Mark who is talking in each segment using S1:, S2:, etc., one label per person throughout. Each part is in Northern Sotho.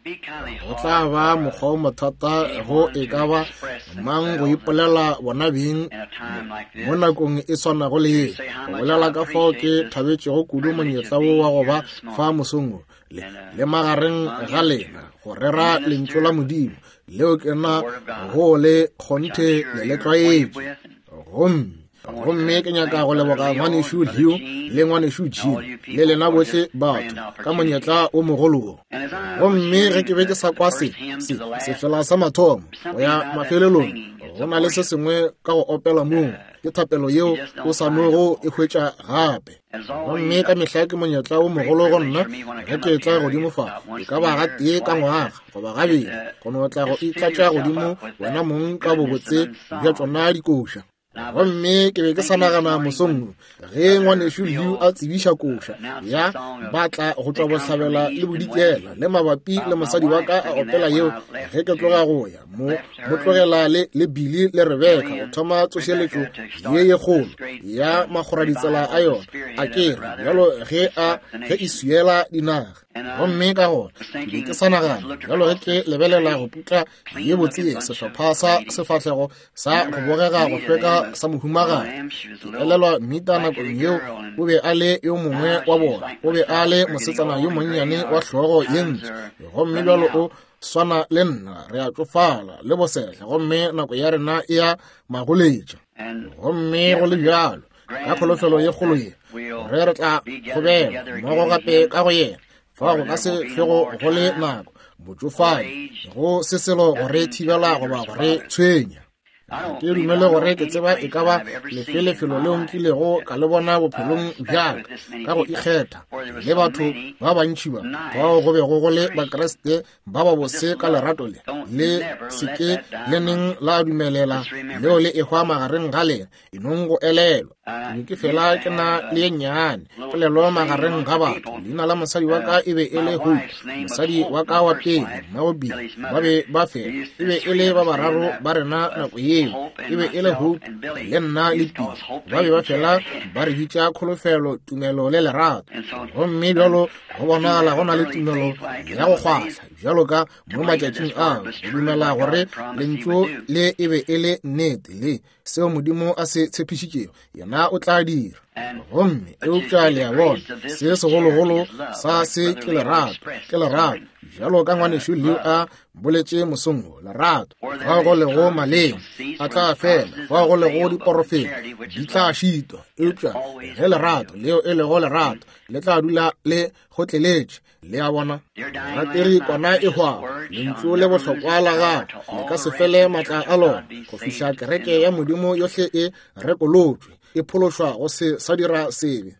S1: Go tla ba mokgwa o mothata go e ka ba mang go ipolela bona beng mo nakong e swanago le ye, go bolela ka fao ke thabetšego kudu monyetla wo wa go ba fa mosong wo le, le magareng ga lena go rera lentšu la Modimo leo ke na go le kgonthe le le tlwaetše. Gomme gomme ke nyaka go leboga ngwanešu Leo le ngwanešu Jim le lena bohle batho ka monyetla o mogolo wo. Gomme ge ke be ke sa kwa se, se, sefela sa mathomo go ya mafelelong, go na le se sengwe ka go opela moo, ke thapelo yeo o sa nogo e hwetša gape. Gomme ka mehla ke monyetla o mogolo go nna ge ke etla godimo fa, e ka ba gatee ka ngwaga goba gabedi, go no tla go itlatša godimo wena mong ka bobotse bja tšona dikoša. Gomme ke be ke sa nagana mosong wo, ge ngwanešu Lew a tsebiša koša ya ba tla go tšwa bohlabela le bodikela, le mabapi le mosadi wa ka a opela yeo ge ke tloga go ya mo mo tlogela le, le Billy le Rebecca go thoma tsošeletšo ye ye kgolo ya makgoraditsela a yona, a ke re bjalo ge a ge e swiela dinaga. Gomme ka gona ke be ke sa nagana bjalo ge ke lebelela go putla ye botse ye, sehlopha sa sefahlego sa go bogega go hlweka sa mohumagadi. Ke elelwa Mita nakong yeo, o be a le yo mongwe wa bona, o be a le mosetsana yo monnyane wa hlogo ye ntsho, gomme bjalo o swana le nna, re a tšofala le bosehla, gomme nako ya rena e a magoletša. Gomme go le bjalo, ka kholofelo ye kgolo ye, gore re tla kgobela mmogo gape ka go yena, fa go ka se hlwego go le nako botšofadi go se selo go re thibela goba go re tshwenya. Ga ke dumele gore ke tseba e ka ba lefe lefelo leo nkilego ka le bona bophelong bja ka ka go ikgetha le batho ba bantši ba bao go bego go le Bakriste ba ba bose ka lerato le le se ke le neng la dumelela leo le ehwa magareng ga lena. E nong go elelwa, ke be ke fela ke na le ye nnyane polelo magareng ga batho. Leina la mosadi wa ka e be e le Hope, mosadi wa ka wa pele, mmago Billy. Ba be ba fela e be e le ba bararo ba rena nako yeo, e be e le Hope le nna le Billy. Ba be ba fela ba re bitša kholofelo, tumelo le lerato. Gomme bjalo go bonagala go na le tumelo ya go kgwahla bjalo ka mo matšatšing ao, go dumela gore lentšu le e be e le nnete le seo Modimo a se tshepišitšego, yena o tla dira. Gomme eupša le a bona, se segologolo sa se ke lerato, ke lerato, bjalo ka ngwanešu Leo a boletše mosong wo, lerato. Fao go lego maleme a tla fela, fao go lego diporofeto di tla šitwa, eupša ge lerato leo e lego lerato le tla dula le kgotleletše. Le a bona, rateri kwana e hwago, lentšu le bohlokwa la gago le ka se fele matla a lona go fihla kereke ya Modimo yohle e rekolotšwe, e phološwa go se sa dira sebe.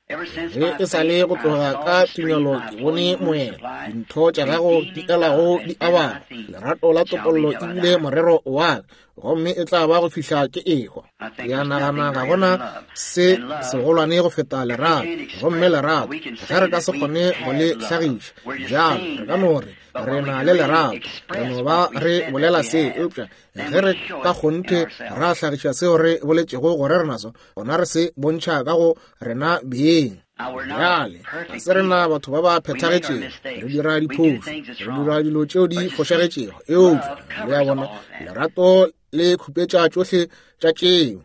S1: Ge e sa le go tloga ka tumelo ke bone moela, dintho tša gago di elago di abana, lerato la topollo e bile morero wa ka, gomme e tla ba go fihla ke ehwa. Ke a nagana ga gona se segolwane go feta lerato, gomme lerato ge re ka se kgone go le hlagiša bjalo, re ka no re re na le lerato, re no ba re bolela se, eupša ge re ka kgonthe ra hlagiša seo re boletšego gore re naso, gona re se bontšha ka go rena beng. Bjale ga se rena batho ba ba phethagetšego, re dira diphošo, re dira dilo tšeo di fošagetšego, eupša le a bona, lerato le khupetša tšohle tša tšeo.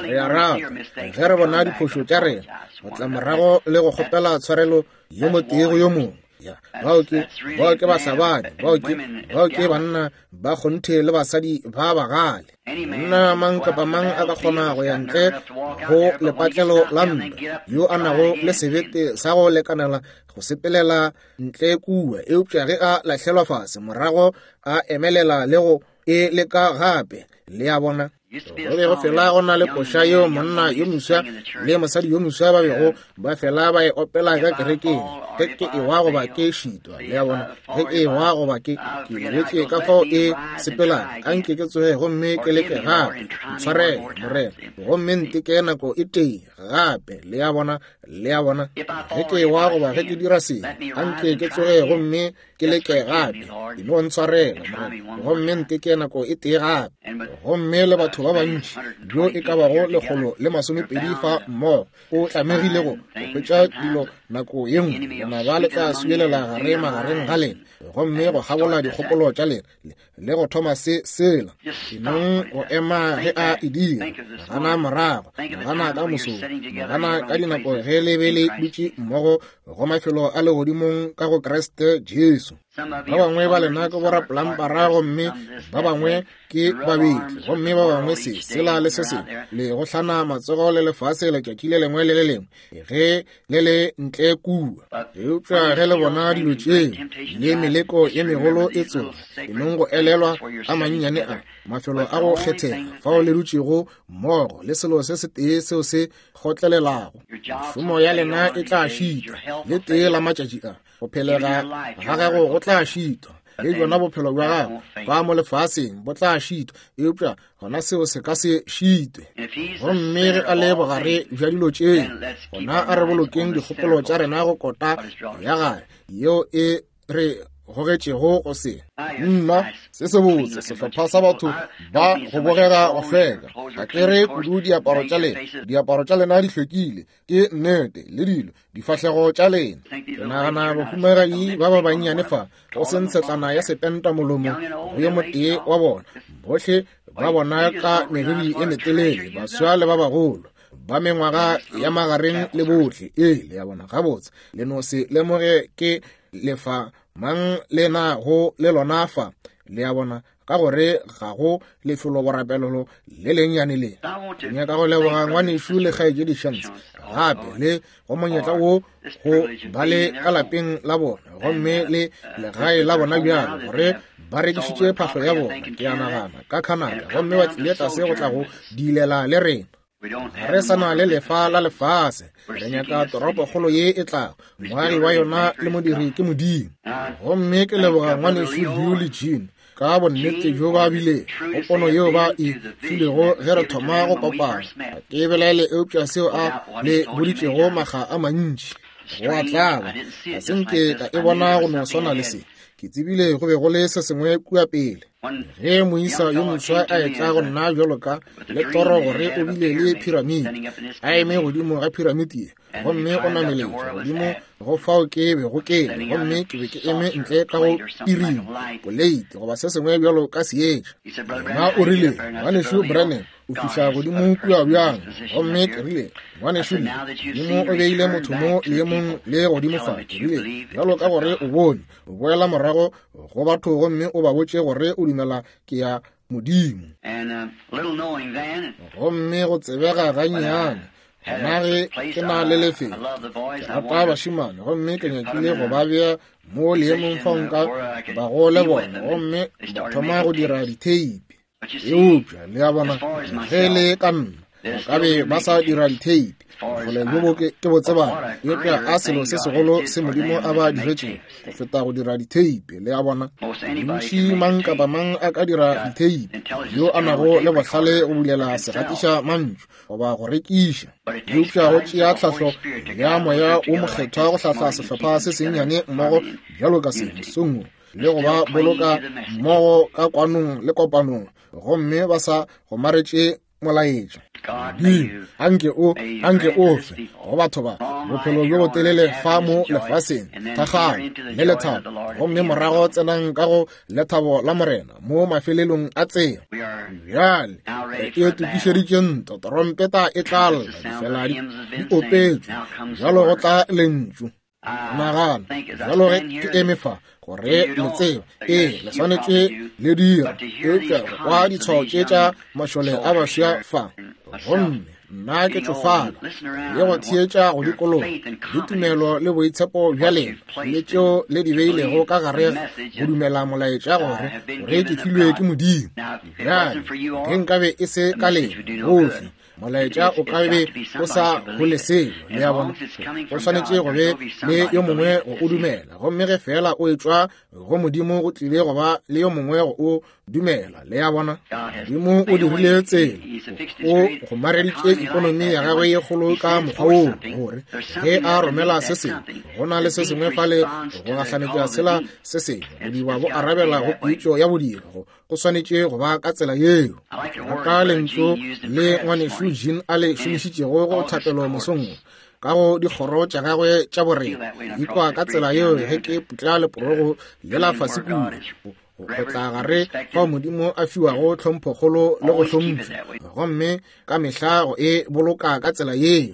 S1: Re a rata ge re bona diphošo tša rena, go tla morago le go kgopela tshwarelo yo motee go yo mongwe. Ya, bao ke, bao ke bahlabani, bao ke, bao ke banna ba kgonthe le basadi ba bagale. Monna mang kapa mang a ka kgona go ya ntle go lepatlelo la ntwa, yo a nago le sebete sa go lekanela go sepelela ntle kua, eupša ge a lahlelwa fase morago a emelela le go e leka gape. Le a bona? Go be go fela go na le koša yeo monna yo moswa le mosadi yo moswa ba bego ba fela ba e opela ka kerekeng, ge ke ewa goba ke šitwa. Le a bona? Ge ke ewa goba ke ke lebetše ka fao e sepelago, a nke ke tsoge gomme ke leke gape. Ntshwarele, Morena, gomme nteke nako e tee gape. Le a bona? Le a bona? Ge ke ewa goba ge ke dira sebe, a nke ke tsoge gomme ke leke gape. E no ntshwarela, Morena, gomme nteke nako e tee gape. Gomme le batho batho ba bantši bjo e ka bago 120 fa mmogo, o tlamegile go hwetša dilo nako ye nngwe. Lenaba le tla swielela gare magareng ga lena, gomme go kgabola dikgopolo tša lena, le go thoma se sela. Enong go ema ge a e dira. Nagana morago, nagana ka mosong, nagana ka dinako ge le be le dutše mmogo go mafelo a legodimong ka go Kriste Jesu. Ba bangwe ba lena ke borapolampara, gomme ba bangwe ke babetli, gomme ba bangwe se sela le se sengwe, le go hlana matsogo le lefase letšatši le lengwe le le lengwe ge le le ntle kua. Eupša ge le bona dilo tše le meleko ye megolo e tsoga, enong go elelwa a mannyane a mafelo a go kgethega fao le dutšego mmogo, le selo se setee seo se kgotlelelago. Mešomo ya lena e tla šitwa le tee la matšatši a. Go phelega ga gago go tla šitwa, le bjona bophelo bja gago fa mo lefaseng bo tla šitwa, eupša gona seo se ka se šitwe. Gomme ge a le bogare bja dilo tše, gona a re bolokeng dikgopolo tša rena go kota ya gae yeo e re gogetšego go se. Nna, se sebotse sehlopha sa batho ba go bogega go hlweka. Ga ke re kudu diaparo tša lena, diaparo tša lena di hlwekile, ke nnete, le dilo, difahlego tša lena. Ke nagana bahumagadi ba ba bannyane fa, go se ntshetlana ya sepenta molomo go yo motee wa bona, bohle ba bona ka meriri e metelele, baswa le ba bagolo, ba mengwaga ya magareng le bohle. Ee, le ya bona gabotse, le no se lemoge ke lefa mang le na go le lona fa, le ya bona, ka gore ga go lefelo borapelelo le lennyane le. Ke nyaka go leboga ngwanešu le kgaetšedi Shantz gape le go monyetla wo go ba le ka lapeng la bona gomme le legae la bona bjalo, gore ba rekišitše phahlo ya bona, ke a nagana, ka Canada, gomme ba tlile tlase go tla go diilela le rena. Ga re sa na le lefa la lefase, re nyaka toropokgolo ye e tlago, moagi wa yona le modiri ke Modimo. Gomme ke leboga ngwanešu Hugh le Jean ka bonnete bjo ba bile go pono yeo ba e filego ge re thoma go kopana. Ga ke belaele eupša seo a le boditšego makga a mantši. Go a tlaba, ga se nke ka e bona go no swana le se. Ke tsebile go be go le se sengwe kua pele. Ge moisa yo moswa a etla go nna bjalo ka le toro gore o bile le phiramiti, a eme godimo ga phiramiti ye, gomme o nameletše godimo go fao ke bego ke le, gomme ke be ke eme ntle ka go piring, poleiti goba se sengwe bjalo ka seetša. Yena o rile, Ngwanešu Branham, o fihla godimo kua bjang? Gomme ke rile, Ngwanešu Lee, Modimo o beile motho mo leemong le godimo fa. Ke rile, Bjalo ka gore o bone, o boela morago go batho gomme o ba botše gore o dumela ke ya Modimo. Gomme go tsebega gannyane, gona ge ke na le lefelo, ke rata bašemane gomme ke nyakile go ba bea mo leemong fa nka bago le bona, gomme ba thoma go dira ditheipi. Eupša le a bona, ge le ka nna, ba ka be ba sa dira ditheipi. Bokgole bjo bo ke bo tsebang, eupša a selo se segolo se Modimo a ba diretšego go feta go dira ditheipi. Le a bona, bontši mang kapa mang a ka dira ditheipi, yo a nago le bohlale go bulela segatiša mantšu goba go rekiša. Eupša go tšea tlhahlo ya Moya wo Mokgethwa go hlahla sehlopha se sennyane mmogo bjalo ka se mosong wo, le go ba boloka mmogo ka kwanong le kopanong, gomme ba sa gomaretše molaetša. Modimo, anke o, anke o fe go batho ba bophelo bjo botelele fa mo lefaseng, thakgalo le lethabo, gomme morago tsenang ka go lethabo la Morena mo mafelelong a tsela. Bjale re e tokišeditše ntwa, trompeta e tla lla, difela di opetšwe, bjalo go tla lentšu. Nagana bjalo ge ke eme fa, gore le tseba, ee, le swanetše le dira, eupša go kwa ditshwao tše tša mašole a baswa fa, gomme nna ke tšofala le go theetša go dikologa le tumelo le boitshepo bja lena le tšeo le di beilego ka gare go dumela molaetša gore gore ke filwe ke Modimo. Bjale ge nkabe e se ka lena bohle, molaetša o ka be o sa hole selo. Le a bona, go swanetše go be le yo mongwe go o dumela, gomme ge feela o etšwa go Modimo, go tlile go ba le yo mongwe go o dumela. Le a bona, Modimo o dirile tsela, o gomareditše ikonomi ya gagwe ye kgolo ka mokgwa woo, gore ge a romela se sengwe, go na le se sengwe fale go gahlanetša sela se sengwe. Bodiba bo arabela go pitšo ya bodiba. Go swanetše go ba ka tsela yeo. Ke rata lentšu le ngwanešu Jean a le šomišitšego go thapelo mosong wo, ka go dikgoro tša gagwe tša borena. Ke ikwa ka tsela yeo ge ke putla leporogo lela fase kua, go tla gare fao Modimo a fiwago tlhomphokgolo le go hlompšwa, gomme ka mehla go e boloka ka tsela yeo,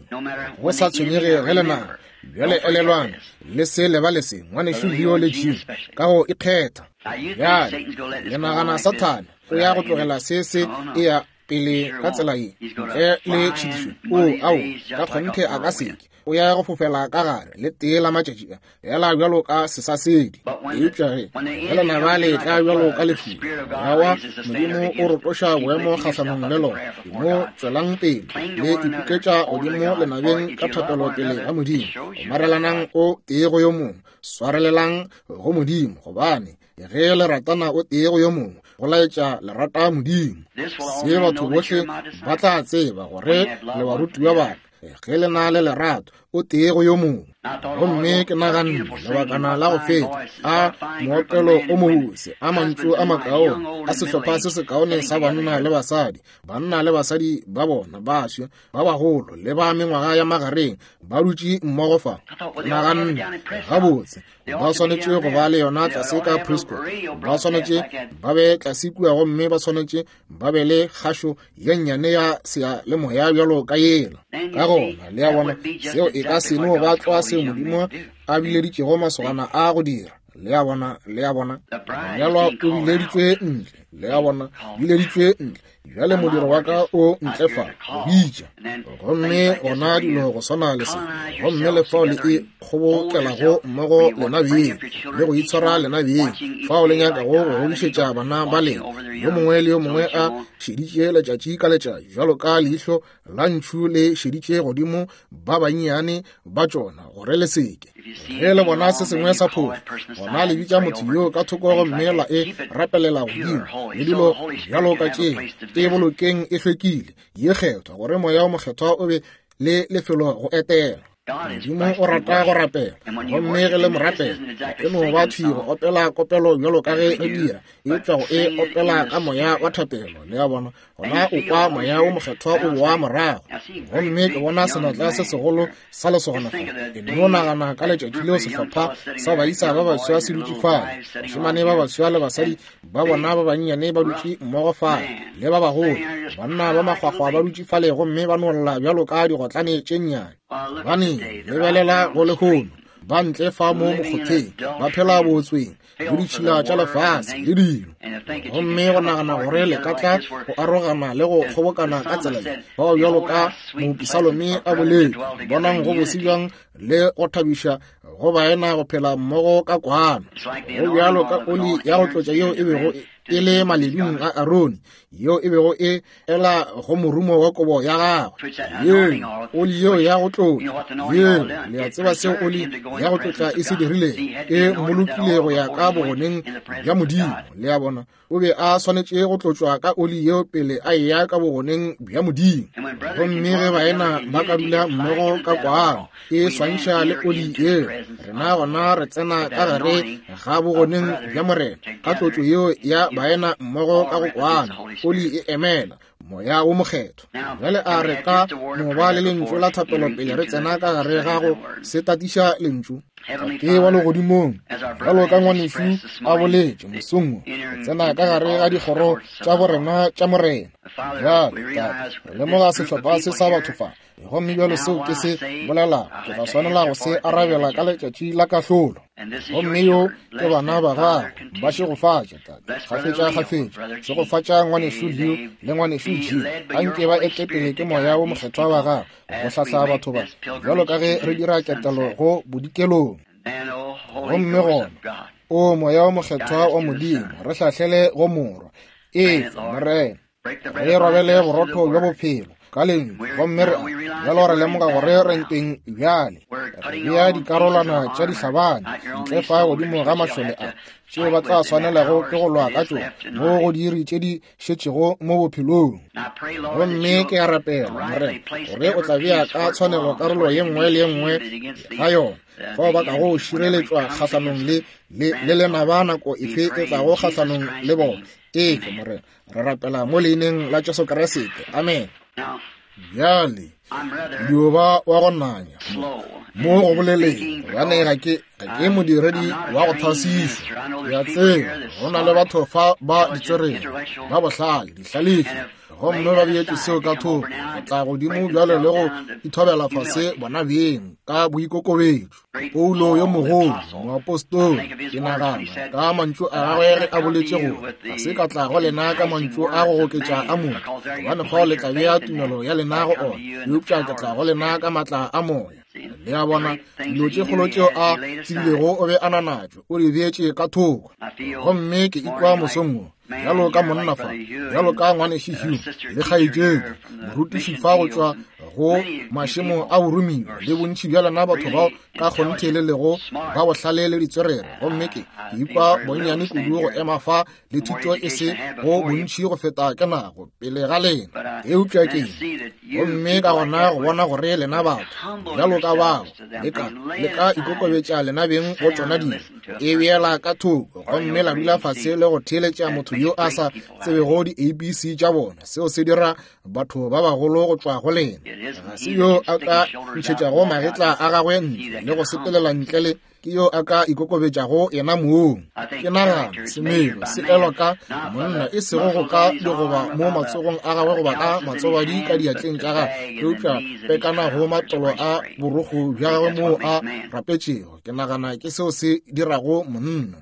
S1: go sa tshwenyege ge lenaba. Bjale elelwang, le se lebale se, ngwanešu Leo le Jim, ka go ikgetha. Bjale, le nagana Sathane o ya go tlogela se se e ya pele ka tsela ye ntle le tšhitišo? O, ao, ka kgonthe a ka seke. O ya go fofela ka gare le tee la matšatši a, fela bjalo ka sesasedi. Eupša ge ge lenaba le etla bjalo ka lefula, Moya wa Modimo o rotoša boemo kgahlanong le lona. Mo tšwelang pele le ipuketša godimo lenabeng ka thapelo pele ga Modimo. Gomarelanang o tee go yo mongwe, swarelelang go Modimo, gobane ge le ratana o tee go yo mongwe, go laetša le rata Modimo. Se batho bohle ba tla tseba gore le barutiwa ba ka, ge le na le lerato o tee go yo mongwe. Gomme ke naganne lebakana la go feta a moopelo o mobose, a mantšu a makaone, a sehlopha se sekaone sa banna le basadi, banna le basadi ba bona baswa, ba bagolo le ba mengwaga ya magareng, ba dutše mmogo fa. Ke naganne, gabotse, ba swanetše go ba le yona tlase ka Prescott, ba swanetše ba be tlase kua, gomme ba swanetše ba be le kgašo ye nnyane ya seyalemoya bjalo ka yela. Ka gona, le a bona, seo e ka se no ba tlwa seo Modimo a bileditšego masogana a go dira. Le a bona, le a bona, monyalwa o bileditšwe ntle. Le a bona, bileditšwe ntle. Bjale modiro wa ka o ntle fa, go bitša. Gomme gona dilo go swana le se, gomme le fao le e kgobokelago mmogo lena beng, le go itshwara lena beng, fao le nyakago go godišetša bana ba lena, yo mongwe le yo mongwe a šeditše letšatši ka letšatši, bjalo ka leihlo la ntšhu le šeditše godimo ba bannyane ba tšona, gore le seke. Ge le bona se sengwe sa phošo, gona le bitša motho yoo ka thoko gomme la e rapelela godimo, le dilo bjalo ka tšeo. E bolokeng e hlwekile, ye kgethwa, gore Moya wo Mokgethwa o be le lefelo go etela. Modimo o rata go rapela, gomme ge le mo rapela, e no ba thwi go opela kopelo bjalo ka ge re dira, eupša go e opela ka moya wa thapelo, le a bona, gona o kwa Moya wo Mokgethwa o boa morago. Gomme ke bona senatla se segolo sa lesogana fa. Ke no nagana ka letšatši leo sehlopha sa baisa ba baswa se dutše fale, bašemane ba baswa le basadi ba bona ba bannyane ba dutše mmogo fale, le ba bagolo, banna ba makgwakgwa ba dutše fale gomme ba nolla bjalo ka digotlane tše nnyane. Gobane, lebelela go lehono, ba ntle fa mo mokgotheng, ba phela bootsweng, le ditšhila tša lefase le dilo, gomme go nagana gore le ka tla go arogana le go kgobokana ka tsela ye, bao bjalo ka mopisalome a boletše, bonang go bose bjang le go thabiša go baena go phela mmogo ka kwano. Go bjalo ka oli ya go tlotša yeo e bego e le maledung a Arone, yeo e bego e ela go morumo wa kobo ya gagwe. Yeo oli yeo ya go tlotša, yeo le a tseba seo oli ya go tlotša e se dirilego, e mmolokile go ya ka bogoneng bja Modimo. Le a bona, o be a swanetše go tlotšwa ka oli yeo pele a eya ka bogoneng bja Modimo. Gomme ge baena ba ka dula mmogo ka kwano, e swantšha le oli yeo, rena gona re tsena ka gare ga bogoneng bja Morena ka tlotšo yeo ya baena mmogo ka go kwana. Oli e emela Moya wo Mokgethwa. Bjale a re ka no ba le lentšu la thapelo pele re tsena ka gare ga go se tatiša lentšu. Tate wa legodimong, bjalo ka ngwanešu a boletše mosong wo, re tsena ka gare ga dikgoro tša borena tša Morena. Bjale, Tate, re lemoga sehlopha se sa batho fa, gomme bjalo seo ke se bolelago, ke tla swanela go se arabela ka letšatši la kahlolo. Gomme yo ke bana ba gago, ba šegofatše, Tate, kgafetša kgafetša. Šegofatša ngwanešu Leo le ngwanešu Jim, a nke ba ete pele ke Moya wo Mokgethwa wa gago go hlahla batho ba, bjalo ka ge re dira ketelo go bodikelong. Gomme gona, o Moya wo Mokgethwa wa Modimo, re hlahlele go Morwa. Efa, Morena, re robele borotho bja bophelo. Ka Lentšu. Gomme re bjalo re lemoga gore re ntweng bjale. Re bea dikarolwana tša dihlabani ntle fa godimo ga mašole a, tšeo ba tla swanelago ke go lwa ka tšona mo go diiri tše di šetšego mo bophelong. Gomme ke a rapela, Morena, gore o tla bea ka tshwanelo karolo ye nngwe le ye nngwe ga yona, fao ba kago šireletšwa kgahlanong le, le, le lenaba nako efe e tlago kgahlanong le bona. Efe, Morena, re rapela mo leineng la Jesu Kriste. Amen. Bjale, dio ba wa go nanya mo go boleleng, gobane ga ke, ga ke modiredi wa go thwasišwa. Ke a tseba go na le batho fa ba ditswerere, ba bohlale, dihlalefi, gomme ba beetše seo ka thoko go tla godimo bjale le go ithobela fase bona beng ka boikokobetšo. Paulo yo mogolo, moapostola, ke nagana ka mantšu a gagwe ge a boletše gore ga se ka tla go lena ka mantšu a go goketša a motho, gobane fao le tla bea tumelo ya lena go ona, eupša ke tla go lena ka maatla a moya. Le a bona, dilo tše kgolo tšeo a tsebilego o be a na natšo, o di beetše ka thoko. Gomme ke ikwa mosong wo bjalo ka monna fa, bjalo ka ngwanešu Hugh le kgaetšedi morutiši fa go tšwa go mašemo a boromiwa, le bontši bja lena batho bao ka kgonthe le lego ba bohlale le ditswerere. Gomme ke ikwa bonnyane kudu go ema fa le thuto e se go bontši go feta ke nago pele ga lena, eupša ke gomme ka gona go bona gore lena batho bjalo ka bao le ka, le ka ikokobetša lena beng go tšona dilo, e beela ka thoko gomme la dula fase le go theeletša motho yo a sa tsebego di-abc tša bona. Seo se dira batho ba bagolo go tšwa go lena. Ga se yo a ka ntšhetšago magetla a gagwe ntle le go sepelela ntle le ke yo a ka ikokobetšago yena mong. Ke nagana semelo se elwa ka monna, e sego go ka digoba mo matsogong a gagwe goba ka matsobadi ka diatleng tša gagwe, eupša pekana go matolo a borokgo bja gagwe moo a rapetšego. Ke nagana ke seo se dirago monna.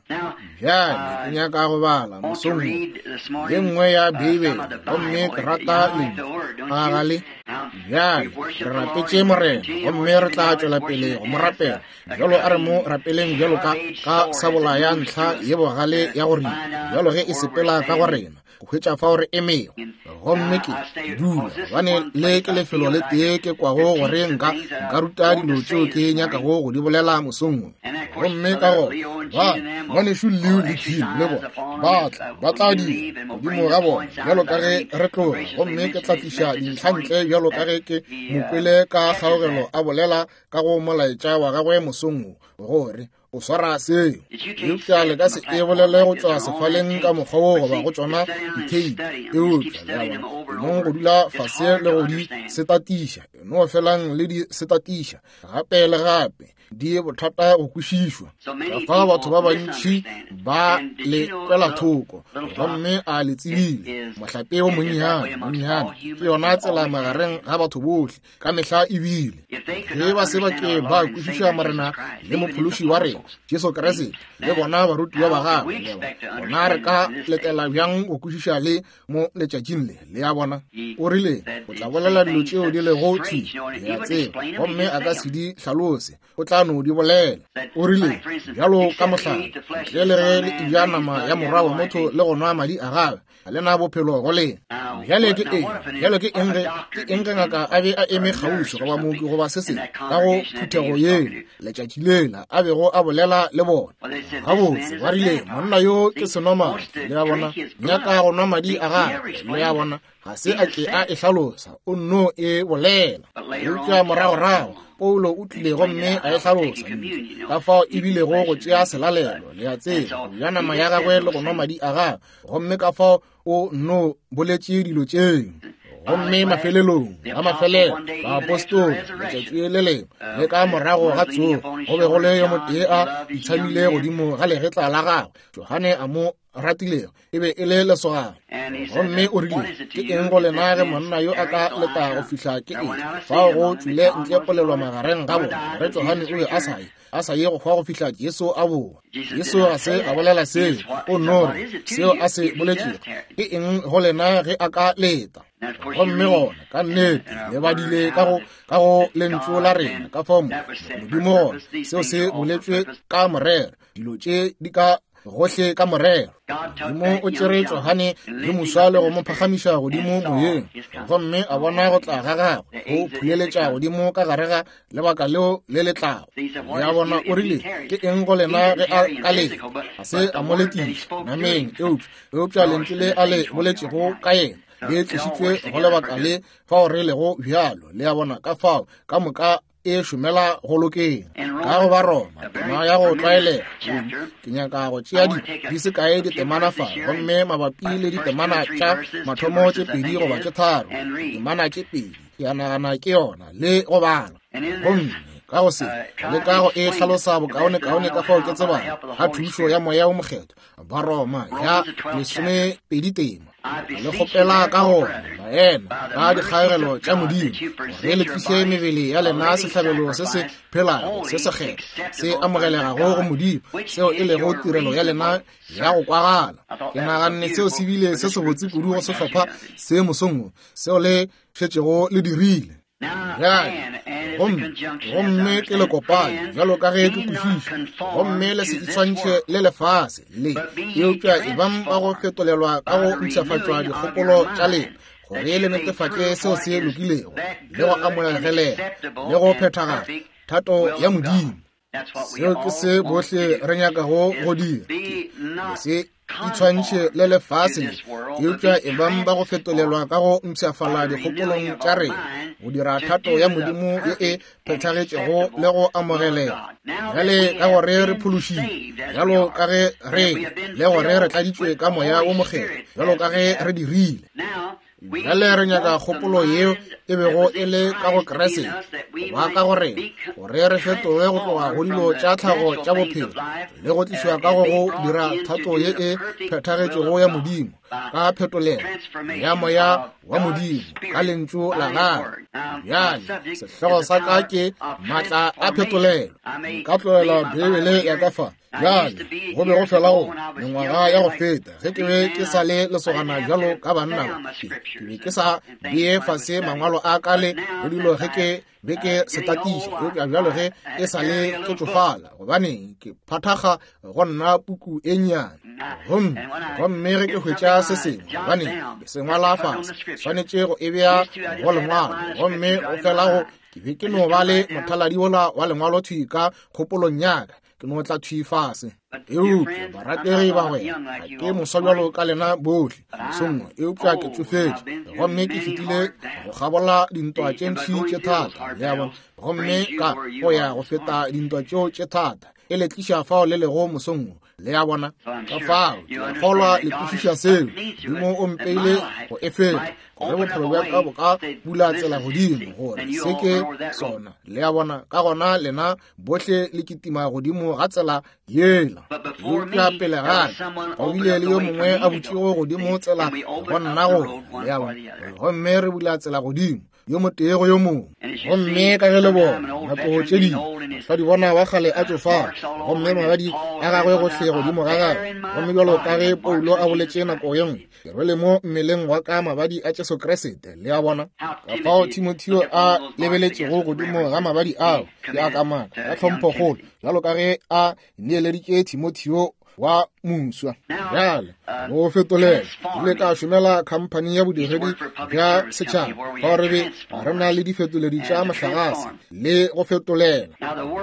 S1: Bjale ke nyaka go bala mosong wo ye nngwe ya Beibele, gomme ke rata lentšu. A ga le? Bjale re rapetše Morena, gomme re tla tšwela pele go mo rapela. Bjalo a re mo rapeleng bjalo ka, ka sabola ya ntlha ye bogale ya go ripa, bjalo ge e sepela ka go rena, go hwetša fao re emego. Gomme ke, ke dula, gobane le ke lefelo le tee ke kwago gore nka, nka ruta dilo tšeo ke nyakago go di bolela mosong wo. Gomme ka gona, ba, Ngwanešu Leo le Jim le bona, ba tla, ba tla dira godimo ga bona bjalo ka ge re tloga, gomme ke tla tliša dintlha ntle bjalo ka ge ke mo kwele ka kgaogelo a bolela ka go molaetša wa gagwe mosong wo, gore o swara seo. Eupša le ka se e bolele go tšwa sefaleng ka mokgwa wo goba go tšona ditheipi, eupša le a bona, enong go dula fase le go di setatiša, eno felang le di setatiša gape le gape, di bothata go kwešišwa. Ka fao batho ba bantši ba le kwela thoko, gomme a le tsebile mohlape o monnyane, monnyane ke yona tsela magareng ga batho bohle ka mehla ebile. Ge ba se ba ke ba kwešiša Morena le Mophološi wa rena Jesu Kriste le bona barutiwa ba gagwe, le bona re ka letela bjang go kwešiša le mo letšatšing le? Le a bona, o rile o tla bolela dilo tšeo di lego thwi, le a tseba, gomme a ka se di hlalose, o tla no di bolela. O rile, bjalo ka mohlala, ntle le ge le eja nama ya morwa wa motho le go nwa madi a gagwe, ga le na bophelo go lena. Bjale ke eng? Bjale ke eng ge, ke eng ge ngaka a be a eme kgauswi goba mooki goba se sengwe ka go phuthego yela letšatši lela a bego a bolela le bona? Gabotse, ba rile, monna yo ke senomadi, le a bona, nyaka go nwa madi a gagwe, le a bona, ga se a ke a e hlalosa, o nno e bolela. Eupša moragorago Paulo o tlile gomme a e hlalosa ka fao e bilego go tšea selalelo, le a tseba, go ja nama ya gagwe le go nwa madi a gagwe, gomme ka fao o nno boletše dilo tšeo. Gomme mafelelong a mafelelo baapostola letšatši le lengwe le ka morago ga tsogo, go be go le yo motee a itshamile godimo ga legetla la gagwe, Johane a mo ratilego, e be e le lesogana. Gomme o rile, Ke eng go lena ge monna yo a ka leta go fihla ke eng? Fao go tšwile ntle polelo magareng ga bona gore Johane o be a sa ye, a sa ye go hwa go fihla Jesu a boa. Jesu ga se a bolela seo, o no re seo a se boletšego. Ke eng go lena ge a ka leta? Gomme gona ka nnete le badile ka go, ka go lentšu la rena ka fao Modimo gona seo se boletšwe ka morero, dilo tše di ka gohle ka morero. Modimo o tšere Johane yo moswa le go mo phagamiša godimo moyeng, gomme a bona go tla ga gagwe go phuleletša godimo ka gare ga lebaka leo le le tlago. Le a bona, o rile, Ke eng go lena ge a ka leta? Ga se a mo letiša nameng, eupša, eupša lentšu le a le boletšego ka yena le tlišitšwe go lebaka le fao re lego bjalo. Le a bona, ka fao ka moka e šomela go lokeng. Ka go Baroma, tema ya go tlwaelega, ke nyaka go tšea di di se kae ditemana fa, gomme mabapi le ditemana tša mathomo tše pedi goba tše tharo, ditemana tše pedi, ke a nagana ke yona, le go bala. Gomme ka go se leka go e hlalosa bokaonekaone ka fao ke tsebago, ka thušo ya Moya wo Mokgethwa, Baroma ya 12 tema. Le kgopela ka gona, baena, ka dikgaegelo tša Modimo, gore le tliše mebele ya lena sehlabelo se se phelago, se sekgethwa, se amogelegago go Modimo, seo e lego tirelo ya lena ya go kwagala. Ke naganne seo se bile se sebotse kudu go sehlopha se mosong wo, seo le šetšego le dirile. Bjale, gomme, gomme ke le kopane, bjalo ka ge ke kwešiša, gomme le se itshwantšhe le lefase le, eupša ebang ba go fetolelwa ka go mpshafatšwa dikgopolo tša lena, gore le netefatše seo se lokilego, le go amogelega, le go phethagala, thato ya Modimo. Seo ke se bohle re nyakago go dira, ke le se itshwantšhe le lefase le, eupša ebang ba go fetolelwa ka go mpshafala dikgopolong tša rena, go dira thato ya Modimo ye e phethagetšego le go amogelega. Bjale ka gore re phološitšwe, bjalo ka ge re le gore re tladitšwe ka Moya wo Mokgethwa, bjalo ka ge re dirile. Bjale re nyaka kgopolo yeo e bego e le ka go Kriste, go ba ka go rena, gore re fetoge go tloga go dilo tša tlhago tša bophelo le go tlišwa ka go go dira thato ye e phethagetšego ya Modimo ka phetolelo ya Moya wa Modimo ka Lentšu la Gagwe. Bjale sehlogo sa ka ke maatla a phetolelo. Nka tlohela Beibele ya ka fa. Bjale, go be go fela go mengwaga ya go feta ge ke be ke sa le lesogana bjalo ka banna ba, ke, ke be ke sa bee fase mangwalo a ka le go dilo ge ke be ke se tatiša, eupša bjalo ge e sa le ke tšofala, gobane ke phathakga go nna puku e nnyane. Gomme, gomme ge ke hwetša se sengwe, gobane ke se ngwala fase, swanetše go e bea go lengwalo, gomme go fela go, ke be ke no ba le mothaladi wola wa lengwalo thwi ka kgopolong ya ka, ke no tla thwi fase. Eupša barategi bagwera, ga ke moswa bjalo ka lena bohle mosong wo, eupša ke tšofetše gomme ke fetile go kgabola dintwa tše ntši tše thata, le a bona, gomme ka go ya go feta dintwa tšeo tše thata, e le tliša fao le lego mosong wo, le a bona. Ka fao ke a kgolwa le kwešiša seo. Modimo o mpeile go e feta, gore bophelo bja ka bo ka bula tsela godimo, gore se ke sona, le a bona. Ka gona lena bohle le kitima godimo ga tsela yela, eupša pele ga ka go bile le yo mongwe a butšego godimo tsela go nna go, le a bona, gomme re bula tsela godimo yo motee go yo mongwe. Gomme ka ge le bona nako tše dingwe basadi bona ba kgale a tšofala, gomme magadi a gagwe gohle godimo ga gagwe, gomme bjalo ka ge Paulo a boletše nako ye nngwe, Ke rwele mo mmeleng wa ka mabadi a Jesu Kriste, le a bona. Ka fao Timotheo a lebeletšego godimo ga mabadi ao, ke a kamaka, ka tlhomphokgolo, bjalo ka ge a neeleditše Timotheo wa moswa. Bjale, go fetolela, ile ka šomela khamphani ya bodiredi bja setšhaba, fao re be re na le difetoledi tša mohlagase le go fetolela.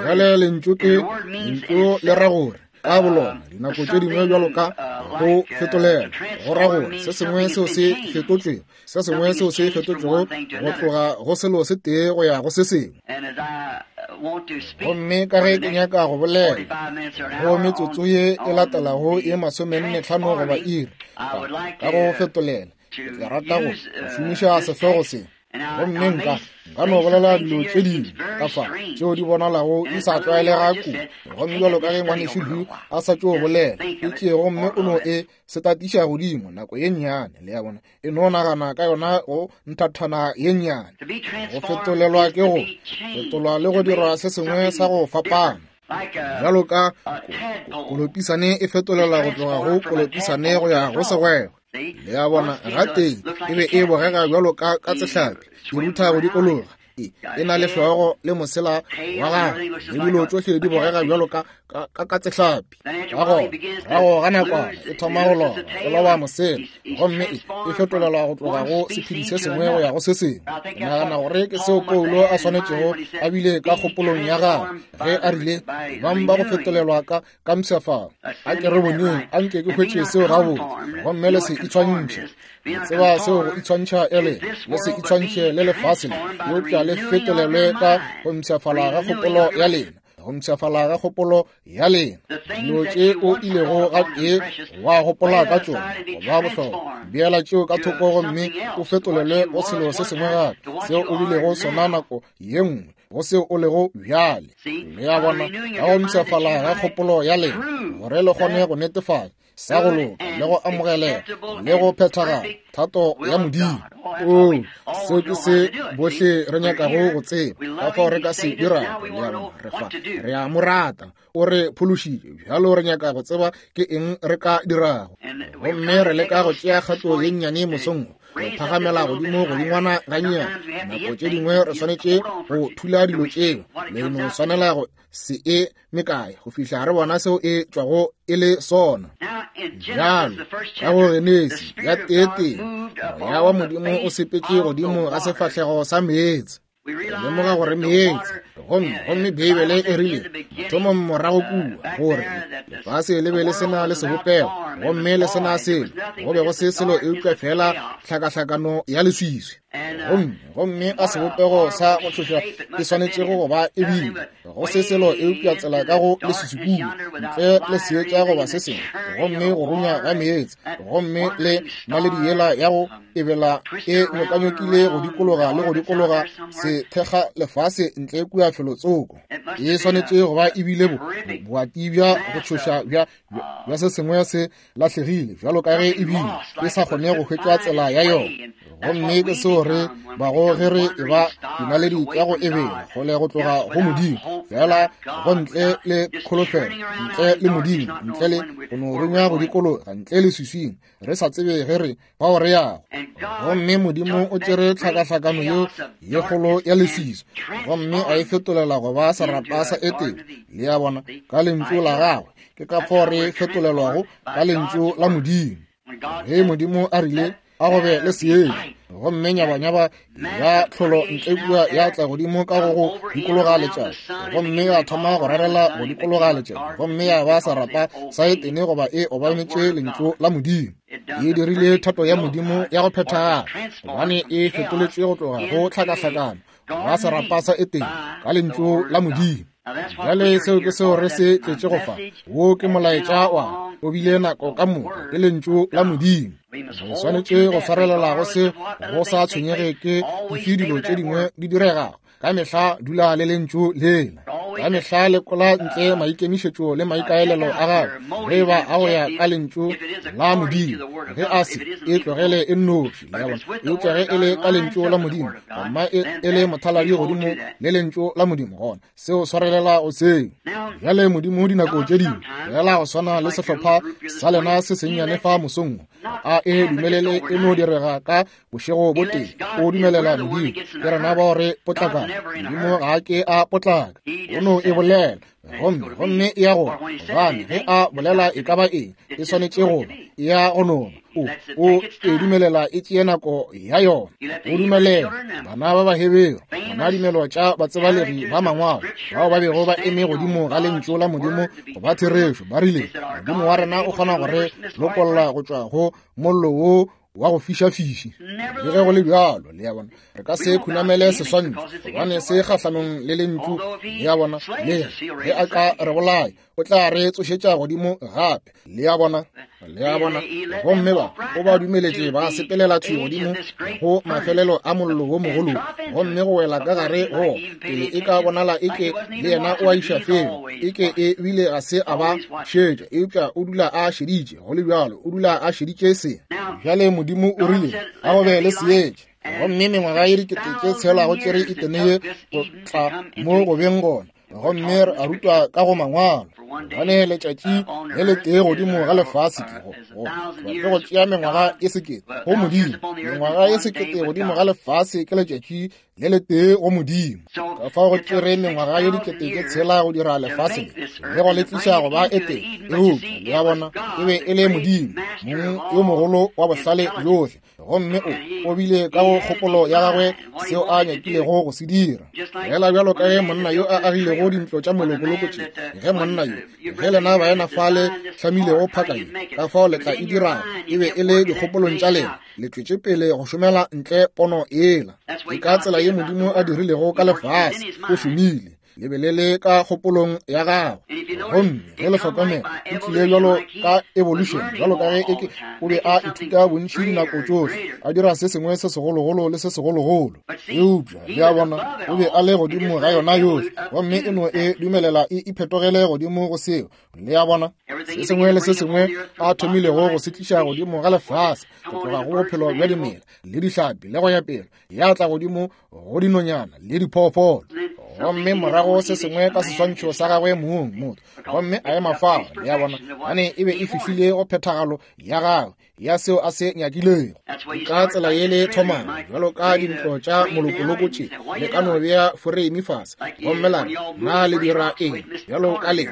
S1: Bjale lentšu ke, lentšu le ra gore, ka bolona dinako tše dingwe bjalo ka go fetolela go ra gore se sengwe seo se fetotšwego se sengwe seo se fetotšwego go tloga go selo se tee go ya go se sengwe. Gomme ka ge ke nyaka go bolela go metsotso ye e latelago ye 45 goba iri ka go fetolela, ke tla rata go šomiša sehlogo se. Gomme nka, nka no bolela dilo tše dingwe ka fa tšeo di bonalago di sa tlwaelega kudu. Gomme bjalo ka ge ngwanešu Hugh a sa tšo bolela, e tšee gomme o no e setatiša godimo nako ye nnyane, le a bona, e no nagana ka yona go nthathana ye nnyane. Go fetolelwa ke go fetolwa le go dirwa se sengwe sa go fapana. Bjalo ka kolopisane e fetolelwa go tloga go kolopisane go ya go segwegwe. Le a bona, gatee e be e bogega bjalo ka katsehlapi e rutha go dikologa. E na le hlogo le mosela wa gagwe, le dilo tšohle di bogega bjalo ka ka ka tsehlapi. Ka gona, morago ga nakwana e thoma go loba, e loba mosela, gomme e, e fetolelwa go tloga go sephedi se sengwe go ya go se sengwe. Ke nagana gore ke seo Paulo a swanetšego a bile ka kgopolong ya gagwe ge a rile, Bang ba go fetolelwa ka ka mpshafalo. A ke re boneng, a nke ke hwetše seo gabotse, gomme le se itshwantšhe. Le tseba seo go itshwantšha e le, le se itshwantšhe le lefase le, eupša le fetolelwe ka go mpshafala ga kgopolo ya lena, go mpshafala ga kgopolo ya lena. Dilo tše o ilego gatee wa gopola ka tšona go ba bohlokwa, beela tšeo ka thoko gomme o fetolelwe go selo se sengwe gape, seo o bilego sona nako ye nngwe, go seo o lego bjale. Le a bona, ka go mpshafala ga kgopolo ya lena, gore le kgone go netefatša sa go loka le go amogelega le go phethagala thato ya Modimo. Oo, seo ke se bohle re nyakago go tseba, ka fao re ka se dirago. Le a bona, re fa, re a mo rata, o re phološitše, bjalo re nyaka go tseba ke eng re ka dirago. Gomme re leka go tšea kgato ye nnyane mosong wo, go phagamela godimo godingwana gannyane. Nako tše dingwe re swanetše go thula dilo tšeo, le no swanela go se e mekae go fihla re bona seo e tšwago e le sona. Bjalo ka go Genesi ya teetee, Moya wa Modimo o sepetše godimo ga sefahlego sa meetse. Re lemoga gore meetse, gomme, gomme Beibele e rile mathomong morago kua gore lefase le be le se na le sebopego gomme le se na selo, go be go se selo eupša feela tlhakahlakano ya leswiswi. Gomme, gomme a sebopego sa go tšhoša e swanetšego go ba e bile, go se selo eupša tsela ka go leswiswi kua, ntle le seetša goba se sengwe, gomme go runya ga meetse, gomme le naledi yela ya go ebela e nyokanyokile go dikologa le go dikologa sethekga lefase ntle kua felotsoko. E swanetše go ba e bile boati bja go tšhoša bja, bja se sengwe se lahlegile, bjalo ka ge e bile e sa kgone go hwetša tsela ya yona. Gomme ke seo re bago ge re e ba dinaledi tša go ebela kgole go tloga go Modimo, fela go ntle le kholofelo, ntle le Modimo, ntle le go no runya go dikologa, ntle le swiswing, re sa tsebe ge re bao re yago. Gomme Modimo o tšere tlhakahlakano yeo ye kgolo ya leswiswi gomme a e fetolela go ba serapa sa Etene, le a bona, ka lentšu la gagwe. Ke ka fao re fetolelwago ka lentšu la Modimo. Ge Modimo a rile a go be le seetša, gomme nyabanyaba ya tlholo ntle kua ya tla godimo ka go go dikologa letšatši, gomme ya thoma go rarela go dikologa letšatši, gomme ya ba serapa sa Etene goba e obametše lentšu la Modimo. E dirile thato ya Modimo ya go phethagala, gobane e fetoletšwe go tloga go tlhakahlakano ba serapa sa Etene ka lentšu la Modimo. Bjale seo ke seo re se tletše go fa. Wo ke molaetša wa o bile nako ka moka, ke lentšu la Modimo. Re swanetše go swarelela go se go sa tshwenyege ke dife dilo tše dingwe di diregago. Ka mehla dula le lentšu lela. Ka mehla lekola ntle maikemišetšo le maikaelelo a gago, ge ba a go ya ka lentšu la Modimo. Ge a se, e tlogele e nnoši, le a bona. Eupša ge e le ka lentšu la Modimo, gona e, e le mothaladi godimo le lentšu la Modimo, gona seo swarelela go seo. Bjale Modimo dinako tše dingwe, fela go swana le sehlopha sa lena se sennyane fa mosong wo, a e dumelele e no direga ka bošego bo tee, o dumelela Modimo. Ke rena bao re potlakago. Modimo ga a ke a potlaka, o no e bolela, gomme, gomme e ya go, gobane ge a bolela e ka ba eng, e swanetše go ba, e ya go nona. O, o e dumelela e tšee nako ya yona. O dumelela bana ba Baheberu, bona dimelo tša batsebalegi ba mangwalo, bao ba bego ba eme godimo ga lentšu la Modimo go ba therešo, ba rile, Modimo wa rena o kgona go re lokolla go tšwa go mollo wo wa go fišafiši. Le ge go le bjalo, le a bona, re ka se khunamele seswantšho, gobane se kgahlanong le lentšu, le a bona, le ge a ka re bolaya, o tla re tsošetša godimo gape, le a bona, le a bona. Gomme ba, o ba dumeletše ba sepelela thwi godimo go mafelelo a mollo wo mogolo, gomme go wela ka gare go pele e ka bonala eke le yena o a iša felo, eke e bile ga se a ba šetša, eupša o dula a šeditše. Go le bjalo, o dula a šeditše se. Bjale Modimo o rile, A go be le seetša. Gomme mengwaga ye dikete tše tshelago tšere Etene ye go tla mo go beng gona. Gomme re a rutwa ka go Mangwalo, gobane letšatši le letee godimo ga lefase ke go, go, ke go tšea mengwaga e sekete go Modimo. Mengwaga e sekete godimo ga lefase ke letšatši le letee go Modimo. Ka fao go tšere mengwaga ye dikete tše tshela go dira lefase le, le go le tliša go ba e tee. Eupša, le a bona, e be e le Modimo, Mong yo mogolo wa bohlale bjohle, gomme o, o bile ka go kgopolo ya gagwe seo a nyakilego go se dira. Feela bjalo ka ge monna yo a agilego dintlo tša molokoloko tše, ge monna yo, ge lena baena fale hlamilego phaka ye, ka fao le tla e dirago, e be e le dikgopolong tša lena. Le tšwetše pele go šomela ntle pono yela. Ke ka tsela ye Modimo a dirilego ka lefase. O šomile. Le be le le ka kgopolong ya gagwe. Gomme ge le hlokomela, e tlile bjalo ka evolution, bjalo ka ge eke o be a ithuta bontši dinako tšohle, a dira se sengwe se segologolo le se segologolo. Eupša, le a bona, o be a le godimo ga yona yohle, gomme e no e dumelela e iphetogele godimo go seo. Le a bona, se sengwe le se sengwe a thomilego go se tliša godimo ga lefase, go tloga go bophelo bja dimela le dihlapi le go ya pele, ya tla godimo go dinonyana le diphoofolo. Gomme morago se sengwe ka seswantšho sa gagwe mong, motho, gomme a ema fao. Le a bona, gane e be e fihlile go phethagalo ya gagwe ya seo a se nyakilego. Ka tsela ye le thomang, bjalo ka dintlo tša molokoloko tše, le ka no bea foreimi fase, gomme la re, Na le dira eng? Bjalo ka le,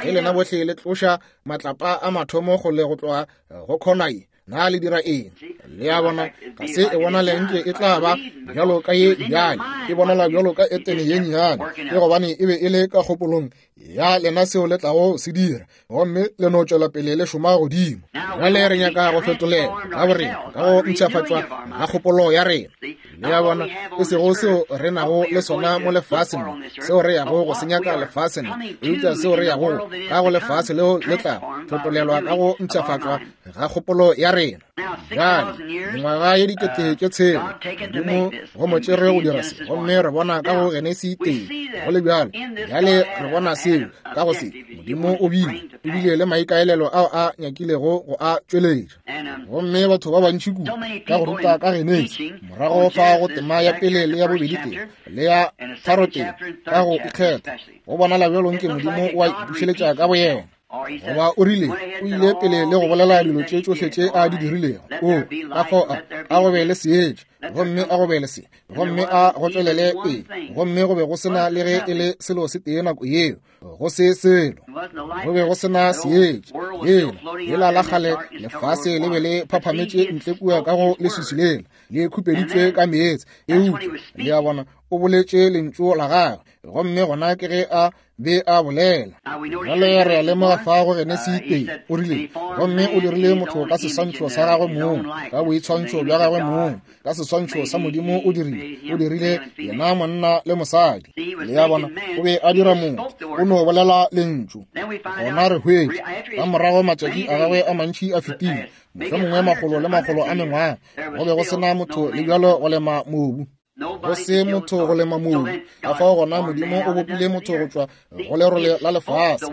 S1: ge lena bohle le tloša matlapa a mathomo kgole go tloga go khona ye, na le dira eng? Le a bona, ga se e bonale nke e tla ba bjalo ka ye bjale, e bonala bjalo ka Etene ye nnyane, ke gobane e be e le ka kgopolong ya lena seo le tlago se dira, gomme le no tšwela pele le šoma godimo. Bjale re nyaka go fetolela ka borena ka go mpshafatšwa ga kgopolo ya rena. Le a bona, e sego seo re nago le sona mo lefaseng mo, seo re yago go se nyaka lefaseng, eupša seo re yago ka go lefase leo le tlago fetolelwa ka go mpshafatšwa ga kgopolo ya rena. Bjale, mengwaga ye dikete tše tshela, Modimo go mo tšere go dira se, gomme re bona ka go Genesi tee, go le bjalo. Bjale re bona seo ka go se, Modimo o bile, o bile le maikaelelo ao a nyakilego go a tšweletša. Gomme batho ba bantši kudu ka go ruta ka Genesi, morago fa go tema ya pele le ya bobedi tee, le ya tharo tee, ka go ikgetha, go bonala bjalo nke Modimo o a ipušeletša ka boyena. Goba o rile, o ile pele le go bolela dilo tše tšohle tše a di dirilego. O, ka fao a, a go be le seetša, gomme a go be le se, gomme a go tšwelele pele, gomme go be go se na le ge e le selo se tee nako yeo, go se selo. Go be go se na seetša. Lela, lela la kgale lefase le be le phaphametše ntle kua ka go leswiswi lela, le khupeditšwe ka meetse. Eupša, le a bona, o boletše lentšu la gagwe, gomme gona ke ge a be a bolela. Bjale re a lemoga fa go Genesi tee, o rile, gomme o dirile motho ka seswantšho sa gagwe mong, ka boitshwantšho bja gagwe mong, ka seswantšho sa Modimo o dirile, o dirile yena monna le mosadi. Le a bona, o be a dira motho, o no bolela lentšu. Gona re hwetša, ka morago matšatši a gagwe a mantši a fetile, mohlomongwe makgolo le makgolo a mengwaga, go be go se na motho le bjalo go lema mobu. Go se motho go lema mobu. Ka fao gona Modimo o bopile motho go tšwa go lerole la lefase.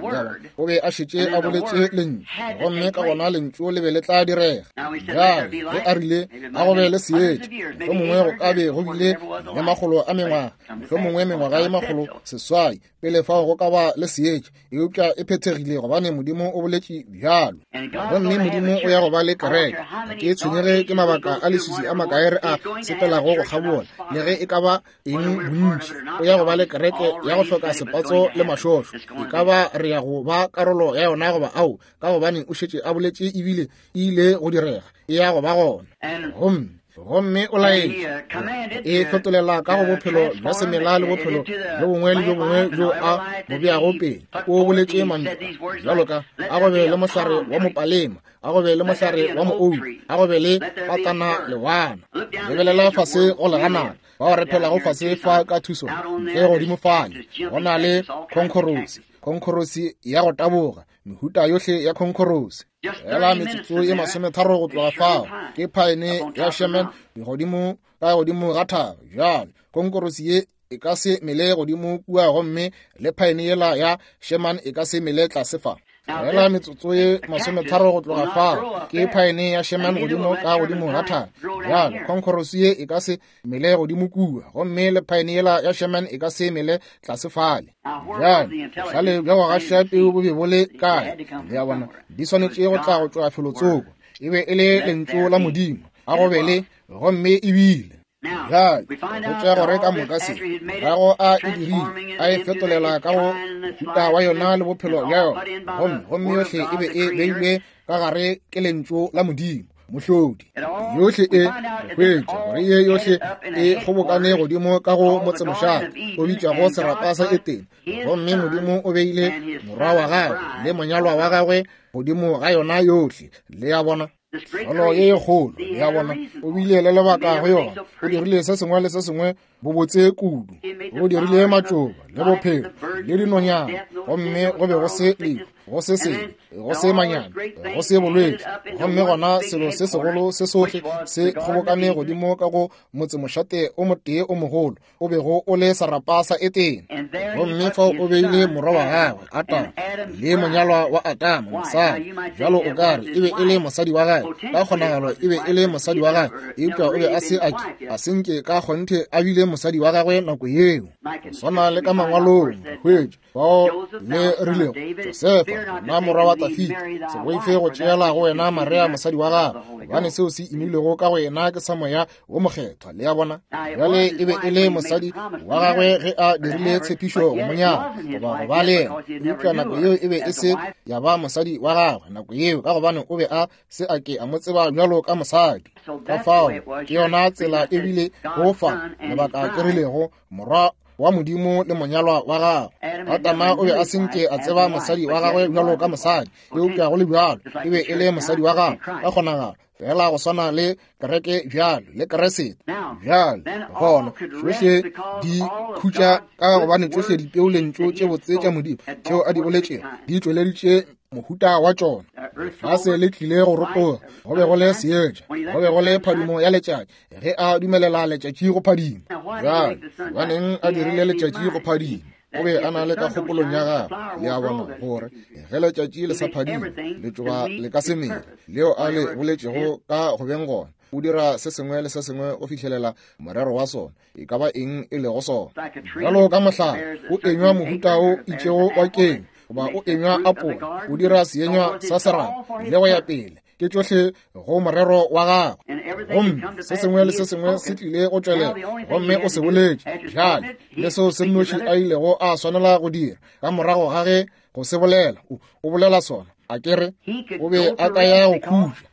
S1: O be a šetše a boletše lentšu, gomme ka gona lentšu le be le tla direga. Bjale ge a rile a go be le seetša, mohlomongwe go ka be go bile le makgolo a mengwaga, mohlomongwe mengwaga ye 600 pele fao go ka ba le seetša, eupša e phethegile gobane Modimo o boletše bjalo. Gomme Modimo o ya go ba le kereke. Ga ke tshwenyege ke mabaka a leswiswi a makae re a sepelago go kgabola, le ge e ka ba eng bontši, o ya go ba le kereke ya go hloka sepatso le mašošo. E ka ba re ya go ba karolo ya yona goba ao, ka gobane o šetše a boletše ebile e ile go direga, e ya go ba gona. Gomme gomme o laetše e fetolela ka go bophelo bja semela le bophelo bjo bongwe le bjo bongwe bjo a bo beago pele. O boletše mantšu bjalo ka a go be le mohlare wa mopalema, a go be le mohlare wa moou, a go be le patana lewana. Lebelela fase go leganana bao re phelago fase fa ka thuso ntle godimo fale go na le khonkhorosi, khonkhorosi ya go taboga, mehuta yohle ya khonkhorosi. Fela metsotso ye masometharo go tloga fao ke phaene ya Sherman godimo ka godimo ga thaba. Bjale khonkhorosi ye e ka se mele godimo kua, gomme le phaene yela ya Sherman e ka se mele tlase fa. Feela metsotso ye masometharo go tloga fao ke phaene ya Sherman godimo ka godimo ga thaba. Bjale, khonkhorosi ye e ka se mele godimo kua, gomme le phaene yela ya Sherman e ka se mele tlase fale. Bjale, bohlale bja go gaša peu bo be bo le kae? Le a bona, di swanetše go tla go tšwa felotsoko. E be e le Lentšu la Modimo, a go be le, gomme e bile. Bjale, re hwetša gore ka moka se morago a e dirile, a e fetolela ka go mohuta wa yona le bophelo bja yona, gomme, gomme yohle e be e beilwe ka gare ke Lentšu la Modimo, Mohlodi. Yohle e, re hwetša gore ye yohle e kgobokane godimo ka go motsemošate o bitšwago serapa sa Etene, gomme Modimo o beile morwa wa gagwe le monyalwa wa gagwe godimo ga yona yohle. Le a bona? Tlholo ye e kgolo, le a bona, o bile le lebaka go yona. O dirile se sengwe le se sengwe bobotse kudu. O dirile matšoba le bophelo le dinonyana, gomme go be go se lehu, go se sebe, go se manyami, go se bolwetši. Gomme gona selo se segolo se sohle se kgobokane godimo ka go motsemošate o motee o mogolo, o bego o le serapa sa Etene. Gomme fao o beile morwa wa gagwe, Atama, le monyalwa wa Atama, mosadi. Bjalo o ka re e be e le mosadi wa gagwe, ka kgonagalo e be e le mosadi wa gagwe, eupša o be a se a ke, a se nke ka kgonthe a bile mosadi wa gagwe nako yeo. Go swana le ka mangwalong, re hwetša fao le rilego, Josefa, wena morwa wa Dafida, se boife go tšeela go wena Maria mosadi wa gago, gobane seo se imilwego ka go yena ke sa Moya wo Mokgethwa. Le a bona? Bjale e be e le mosadi wa gagwe ge a dirile tshepišo go mo nyala goba go ba le yena, eupša nako yeo e be e se ya ba mosadi wa gagwe nako yeo, ka gobane o be a se a ke a mo tseba bjalo ka mosadi. Ka fao ke yona tsela e bile go fa lebaka ke rilego morwa wa Modimo le monyalwa wa gagwe. Adama o be a se nke a tseba mosadi wa gagwe bjalo ka mosadi, eupša go le bjalo e be e le mosadi wa gagwe ka kgonagalo, fela go swana le kereke bjalo le Keresete bjalo. Gona tšohle di khutša ka gobane tšohle dipeu lentšu tše botse tša Modimo tšeo a di boletšego di tšweleditše mohuta wa tšona. Lefase le tlile go rotoga, go be go le seetša, go be go le phadimo ya letšatši ge a dumelela letšatši go phadima. Bjale gobaneng a dirile letšatši go phadima? O be a na le ka kgopolong ya gagwe, le a bona, gore ge letšatši le sa phadime, letšoba le ka se mele, leo a le boletšego ka go beng gona. O dira se sengwe le se sengwe go fihlelela morero wa sona, e ka ba eng e lego sona. Bjalo ka mohlare o enywa mohuta o itšego wa kenyo, goba o enywa apola, o dira seenywa sa serapa, le go ya pele. Ke tšohle go morero wa gagwe, gomme se sengwe le se sengwe se tlile go tšwelela, gomme o se boletše. Bjale le seo se nnoši a ilego a swanela go dira ka morago ga ge go se bolela, o bolela sona, a ke re o be a ka ya go khutša,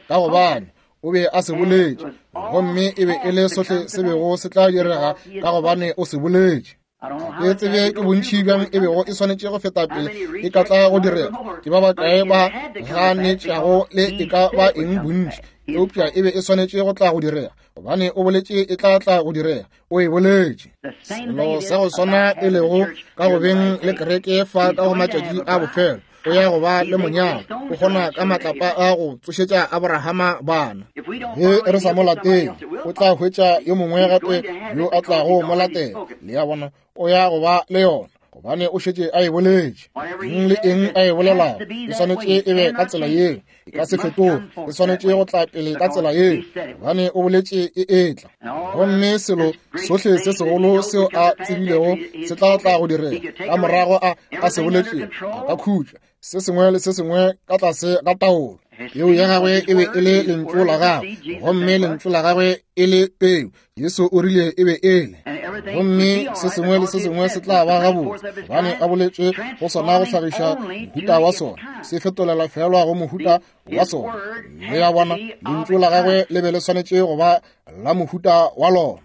S1: ka gobane o be a se boletše, gomme e be e le sohle se bego se tla direga, ka gobane o se boletše. Ke tsebe ke bontši bjang e bego e swanetše go feta pele e ka tla go direga, ke ba bakae ba ganetšago le e ka ba eng bontši, eupša e be e swanetše go tla go direga, gobane o boletše e tla tla go direga. O e boletše. Selo sa go swana e lego ka go beng le kereke fa ka go matšatši a bofelo, o ya go ba le monyalo, o kgona ka matlapa a go tsošetša Abrahama bana. Ge re sa mo latele, o tla hwetša yo mongwe gape yo a tlago mo latela. Le a bona, o ya go ba le yona, gobane o šetše a e boletše. Eng le eng a e bolelago e swanetše e be ka tsela yeo, e ka se fetoge, e swanetše go tla pele ka tsela yeo, gobane o boletše e etla. Gomme selo sohle se segolo seo a tsebilego se tla tla go direga ka morago a se boletše, a ka khutša se sengwe le se sengwe ka tlase ga taolo. Peu ya gagwe e be e le lentšu la gagwe, gomme lentšu la gagwe e le peu. Jesu o rile e be e le, gomme se sengwe le se sengwe se tla ba gabotse, gobane a boletše go sona go hlagiša mohuta wa sona, se fetolela feelwa go mohuta wa sona. Le a bona, lentšu la gagwe le be le swanetše go ba la mohuta wa lona.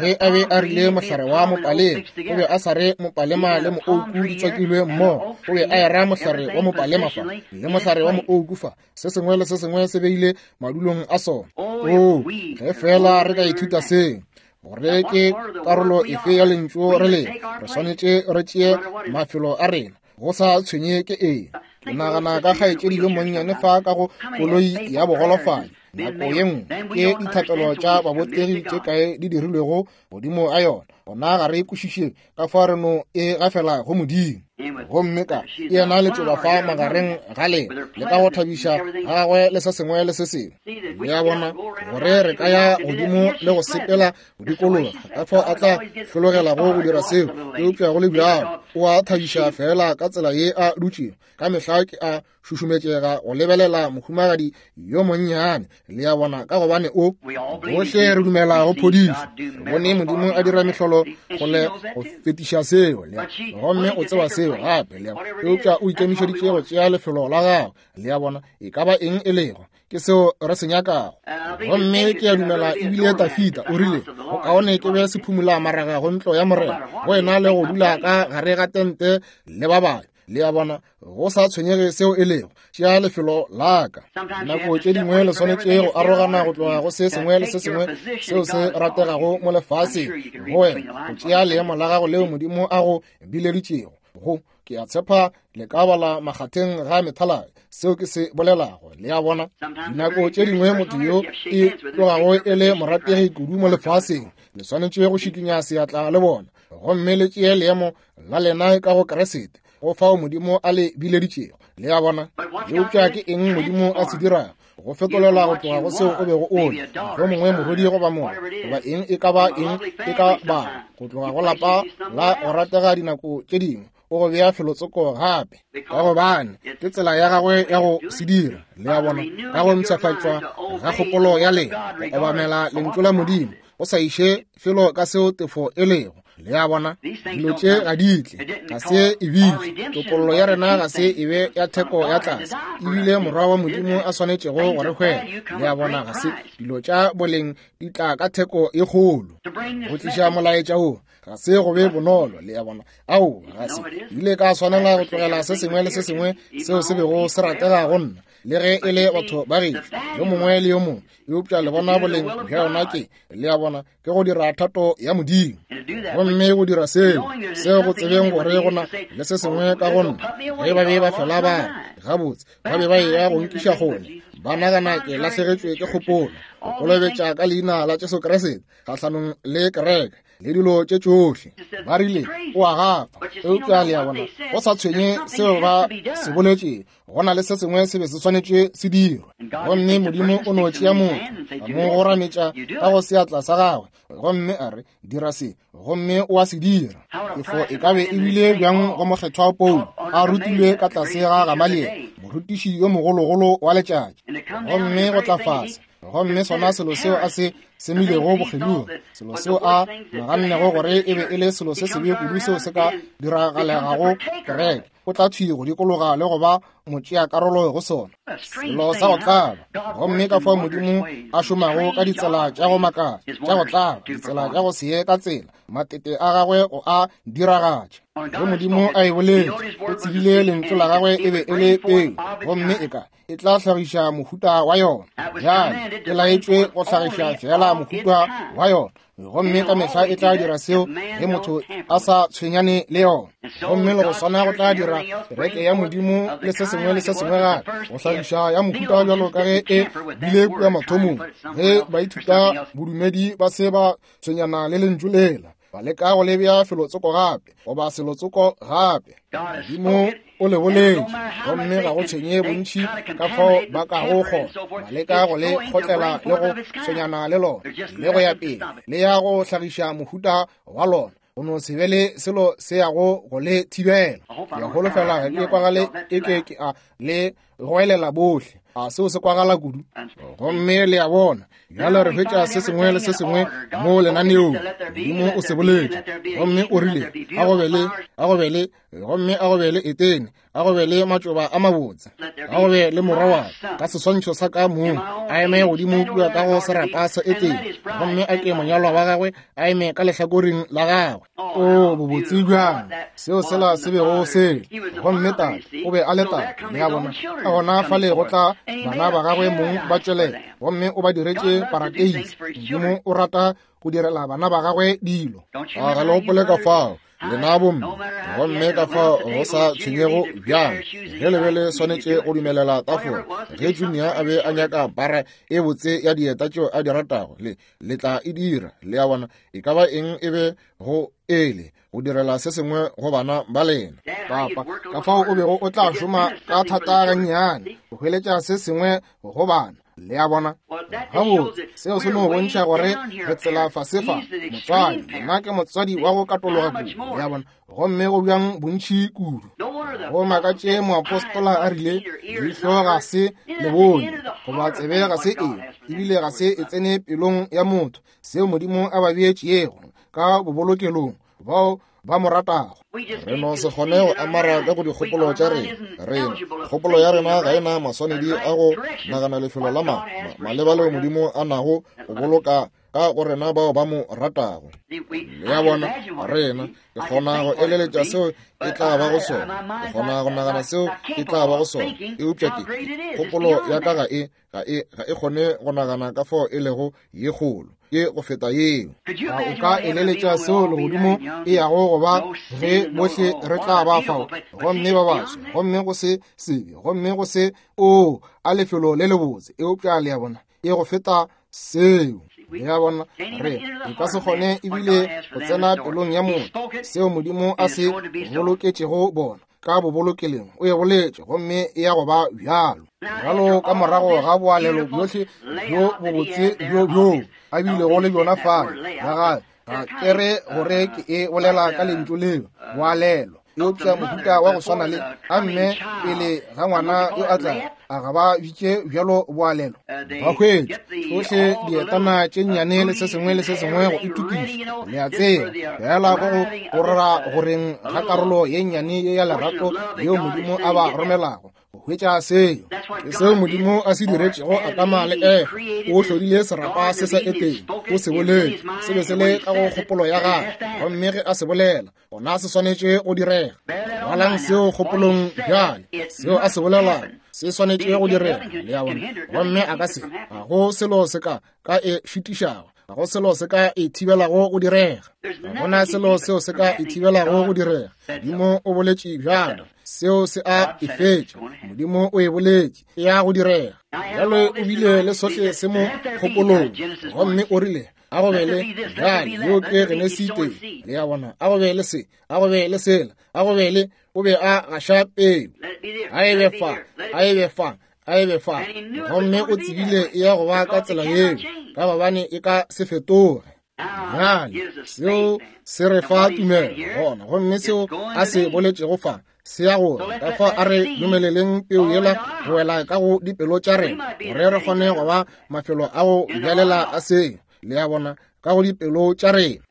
S1: Ge a be a rile mohlare wa mopalema, o be a sa re mopalema le moouku di tswakilwe mmogo, o be a era mohlare wa mopalema fa le mohlare wa moouku fa, se sengwe le se sengwe se beile madulong a sona. Oo, ge feela re ka ithuta seo, gore ke karolo efe ya lentšu re le, re swanetše re tšee mafelo a rena, go sa tshwenye ke eng. Ke nagana ka kgaetšedi yo monnyane fa ka go koloi ya bogolofadi nako ye nngwe, ke dithapelo tša babotegi tše kae di dirilwego godimo ga yona. Gona ga re kwešiše ka fa re no e gafela go Modimo. Gomme ka yena letšoba fa magareng ga lena, le ka go thabiša ga gagwe le se sengwe le se sengwe. Le a bona, gore re ka ya godimo le go sepela go dikologa, ka fao a tla hlologelago go dira seo, eupša go le bjalo o a thabiša feela ka tsela ye a dutšego. Ka mehla ke a šušumetšega go lebelela mohumagadi yo monnyane, le a bona, ka gobane o bohle re dumela go phodišo. Re bone Modimo a dira mehlolo go le go fetiša seo, le gomme o tseba seo gape, le eupša o ikemišeditše go tšea lefelo la gagwe, le a bona, e ka ba eng e lego, ke seo re se nyakago. Gomme ke a dumela ebile Tafita o rile, go kaone ke be sephumula maraga go ntlo ya Morena, go ena le go dula ka gare ga tente le ba babe. Le a bona, go sa tshwenyege seo e lego, tšea lefelo la ka. Nako tše dingwe le swanetše go arogana go tloga go se sengwe le se sengwe seo se rategago mo lefaseng, go wena go tšea leemo la gago leo Modimo a go bileditšego go. Ke a tshepa le ka bala makgatheng ga methaladi seo ke se bolelago. Le a bona, dinako tše dingwe motho yo e tlogago e le morategi kudu mo lefaseng, le swanetše go šikinya seatla le bona gomme le tšee leemo la lena ka go Kriste, go fao Modimo a le bileditšego. Le a bona? Eupša ke eng Modimo a se dirago? Go fetolela go tloga go seo o bego o le, mohlomongwe morwedi goba morwa, goba eng e ka ba eng e ka ba, go tloga go lapa la go ratega dinako tše dingwe, o go bea felotsoko gape, ka gobane ke tsela ya gagwe ya go se dira. Le a bona? Ka go mpshafatšwa ga kgopolo ya lena, go obamela lentšu la Modimo, go sa iše felo ka seo tefo e lego. Le a bona, dilo tše ga di tle, ga se e bitše topollo ya rena, ga se e be ya theko ya tlase, ebile Morwa wa Modimo a swanetšego go re hwela. Le a bona, ga se dilo tša boleng di tla ka theko e kgolo. Go tliša molaetša wo ga se go be bonolo. Le a bona, ao ga se ile ka swanela go tlogela se sengwe le se sengwe seo se bego se ratega go nna, le ge e le batho ba gešo, yo mongwe le yo mongwe. Eupša le bona boleng bja yona ke, le a bona, ke go dira thato ya Modimo. Gomme go dira seo, seo go tsebeng gore go na le se sengwe ka go nna. Ge ba be ba fela ba re, gabotse, ba be ba eya go nkiša kgole, ba nagana ke lahlegetšwe ke kgopolo, go kolobetša ka leina la Jesu Kriste kgahlanong le kereke le dilo tše tšohle. Ba rile, o a gafa. Eupša le a bona, go sa tshwenye seo ba se boletšego, go na le se sengwe se be se swanetše se dirwe. Gomme Modimo o no tšea motho, a mo gorametša ka go seatla sa gagwe, gomme a re, dira se, gomme o a se dira. Tefo e ka be e bile bjang go mokgethwa Paulo, a rutilwe ka tlase ga Gamaliele, morutiši yo mogologolo wa letšatši, gomme go tla fase, gomme sona selo seo a se semilego bokgelogi, selo seo a nagannego gore e be e le selo se sebe kudu seo se ka diragalegago kereke, o tla thwi go dikologa le go ba motšeakarolo go sona, selo sa go tlaba. Gomme ka fao Modimo a šomago ka ditsela tša go makatša, tša go tlaba, ditsela tša go se ye ka tsela, matete a gagwe go a diragatša. Ge Modimo a e boletše, o tsebile lentšu la gagwe e be e le peu, gomme e ka e tla hlagiša mohuta wa yona. Bjale e laetšwe go hlagiša feela mohuta wa yona, gomme ka mehla e tla dira seo ge motho a sa tshwenyane le yona. Gomme le go swana go tla dira kereke ya Modimo le se sengwe le se sengwe gape, go hlagiša ya mohuta bjalo ka ge e bile kua mathomong, ge baithuta bodumedi ba se ba tshwenyana le lentšu lela, ba leka go le bea felotsoko gape goba selotsoko gape. Modimo o le boletše, gomme ga go tshwenye bontši ka fao ba kago kgona, ba leka go le kgotlela le go tshwenyana le lona le go ya pele, le ya go hlagiša mohuta wa lona, go no se be le selo se yago go le thibela. Ke a holofela ga ke kwagale e ke ke a le goelela bohle. A seo se kwagala kudu? Gomme le a bona, bjale re hwetša se sengwe le se sengwe mo lenaneong. Modimo o se boletše, gomme o rile, a go be le, a go be le, gomme a go be le Etene, a go be le matšoba a mabotse, a go be le morwa wa ka seswantšho sa ka mong, a eme godimo kua ka go serapa sa Etene, gomme a ke monyalwa wa gagwe a eme ka lehlakoreng la gagwe. O bobotse bjang seo sela se bego se le. Gomme tate o be a le tate, le a bona. Ka gona fale go tla bana ba gagwe mong ba tšwelela, gomme o ba diretše parateisi. Modimo o rata go direla bana ba gagwe dilo. A ga le gopole ka fao Lena bomme, gomme ka fao go sa tshwenyego bjang, ge le be le swanetše go dumelela tafola, ge Junior a be a nyaka para e botse ya dieta tšeo a di ratago, le, le tla e dira. Le a bona, e ka ba eng e be go ele, go direla se sengwe go bana ba lena.
S2: Papa, ka fao o bego o tla šoma ka thata gannyane go hweletša se sengwe go bana. Le a bona? Gabotse, seo se no bontšha gore re tsela fase fa. Motswadi, nna ke motswadi wa go katologa kudu. Le a bona? Gomme go bjang bontši kudu. Go makatše moapostola a rile, leihlo ga se le bone, goba tsebe ga se e, ebile ga se e tsene pelong ya motho, seo Modimo a ba beetšego ka bobolokelong bao ba mo ratago.
S1: Re no se kgone go amara ka go dikgopolo tša rena. Rena, kgopolo ya rena ga e na maswanedi a go nagana lefelo la ma, ma, maleba leo Modimo a nago go boloka ka go rena bao ba mo ratago. Le a bona, rena, ke kgona go eleletša seo e tla ba go sona, ke kgona go nagana seo e tla ba go sona, eupša ke, kgopolo ya ka ga e, ga e, ga e kgone go nagana ka fao e lego ye kgolo, ke go feta yeo.
S2: A o ka eleletša seo legodimo e yago go ba ge bohle re tla ba fao, gomme ba baswa, gomme go se sebe, gomme go se, oo, a lefelo le lebotse, eupša le a bona, e go feta seo. Le a bona, re e ka se kgone ebile go tsena pelong ya motho seo Modimo a se boloketšego bona ka bobolokeleng. O e boletše, gomme e ya go ba bjalo. Bjalo ka morago ga boalelo bjohle bjo bobotse bjo bjoo a bilego le bjona fale, ya gae, ga ke re gore ke e bolela ka lentšu leo, boalelo, eupša mohuta wa go swana le a mme pele ga ngwana yo a tla, a ga ba bitše bjalo boalelo? Ba hwetša tšohle dietana tše nnyane le se sengwe le se sengwe go itokiša, le a tseba, feela go go go rera goreng ga karolo ye nnyane ye ya lerato yeo Modimo a ba romelago go hwetša seo. Ke seo Modimo a se diretšego Adama le Efa. O hlodile serapa se sa Edene, o se boletše, se be se le ka go kgopolo ya gagwe, gomme ge a se bolela, gona se swanetše go direga. Balang seo kgopolong bjale, seo a se bolelago se swanetše go direga, le a bona, gomme a ka se, ga go selo se ka ka e šitišago, ga go selo se ka e thibelago go direga, ga gona selo seo se ka e thibelago go direga. Modimo o boletše bjalo, seo se a e fetša. Modimo o e boletše, e ya go direga. Bjale o bile le sohle se mo kgopolong, gomme o rile, a go be le bjale, yeo ke Genesi tee, le a bona, a go be le se, a go be le sela, a go be le, o be a gaša peu, a e be fa, a e be fa, a e be fa, gomme o tsebile e ya go ba ka tsela yeo, ka gobane e ka se fetoge. Bjale seo se re fa tumelo gona, gomme seo a se boletšego fa se ya gore ka fa a re dumeleleng peu yela go wela ka go dipelo tša rena, gore re kgone go ba mafelo a go bjalela a seo, le a bona, ka go dipelo tša rena.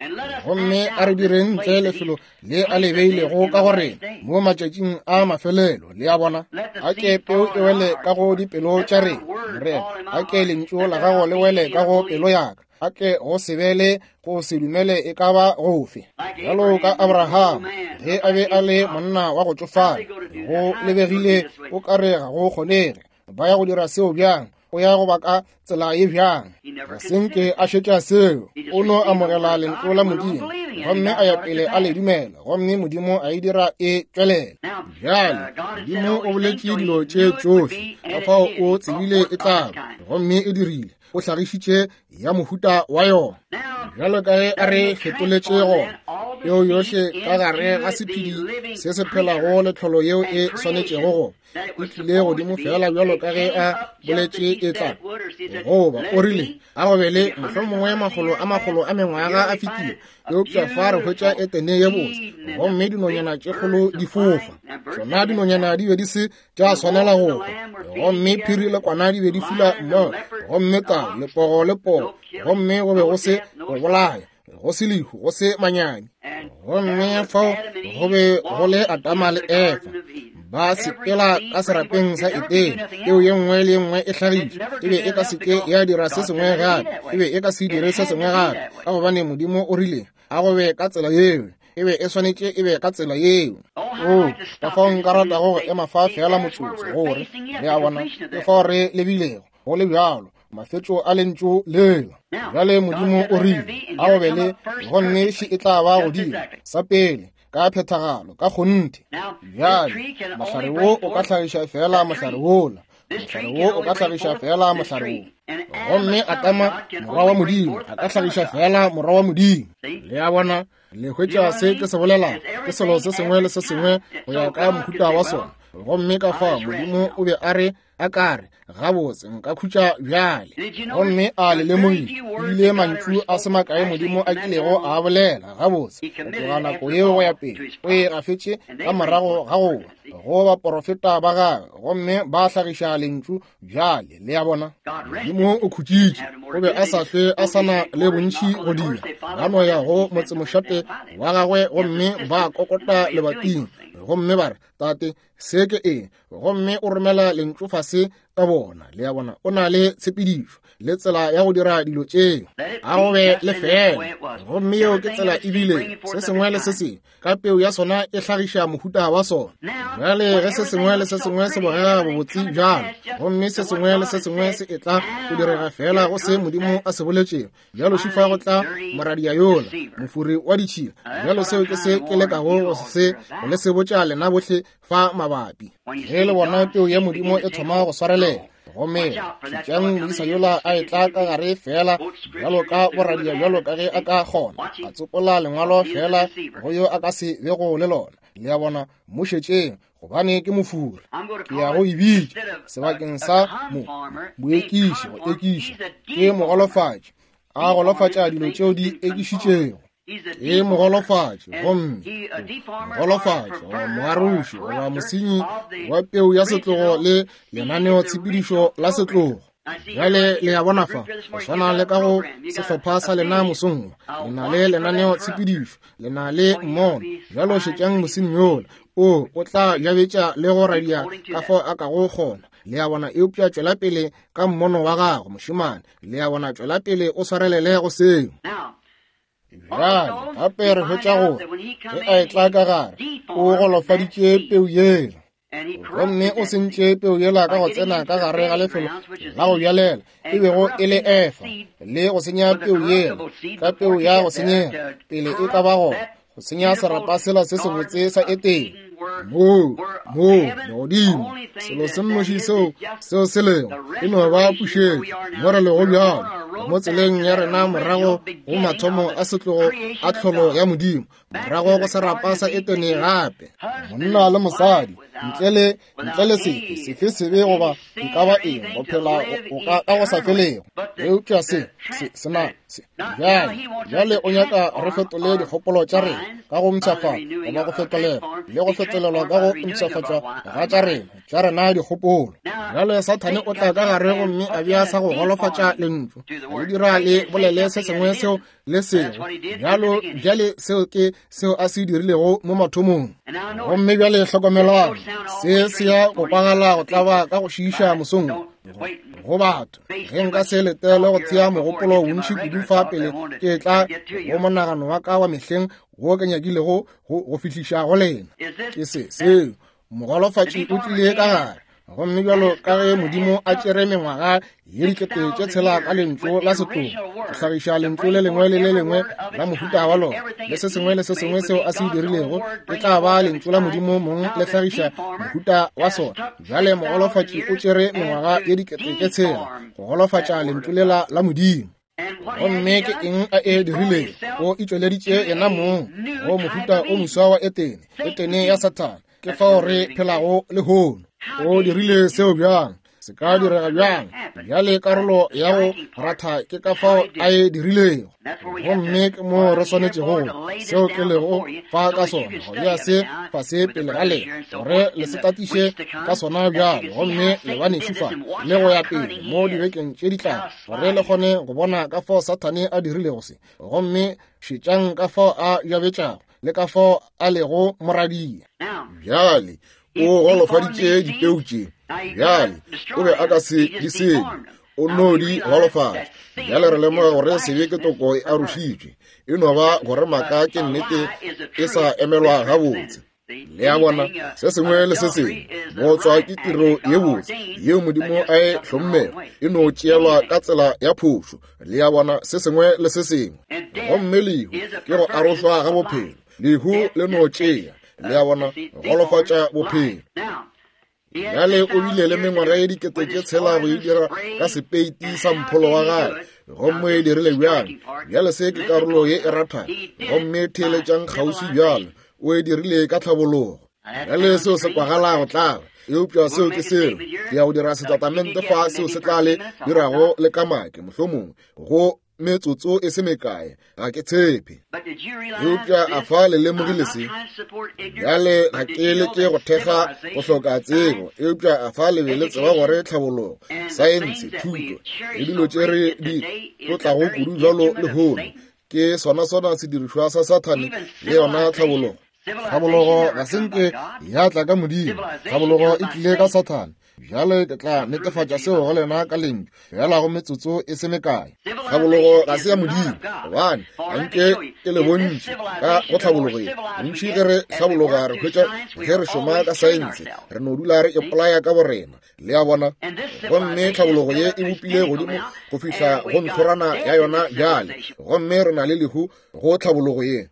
S2: Gomme a re direng ntle lefelo le a le beilego ka go rena mo matšatšing a mafelelo, le a bona. A ke peu e wele ka go dipelo tša rena, Morena, a ke lentšu la gago le wele ka go pelo ya ka, a ke go se be le go se dumele e ka ba gofe. Bjalo ka Abraham, ge a be a le monna wa go tšofala, go lebegile o ka re ga go kgonege. Ba ya go dira seo bjang? O ya go ba ka tsela ye bjang? Ga se nke a šetša seo. O no amogela lentšu la Modimo, gomme a ya pele a le dumela, gomme Modimo a e dira e tšwelela. Bjale, Modimo o boletše dilo tše tšohle, ka fao o tsebile e tla ba, gomme e dirile. O hlagišitše ya mohuta wa yona. Bjalo ka ge a re fetoletše gona, peo yohle ka gare ga sephedi se se phelago le tlholo yeo e swanetšego go e tlile godimo feela bjalo ka ge a boletše e tla goba. O rile a go be le mohlomongwe makgolo a makgolo a mengwaga a fetile, eupša fa re hwetša Etene ye botse, gomme dinonyana tše kgolo di fofa. Tšona dinonyana di be di se tša swanela go hwa, gomme phiri le kwana di be di fula mmogo, gomme tau le pogo le poo, gomme go be go se go bolaya, go se lehu, go se manyami. Gomme fao go be go le Adama le Efa ba sepela ka serapeng sa Edene, peo ye nngwe le ye nngwe e hlagišwa, e be e ka se ke ya dira se sengwe gape, e be e ka se dire se sengwe gape, ka gobane Modimo o rile a go be ka tsela yeo, e be e swanetše e be ka tsela yeo. O, ka fao nka ratago go ema fa feela motsotso, gore le a bona ke fao re lebilego, go le bjalo, mafetšo a lentšu lela. Bjale Modimo o rile a go be le, gomme še e tla ba godimo sa pele. ka phethagalo, ka kgonthe. Bjale, mohlare wo o ka hlagiša feela mohlare wola, mohlare wo o ka hlagiša feela mohlare wo. Gomme Adama, morwa wa Modimo, a ka hlagiša feela morwa wa Modimo. Le a bona? Le hwetša se ke se bolelago? Ke selo se sengwe le se sengwe go ya ka mohuta wa sona. Gomme ka fao Modimo o be a re, a ka re, Gabotse, nka khutša bjale. Gomme a le lemogile, ebile mantšu a se makae Modimo a kilego a bolela. Gabotse, go tloga nako yeo go ya pele, o e gafetše ka morago ga go wa go baporofeta ba gagwe, gomme ba hlagiša lentšu bjale. Le a bona, Modimo o khutšitše, o be a sa hlwe a sa na le bontši go dira. Ba no ya go motsemošate wa gagwe gomme ba kokota lebating, gomme ba re, Tate, se ke eng? Gomme o romela lentšu fase ka bona. Le a bona, o na le tshepedišo le tsela ya go dira dilo tšeo. A go be le fela. Gomme yeo ke tsela ebile se sengwe le se sengwe ka peu ya sona e hlagiša mohuta wa sona. Bjale ge se sengwe le se sengwe se bogega bobotse bjalo, gomme se sengwe le se sengwe se etla go direga fela go se Modimo a se boletšego, bjalo šifa go tla moradia yola, mofuri wa ditšhila. Bjalo seo ke se ke lekago go se go le sebotša lena bohle fa mabapi. Ge le bona peu ya Modimo e thoma go swarelela, gomme šetšang moisa yola a etla ka gare feela bjalo ka boradia bjalo ka ge a ka kgona, a tsopola lengwalo feela go yo a ka se bego le lona. Le a bona, mo šetšeng, gobane ke mofuri. Ke ya go e bitša sebakeng sa mo moekiši, go ekiša, ke mogolofatši, a golofatša dilo tšeo di ekišitšego. Ke mogolofatši, gomme mogolofatši goba moaroši goba mosenyi wa peu ya setlogo le lenaneotshepedišo la setlogo. Bjale le a bona fa, go swana le ka go sehlopha sa lena mosong, le na le lenaneotshepedišo, le na le mmono. Bjalo šetšang mosenyi yola, o tla jabetša le go radia ka fao a kago kgona. Le a bona, eupša tšwela pele ka mmono wa gago, mošemane. Le a bona, tšwela pele o swarelele go seo. Bjale gape re hwetša gore ge a etla ka gare, o golofaditše peu yela, gomme o sentše peu yela ka go tsena ka gare ga lefelo la go bjalela, e bego e le Efa, le go senya peu yela ka peu ya go senyega pele e ka ba gona, go senya serapa sela se sebotse sa Etene. Moo, moo, legodimo, selo se nnoši seo, seo se lego, e no ba pušetšo, mo re lego bjalo, mo tseleng ya rena morago go mathomo a setlogo a tlholo ya Modimo, morago go serapa sa Etene gape. Monna le mosadi, ntle le, ntle le sefe, sefe sebe goba e ka ba eng, go phela go ka, ka go sa felego. Eupša se, se, se na, se, bjale, bjale o nyaka re fetole dikgopolo tša rena ka go mpshafatšwa goba go fetolelwa le go fetolelwa ka go mpshafatšwa ga tša rena, tša rena dikgopolo. Bjale Sathane o tla ka gare gomme a bea sa go golofatša lentšu, a le dira le bolele se sengwe seo le sego bjalo. Bjale seo ke seo a se dirilego mo mathomong. Gomme bjale hlokomelang, se se ya go kwagala go tlaba ka go šiiša mosong go batho. Ge nka se letele go thea mogopolo bontši kudu fa pele ke tla go monagano wa ka wa mehleng wo ke nyakilego go fihliša go lena, ke se seo mogolofatši o tlile ka gare. Gomme bjalo ka ge Modimo a tšere mengwaga ye dikete tše tshela ka lentšu la setlogo go hlagiša lentšu le lengwe le le lengwe la mohuta wa lona, le se sengwe le se sengwe seo a se dirilego e tla ba lentšu la Modimo mong le hlagiša mohuta wa sona. Bjale mogolofatši o tšere mengwaga ye dikete tše tshela go golofatša lentšu lela la Modimo. Gomme ke eng a e dirilego? O itšweleditše yena mong go mohuta o moswa wa Etene, Etene ya Sathane. Ke fao re phelago lehono. O dirile seo bjang? Se ka direga bjang? Bjale karolo ya go ratha ke ka fao a e dirilego. Gomme ke mo re swanetšego, seo ke lego fa ka sona, go bea se fase pele ga lena, gore le se tatiše ka sona bjalo, gomme le banešu fa le go ya pele mo dibekeng tše di tlago, gore le kgone go bona ka fao Sathane a dirilego se, gomme šetšang ka fao a jabetšago le ka fao a lego moradia.
S1: Bjale o golofaditše dipeu tše. Bjale o be a ka se di senye, o no di golofatša. Bjale re lemoga gore sebe ke toko e arošitšwe, e no ba gore maaka ke nnete e sa emelwa gabotse. Le a bona, se sengwe le se sengwe bootswa ke tiro ye botse yeo Modimo a e hlommego, e no tšeelwa ka tsela ya phošo. Le a bona, se sengwe le se sengwe. Gomme lehu ke go arošwa ga bophelo.
S2: Lehu le no tšea, le a bona, go golofatša bophelo. Bjale o bile le mengwaga ye 6000 go e dira ka sepeiti sa mpholo wa gagwe. Gomme e dirile bjang? Bjale se ke karolo ye e rathago. Gomme theeletšang kgauswi bjalo. O e dirile ka tlhabologo. Bjale seo se kwagala go tlaba, eupša seo ke seo. Ke ya go dira setatamente fa seo se tla le dirago le kamake, mohlomongwe, go metsotso e se mekae, ga ke tshepe. Eupša a fa le lemogile se? Bjale ga ke leke go thekga go hloka tsebo, eupša a fa le be le tseba gore tlhabologo, saense, thuto, le dilo tše re di tlotlago kudu bjalo lehono, ke sona sona sedirišwa sa Sathane le yona tlhabologo. Tlhabologo ga se nke ya tla ka Modimo, tlhabologo e tlile ka Sathane. Bjale ke tla netefatša seo go lena ka lentšu fela go metsotso e se mekae. Tlhabologo ga se ya Modimo, gobane ga nke ke le bontši ka go tlhabologo ye. Bontši ge re hlabologa re hwetša ge re šoma ka saense, re no dula re ipolaya ka borena. Le a bona? Gomme tlhabologo ye e bopile godimo go fihla go ntlhorana ya yona bjale, gomme re na le lehu go tlhabologo ye,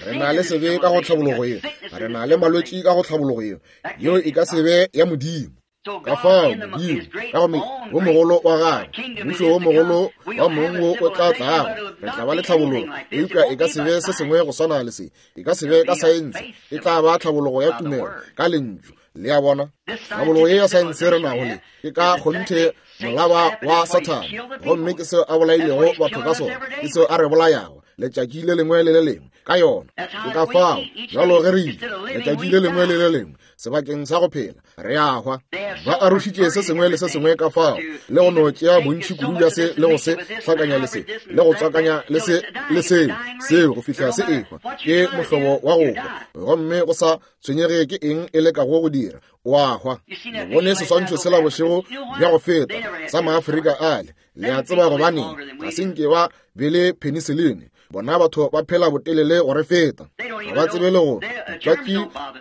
S2: re na le sebe ka go tlhabologo ye, re na le malwetši ka go tlhabologo ye. Yeo e ka se be ya Modimo. Ka fao Modimo ka go wo mogolo wa gagwe, mmušo wo mogolo wa mong wo o tla tlago, re tla ba le tlhabologo, eupša e ka se be se sengwe go swana le se. E ka se be ka saense, e tla ba tlhabologo ya tumelo ka lentšu. Le a bona? Tlhabologo ye ya saense re nago le ke ka kgonthe molaba wa Sathane, gomme ke seo a bolailego batho ka sona, ke seo a re bolayago letšatši le lengwe le le lengwe ka yona. Ke ka fao bjalo ge re ile letšatši le lengwe le le lengwe sebakeng sa go phela re a hwa. Ba arošitše se sengwe le se sengwe ka fao, le go no tšea bontši kudu bja se le go se hlakanya le se le go tswakanya le se le seo seo go fihla se ehwa. Ke mohlobo wa go hwa, gomme go sa tshwenyege ke eng e lekago go dira, o a hwa. Le bone seswantšho sela bošego bja go feta sa Maafrika ale. Le a tseba gobaneng ga se nke ba be le penicillin? Bona batho ba phela botelele go re feta, ga ba tsebe le go twatši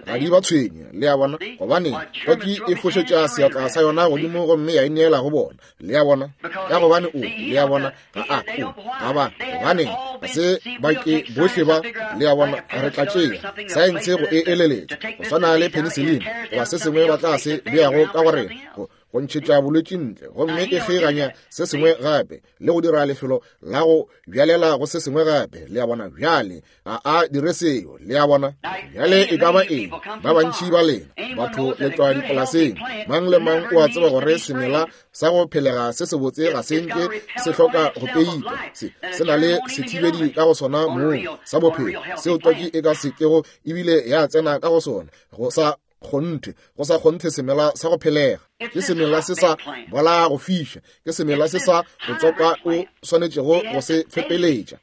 S2: ga di ba tshwenye. Le a bona? Gobane twatši e fošetša seatla sa yona godimo gomme ya ineela go bona. Le a bona? Ka gobane o, le a bona, ga a o, ga ba, gobane ga se ba ke bohle ba, le a bona, re tla tšea saense go e eleletša go swana le penicillin goba se sengwe ba tla se beago ka go rena go ntšhetša bolwetši ntle, gomme e kgeiganya se sengwe gape le go dira lefelo la go bjalela go se sengwe gape. Le a bona? Bjale ga a dire seo. Le a bona? Bjale e ka ba eng, ba bantši ba lena batho le tšwa dipolaseng, mang le mang o a tseba gore semela sa go phelega se sebotse ga se nke se hloka go peitwa. Se se na le sethibedi ka go sona mong sa bophelo seo twatši e ka se kego ebile ya tsena ka go sona. Go sa kgonthe, go sa kgonthe semela sa go phelega ke semela se sa bola go fiša, ke semela se sa go tswakwa o swanetšego go se fepeletša.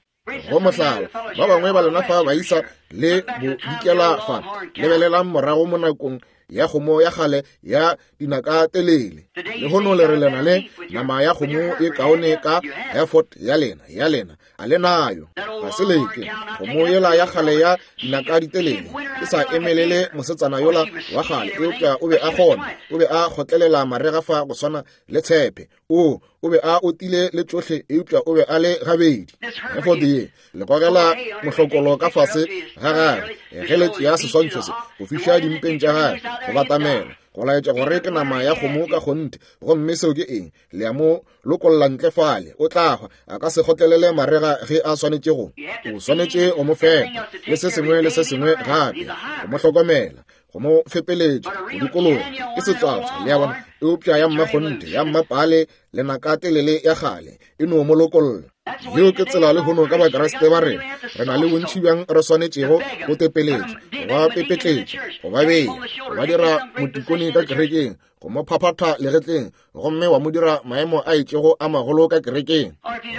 S2: Go mohlala, ba bangwe ba lena fa baisa le bodikela fa, lebelelang morago mo nakong ya kgomo ya kgale ya dinaka telele. Lehono le re lena le nama ya kgomo e kaone ka Hereford ya lena, ya lena, a le nayo. Ga se leke kgomo yela ya kgale ya dinaka ditelele e sa emelele mosetsana yola wa kgale, eupša o be a kgona, o be a kgotlelela marega fa go swana le tshepe. O, o be a otile le tšohle, eupša o be a le gabedi. Hereford ye le gogela mohlokolo ka fase ga gagwe ge le tšea seswantšho se go fiša dimpeng tša gagwe go batamela go laetša gore ke nama ya kgomo ka kgonthe. Gomme seo ke eng? Le a mo lokolla ntle fale, o tla hwa. A ka se kgotlelele marega ge a swanetše go. O swanetše go mo fepa le se sengwe le se sengwe gape, go mo hlokomela, go mo fepeletša go dikologa. Ke setswatswa, le a bona. Eupša ya mmakgonthe, ya mmapale, lenaka telele ya kgale e no mo lokolla. Yeo ke tsela lehono ka Bakriste ba rena. Re na le bontši bjang re swanetšego go tepeletša, go ba pepetletša, go ba bea, go ba dira motikone ka kerekeng, go mo phaphatha legetleng, gomme wa mo dira maemo a itšego a magolo ka kerekeng.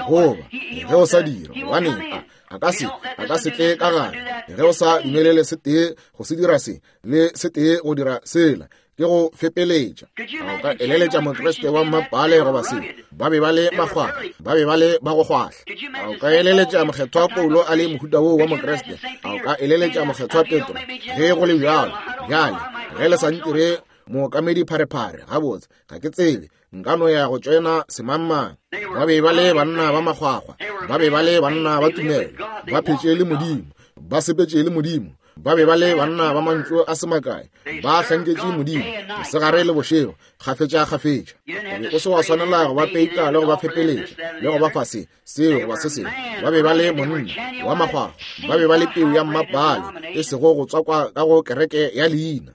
S2: Goba ge o sa dira, gobaneng, a ka se, a ka se tle ka gare. Ge o sa dumelele se tee go se dira se, le se tee go dira sela, ke go fepeletša. A o ka eleletša Mokriste wa mmapale goba se? Ba be ba le makgwakgwa, ba be ba le ba go kgwahla. A o ka eleletša Mokgethwa Paulo a le mohuta woo wa Mokriste? A o ka eleletša Mokgethwa Petro? Ge go le bjalo, bjale, ge le sa ntire mookamedi pharephare, gabotse, ga ke tsebe, nka no ya go tšoena semangmang. Ba be ba le banna ba makgwakgwa, ba be ba le banna ba tumelo, ba phetše le Modimo.
S1: Ba sepetše le Modimo. Ba be ba le banna ba mantšu a se makae. Ba hlanketše Modimo, mosegare le bošego, kgafetša-kgafetša. O be o se wa swanela go ba peita le go ba fepeletša, le go ba fa se, seo goba se sengwe. Ba be ba le monna wa makgwakgwa. Ba be ba le peu ya mmapaale, e sego go tswakwa ka go kereke ya leina.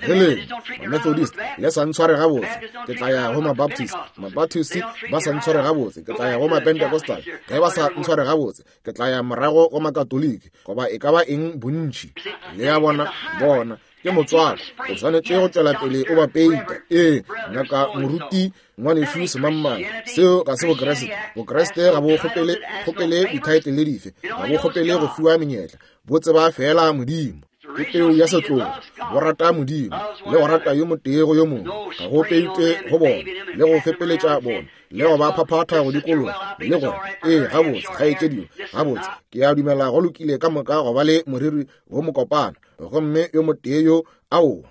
S1: Ge le Methodist le sa ntshware gabotse, ke tla ya go Mabaptist. Mabaptist ba sa ntshware gabotse, ke tla ya go Mapentecostal. Ge ba sa ntshware gabotse, ke tla ya morago go Makatoliki, goba e ka ba eng bontši. Le a bona, bona, ke motswako. O swanetše go tšwela pele o ba peita. Ee, ngaka moruti ngwanešu semangmang, seo ga se Bokriste. Bokriste ga bo kgopele, kgopele dithaetlele dife, ga bo kgopele go fiwa menyetla, bo tseba feela Modimo. Ke peu ya setlogo, bo rata Modimo le go rata yo motee go yo mongwe. Ga go peitwe go bona le go fepeletša bona le go ba phaphatha go dikologa le gore, ee, gabotse, kgaetšedio, gabotse, ke a dumela go lokile ka moka go ba le moriri wo mokopana, gomme yo motee yo aowa.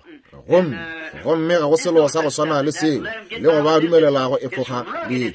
S1: Gomme, gomme ga go selo sa go swana le seo, le go ba dumelela go efoga le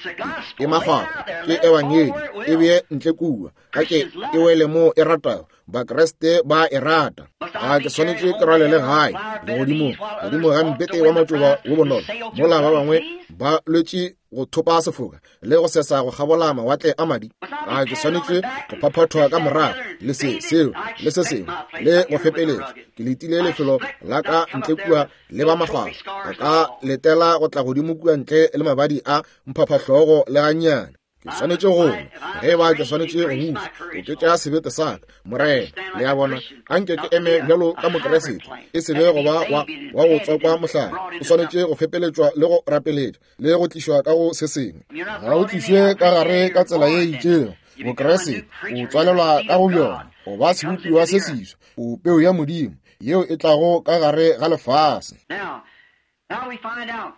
S1: e makgwakgwa, ke ebangedi e bee ntle kua, a ke e wele mo e ratago. Bakriste ba e rata. A ke swanetše ke rwalele gae legodimong, godimo ga mpete wa matšoba wo bonolo, mola ba bangwe ba lwetše go thopa sefoka le go sesa go kgabola mawatle a madi? A ke swanetše go phaphathwa ka morago le se, seo le se sengwe le go fepeletša? Ke letile lefelo la ka ntle kua le ba makgwakgwa. A ka letela go tla godimo kua ntle le mabadi a mphaphahlogo le gannyane. Ke swanetše go lwa, ge e ba ke swanetše go buša, oketša sebete sa ka, Morena. Le a bona? Anke ke eme bjalo ka Mokriste, e se be go ba wa, wa go tswakwa mohlare. O swanetše go fepeletšwa le go rapeletšwa, le go tlišwa ka go se sengwe. Ga o tlišwe ka gare ka tsela ye itšego. Bokriste, o tswalelwa ka go bjona, o ba sebopiwa se seswa, o peu ya Modimo, yeo e tlago ka gare ga lefase.
S3: Now we find out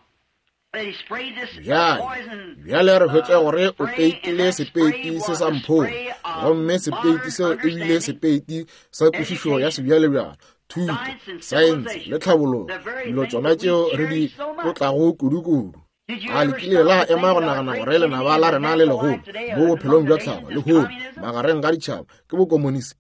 S1: Bjale, bjale re hwetša gore o peitile sepeiti se sa mpholo, gomme sepeiti seo e bile sepeiti sa kwešišo ya sebjalebjale, thuto, saense le tlhabologo, dilo tšona tšeo re di tlotlago kudu-kudu. A le kile la ema go nagana gore lenaba la rena le legolo mo bophelong bja tlhago lehono magareng ga ditšhaba ke bokomonisi?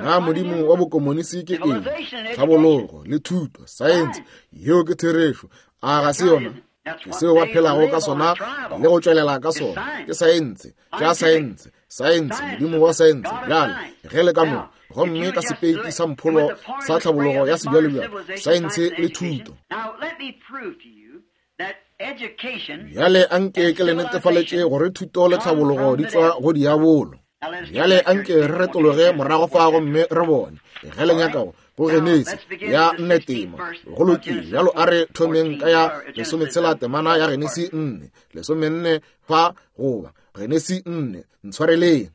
S1: Na modimo wa bokomonisi ke eng? Tlhabologo le thuto, saense, yeo ke therešo. A ga se yona? Ke seo ba phelago ka sona le go tšwelela ka sona, ke saense, tša saense, saense, modimo wa saense. Bjale ge le ka mo, gomme ka sepeiti sa mpholo sa tlhabologo ya sebjalebjale, saense le thuto. Bjale anke ke le netefaletše gore thuto le tlhabologo di tšwa go diabolo. Bjale anke re retologe morago fa gomme re bone ge le nyakago go Genesi ya nne tema. Go lokile, bjalo a re thomeng ka ya lesometshela temana ya Genesi 4, lesomenne fa goba Genesi 4, ntshwareleng.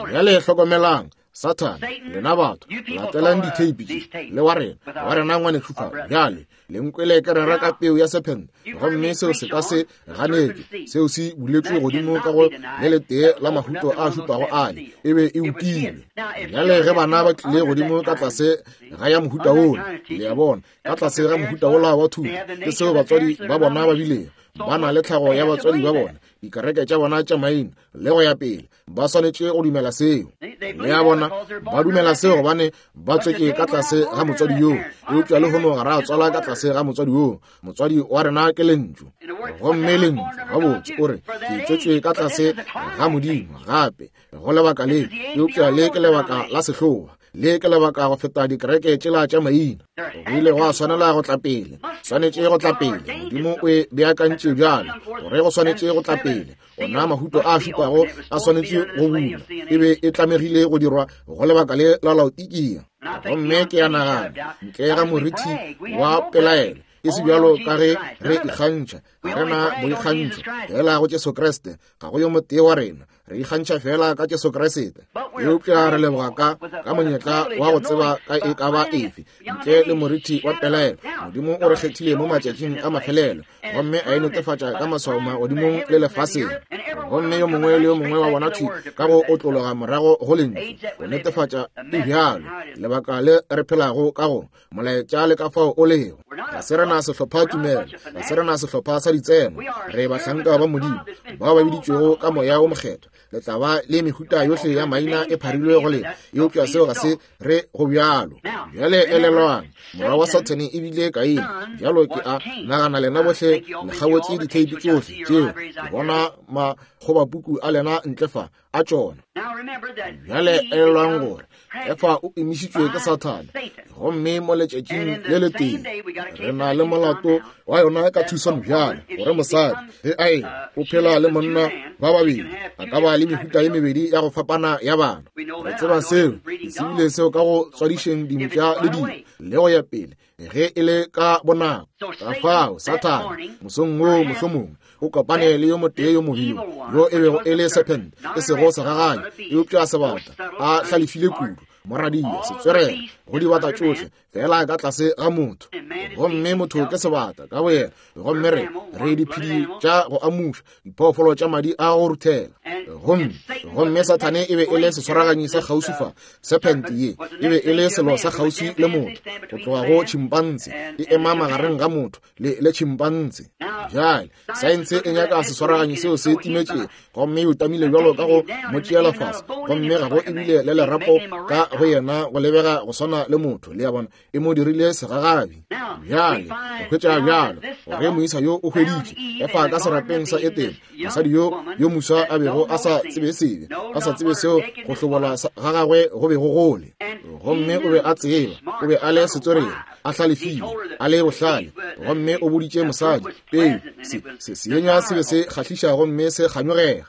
S1: Bjale hlokomelang, Sathane, lena batho, latelang ditheipi tše le wa rena, wa rena ngwanešu fa. Bjale le nkwele ke rera ka peu ya sephente, gomme seo se ka se ganetšwe. Seo se buletšwe godimo ka go le letee la mahuto a šupago ale, e be e utilwe. Bjale ge bana ba tlile godimo ka tlase ga ya mohuta wola, le a bona, ka tlase ga mohuta wola wa thuto, ke seo batswadi ba bona ba bilego, ba na le tlhago ya batswadi ba bona, dikereke tša bona tša maina le go ya pele, ba swanetše go dumela seo. Le a bona, ba dumela seo gobane ba tswetše ka tlase ga motswadi yoo. Eupša lehono ga ra tswala ka tlase ga motswadi yoo. Motswadi wa rena ke Lentšu, gomme Lentšu gabotse o re ke tswetšwe ka tlase ga Modimo gape go lebaka le, eupša le ke lebaka la sehloa, le ke lebaka go feta dikereke tšela tša maina. Go ile gwa swanela go tla pele, swanetše go tla pele. Modimo o e beakantše bjalo gore go swanetše go tla pele. Ona mahuto a šupago a swanetše go bulwa, e be e tlamegile go dirwa go lebaka le la Laodikia. Gomme ke a nagana, ntle ga morithi wa pelaelo, e se bjalo ka ge re ikgantšha, ga re na boikgantšho fela go Jesu Kriste, ga go yo motee wa rena, re ikgantšha fela ka Jesu Kriste. Eupša re leboga ka, ka monyetla wa go tseba ka e ka ba efe, ntle le morithi wa pelaelo, Modimo o re kgethile mo matšatšing a mafelelo, gomme a e netefatša ka maswao magodimong le lefaseng. Gomme yo mongwe le yo mongwe wa bona thwi ka go otlologa morago go Lentšu, go netefatša e bjalo lebaka le re phelago ka go, molaetša le ka fao o lego.
S2: Ga se rena sehlopha tumelo, ga se rena sehlopha sa ditseno. Re bahlanka ba Modimo, bao ba biditšwego ka Moya wo Mokgethwa. Le tla ba le mehuta yohle ya maina e pharilwe go lena, eupša seo ga se re go bjalo. Bjale elelwang, morwa wa Sathane e bile Kaine. Bjalo ke a nagana lena bohle le kgabotse ditheipi tšohle tšeo. Ke bona makgobapuku a lena ntle fa a tšona. Bjale elelwang gore Efa o emišitšwe ke Sathane, gomme mo letšatšing le letee re na le molato wa yona ka Tucson bjale, gore mosadi ge a e o phela le monna ba babedi a ka ba le mehuta ye mebedi ya go fapana ya bana. Re tseba seo, ke tsebile seo ka go tswadišeng dimpša le dilo le go ya pele, ge e le ka bonako. Ka fao Sathane mosong woo mohlomongwe o kopane le yo motee yo mobiwa yo e bego e le serpent, e sego segagane eupša sebata, a hlalefile kudu, moradia, setswerere go dibata tšohle, fela ka tlase ga motho. Gomme motho ke sebata ka boyena, gomme re re diphedi tša go amuša, diphoofolo tša madi a go ruthela. Gomme gomme Sathane e be e le seswaraganyi sa kgauswi fa. Serpent ye e be e le selo sa kgauswi le motho, go tloga go chimpanse, e ema magareng ga motho le le chimpanse. Bjale saense e nyaka seswaraganyi seo se timetšego, gomme e utamile bjalo ka go mo tšeela fase, gomme ga go ebile le lerapo ka go yena go lebega go swana le motho. Le a bona, e mo dirile segagabi. Bjale re hwetša bjalo gore moisa yo o hweditše Efa ka serapeng sa Etene, mosadi yo yo moswa a bego a sa tsebe sebe, a sa tsebe seo go hlobola ga gagwe go bego gole. Gomme o be a tseba, o be a le setswerere, a hlalefile, a le bohlale, gomme o boditše mosadi peu se se seenywa se be se kgahliša gomme se kganyogega.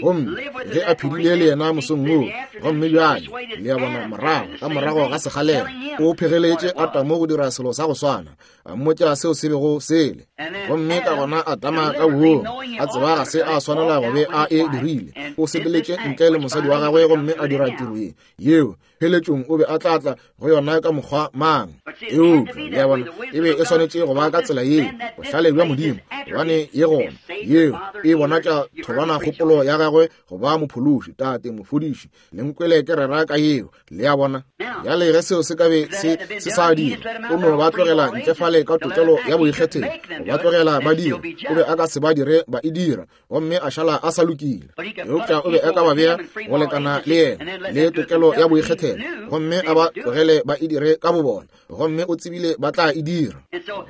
S2: Gomme ge a phedile le yena mosong woo, gomme bjale le a bona morago ka morago ga sekgalela o phegeletše Adamo go dira selo sa go swana, a mmotša seo se bego sele. Gomme ka gona Adama ka boomo a tseba ga se a swanela go be a e dirile, o sepeletše ntle le mosadi wa gagwe gomme a dira tiro ye yeo pheletšong o be a tla tla go yona ka mokgwa mang. Eupša le a bona, e be e swanetše go ba ka tsela yeo, bohlale bja Modimo, gobane ye gona yeo e bonatša tholwana kgopolo ya gagwe go ba mophološi, tate, mofodiši. Le nkwele ke rera ka yeo, le a bona. Bjale ge seo se ka be se se sa dira, o no ba tlogela ntle fale ka tokelo ya boikgethelo, go ba tlogela ba dira, o be a ka se ba dire ba e dira, gomme a šala a sa lokile. Eupša o be a ka ba bea go lekana le yena le tokelo ya boikgethelo, gomme a ba tlogele ba e dire ka bobona, gomme o tsebile ba tla e dira.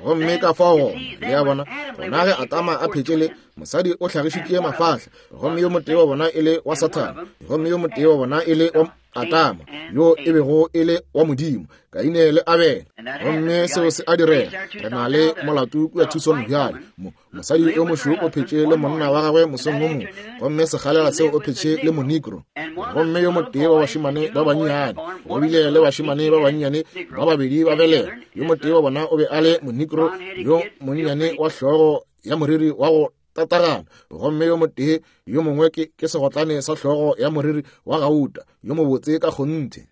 S2: Gomme ka fao gona, le a bona, gona ge Adama a phetše le mosadi o hlagišitše mafahla, gomme yo motee wa bona e le wa Sathane, gomme yo motee wa bona e le wa Adama, yo e bego e le wa Modimo, Kaine le Abele. Gomme seo se a direga. Re na le molato kua Tucson bjale. Mo, mosadi yo mošweu o phetše le monna wa gagwe mosong wo mongwe, gomme sekgalela seo o phetše le monigro. Gomme yo motee wa bašemane ba bannyane, go bile le bašemane ba bannyane ba babedi ba belega, yo motee wa bona o be a le monigro yo monnyane wa hlogo ya moriri wa go tatagana, gomme yo motee yo mongwe ke, ke segotlane sa hlogo ya moriri wa gauta, yo mobotse ka kgonthe.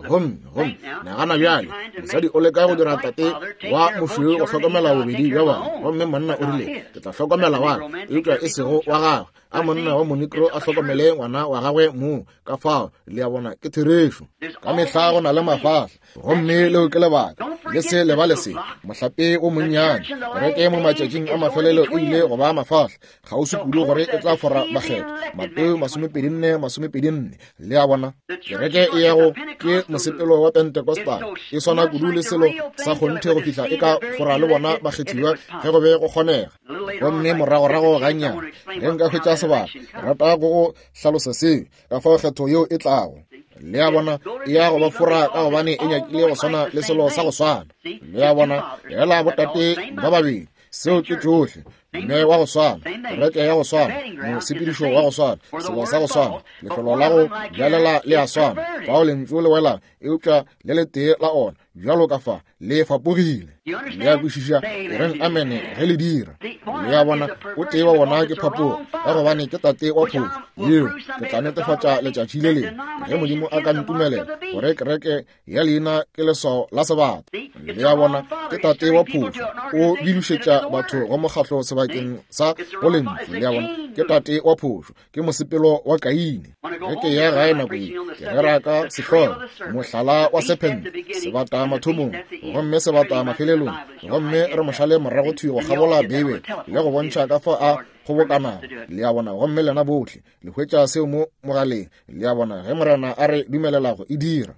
S2: Gomme, gomme, nagana bjale, mosadi o leka go dira tate wa mošweu go hlokomela bobedi bja bona, gomme monna o rile, ke tla hlokomela wa ka, eupša e sego wa gagwe. A monna wa monigro a hlokomele ngwana wa gagwe moo. Ka fao, le a bona, ke therešo. Ka mehla go na le mafahla, gomme leo ke lebaka. Le se lebale se, mohlape o monnyane. Kereke mo matšatšing a mafelelo e ile go ba mafahla, kgauswi kudu gore e tla fora bakgethwa. Mateo 24, 24. Le a bona, kereke e ya go ke mosepelo wa Pentecostal, e swana kudu le selo sa kgonthe go fihla e ka fora le bona bakgethiwa ge go be go kgonega. Gomme moragorago gannyane, ge nka hwetša sebaka, rata go go hlalosa seo, ka fao kgetho yeo e tlago. Le a bona, e ya go ba fora ka gobane e nyakile go swana le selo sa go swana. Le a bona, fela botate ba babedi, seo ke tšohle, mme wa go swana, kereke ya go swana, mosepedišo wa go swana, selo sa go swana, lefelo la go bjalela le a swana, fao lentšu le wela, eupša le letee la ona, bjalo ka fa, le fapogile. Le a kwešiša? E reng amene ge le dira. Le a bona, o tee wa bona ke phapogo, ka gobane ke tate wa phošo. Yeo, ke tla netefatša letšatši le lengwe, ge Modimo a ka ntumelela, gore kereke ya leina ke leswao la sebata. Le a bona, ke tate wa phošo, o bilošetša batho go mokgahlo sebakeng. sebakeng sa go Lentšu. Le a bona, ke tate wa phošo, ke mosepelo wa Kaine. Ge ke ya gae nako ye, ke rera ka sehlogo, mohlala wa sephente, sebata mathomong, gomme sebata mafelelong, gomme re mošale morago thwi go kgabola Beibele le go bontšha ka fao a kgobokanago. Le a bona, gomme lena bohle le hwetša seo mo mogaleng. Le a bona, ge Morena a re dumelela go e dira.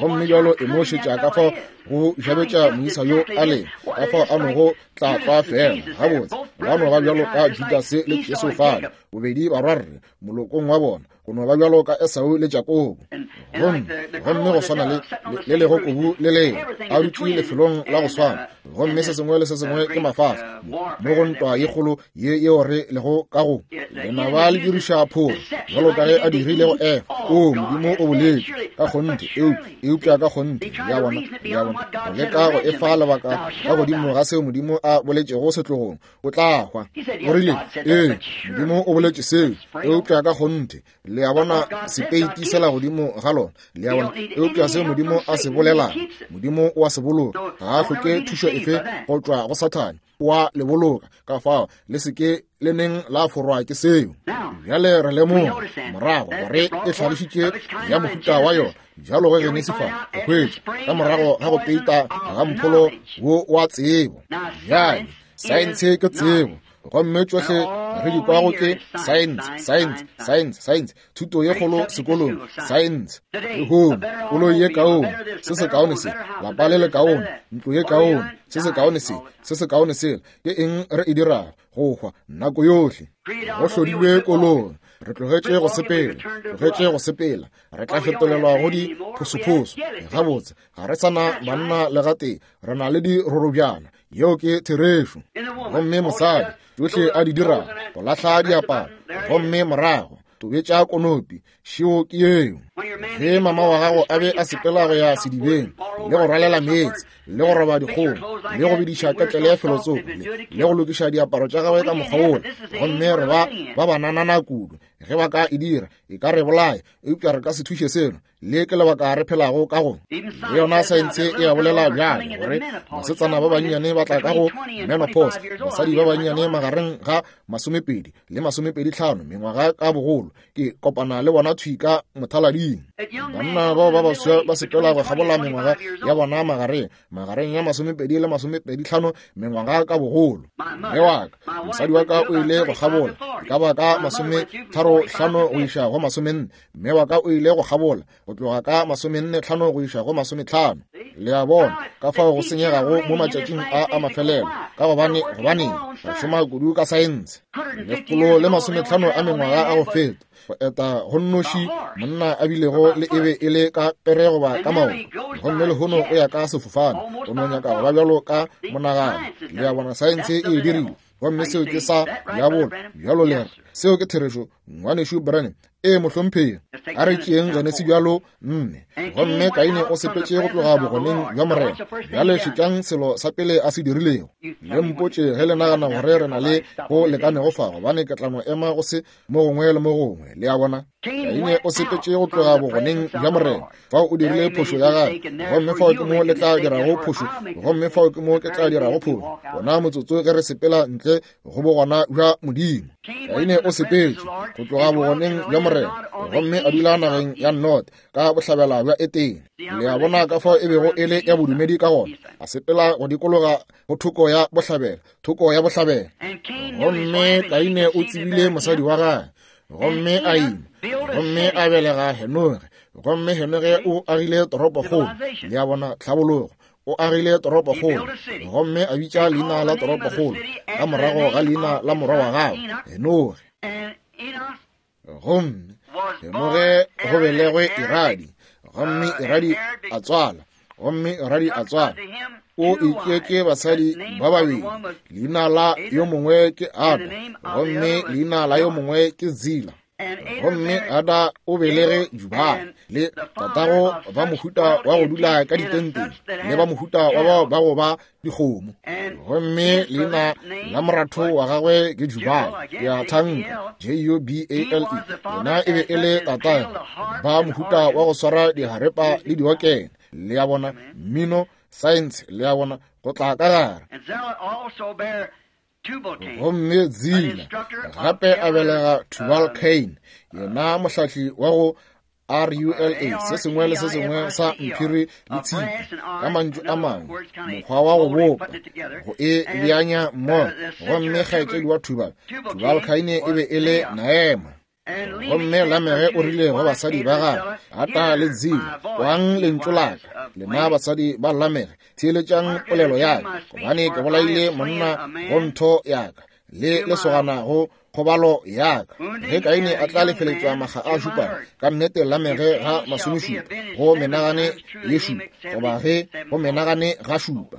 S2: Gomme bjalo e mo šetša ka fao go jabetša moisa yo a leng, ka fao a nogo tla tlwa fela gabotse, ba no ba bjalo ka Judase le Jesu fale, bobedi barwarre molokong wa bona, go no ba bjalo ka Esau le Jakobo. Gomme, gomme go swana le le lego kubu le lengwe a dutše lefelong la go swana, gomme se sengwe le se sengwe ke mafahla mo go ntwa ye kgolo ye yeo re lego ka go. Lenaba le diriša phoro bjalo ka ge a dirile go Efa. O, Modimo o boletše ka kgonthe, eupša ka kgonthe, ya bona, ya bona, go leka go efa lebaka ka godimo ga seo Modimo a boletšego setlogong, o tla hwa. O rile, Ee, Modimo o boletše seo, eupša ka kgonthe, le a bona, sepeiti sela godimo ga lona, le a bona, eupša seo Modimo a se bolelago, Modimo o a se boloka. Ga a hloke thušo efe go tšwa go Sathane, o a le boloka. Ka fao le se ke le neng la forwa ke seo. Bjale re lemoga morago gore e hlalošitše ya mohuta wa yona bjalo ge Genesi fa go hwetša ka morago ga go peita ga mpholo wo wa tsebo. Bjale saense ke tsebo, gomme tšohle re di kwago ke saense, saense, saense, saense, thuto ye kgolo sekolong, saense. Lehono koloi ye kaone, se se kaone se, lapa le le kaone, ntlo ye kaone, se se kaone se, se se kaone sela. Ke eng re e dirago? Go hwa nako yohle. Go hlodilwe koloi, re tlogetše go sepela, tlogetše go sepela, re tla fetolelwa go di phosophoso. Gabotse, ga re sa na banna le gatee, re na le dirorobjana. Yeo ke therešo. Gomme mosadi, tšohle a di dirago, go lahla diaparo, gomme morago tobetša konopi, šeo ke yeo. Ge mama wa gago a be a sepela go ya sedibeng le go rwalela meetse le go roba dikgong le go bediša ketlele ya felotsoko le go lokiša diaparo tša gagwe ka mokgwa wola, gomme re ba ba bananana kudu, ge ba ka e dira e ka re bolaya, eupša re ka se thuše selo. Le ke lebaka re phelago ka go. Le yona saense e a bolela bjale gore basetsana ba bannyane ba tla ka go menopause, basadi ba bannyane magareng ga 20 le 25 mengwaga ka bogolo. Ke kopana le bona thwi ka mothalading. Banna bao ba baswa ba sepela go kgabola mengwaga ya bona magareng magareng ya 20 le 25 mengwaga ka bogolo. Mme wa ka, mosadi wa ka o ile go kgabola e ka ba ka 35 go iša go 40. Mme wa ka o ile go kgabola go tloga ka 45 go iša go 50. Le a bona ka fao go senyegago mo matšatšing a a mafelelo, ka gobane gobaneng re šoma kudu ka saense. 150 a mengwaga a go feta, go eta go nnoši monna a bilego le e be e le ka pere goba ka maoto, gomme lehono o ya ka sefofane, o no nyaka go ba bjalo ka monagano. Le a bona, saense e e dirile, gomme seo ke sa diabolo. Bjalo le re, seo ke therešo, Ngwanešu Branham. Ee, mohlomphegi. A re tšeeng Genesi bjalo 4. Gomme Kaine o sepetše go tloga bogoneng bja Morena. Bjale šetšang selo sa pele a se dirilego. Le mpotše ge le nagana gore re na le go lekanego fa, gobane ke tla no ema go se mo gongwe le mo gongwe. Le a bona? Kaine o sepetše go tloga bogoneng bja Morena. Fao o dirile phošo ya gagwe, gomme fao ke mo le tla dirago phošo, gomme fao ke mo ke tla dirago phošo. Gona motsotso ge re sepela ntle go bogona bja Modimo. Kaine o sepetše go tloga bogoneng bja Morena, gomme a dula nageng ya Nod ka bohlabela bja Etene. Le a bona ka fao e bego e le ya bodumedi ka gona, a sepela go dikologa go thoko ya bohlabela, thoko ya bohlabela. Gomme Kaine o tsebile mosadi wa gagwe, gomme a ima, gomme a belega Henoge, gomme Henoge o agile toropokgolo. Le a bona, tlhabologo. O agile toropokgolo, gomme a bitša leina la toropokgolo ka morago ga leina la morwa wa gagwe, Henoge. Gomme Henoge go belegwe Iradi, gomme Iradi a tswala, gomme Iradi a tswala. O itšeetše basadi ba babedi, leina la yo mongwe ke Ada, gomme leina la yo mongwe ke Zila. Gomme Ada o belege Jubale le tatago ba mohuta wa go dula ka ditenteng le ba mohuta wa bao ba go ba dikgomo. Gomme leina la moratho wa gagwe ke Jubale, ke a thanka, J-U-B-A-L-E. Yena e be e le tatago ba mohuta wa go swara diharepa le diokene. Le a bona, mmino, saense, le a bona, go tla ka gare. Gomme Zila gape a belega Tubal Cain, yena mohlahli wa go RULA, se sengwe le se sengwe sa mphiri le tshipi, ka mantšu a mangwe, mokgwa wa go bopa, go e beanya mmogo. Gomme kgaetšedi wa Tubal, Tubal Cain e be e le Naema. Gomme Lamege o rile go basadi ba gagwe, Ata le Zila, kwang lentšu la ka, lena basadi ba Lamege, theeletšang polelo ya ka, gobane ke bolaile monna go ntho ya ka, le lesogana go kgobalo ya ka. Ge Kaine a tla lefeletšwa makga a šupago, ka nnete Lamege ga masomešupa, go menagane ye šupa, goba ge go menagane ga šupa.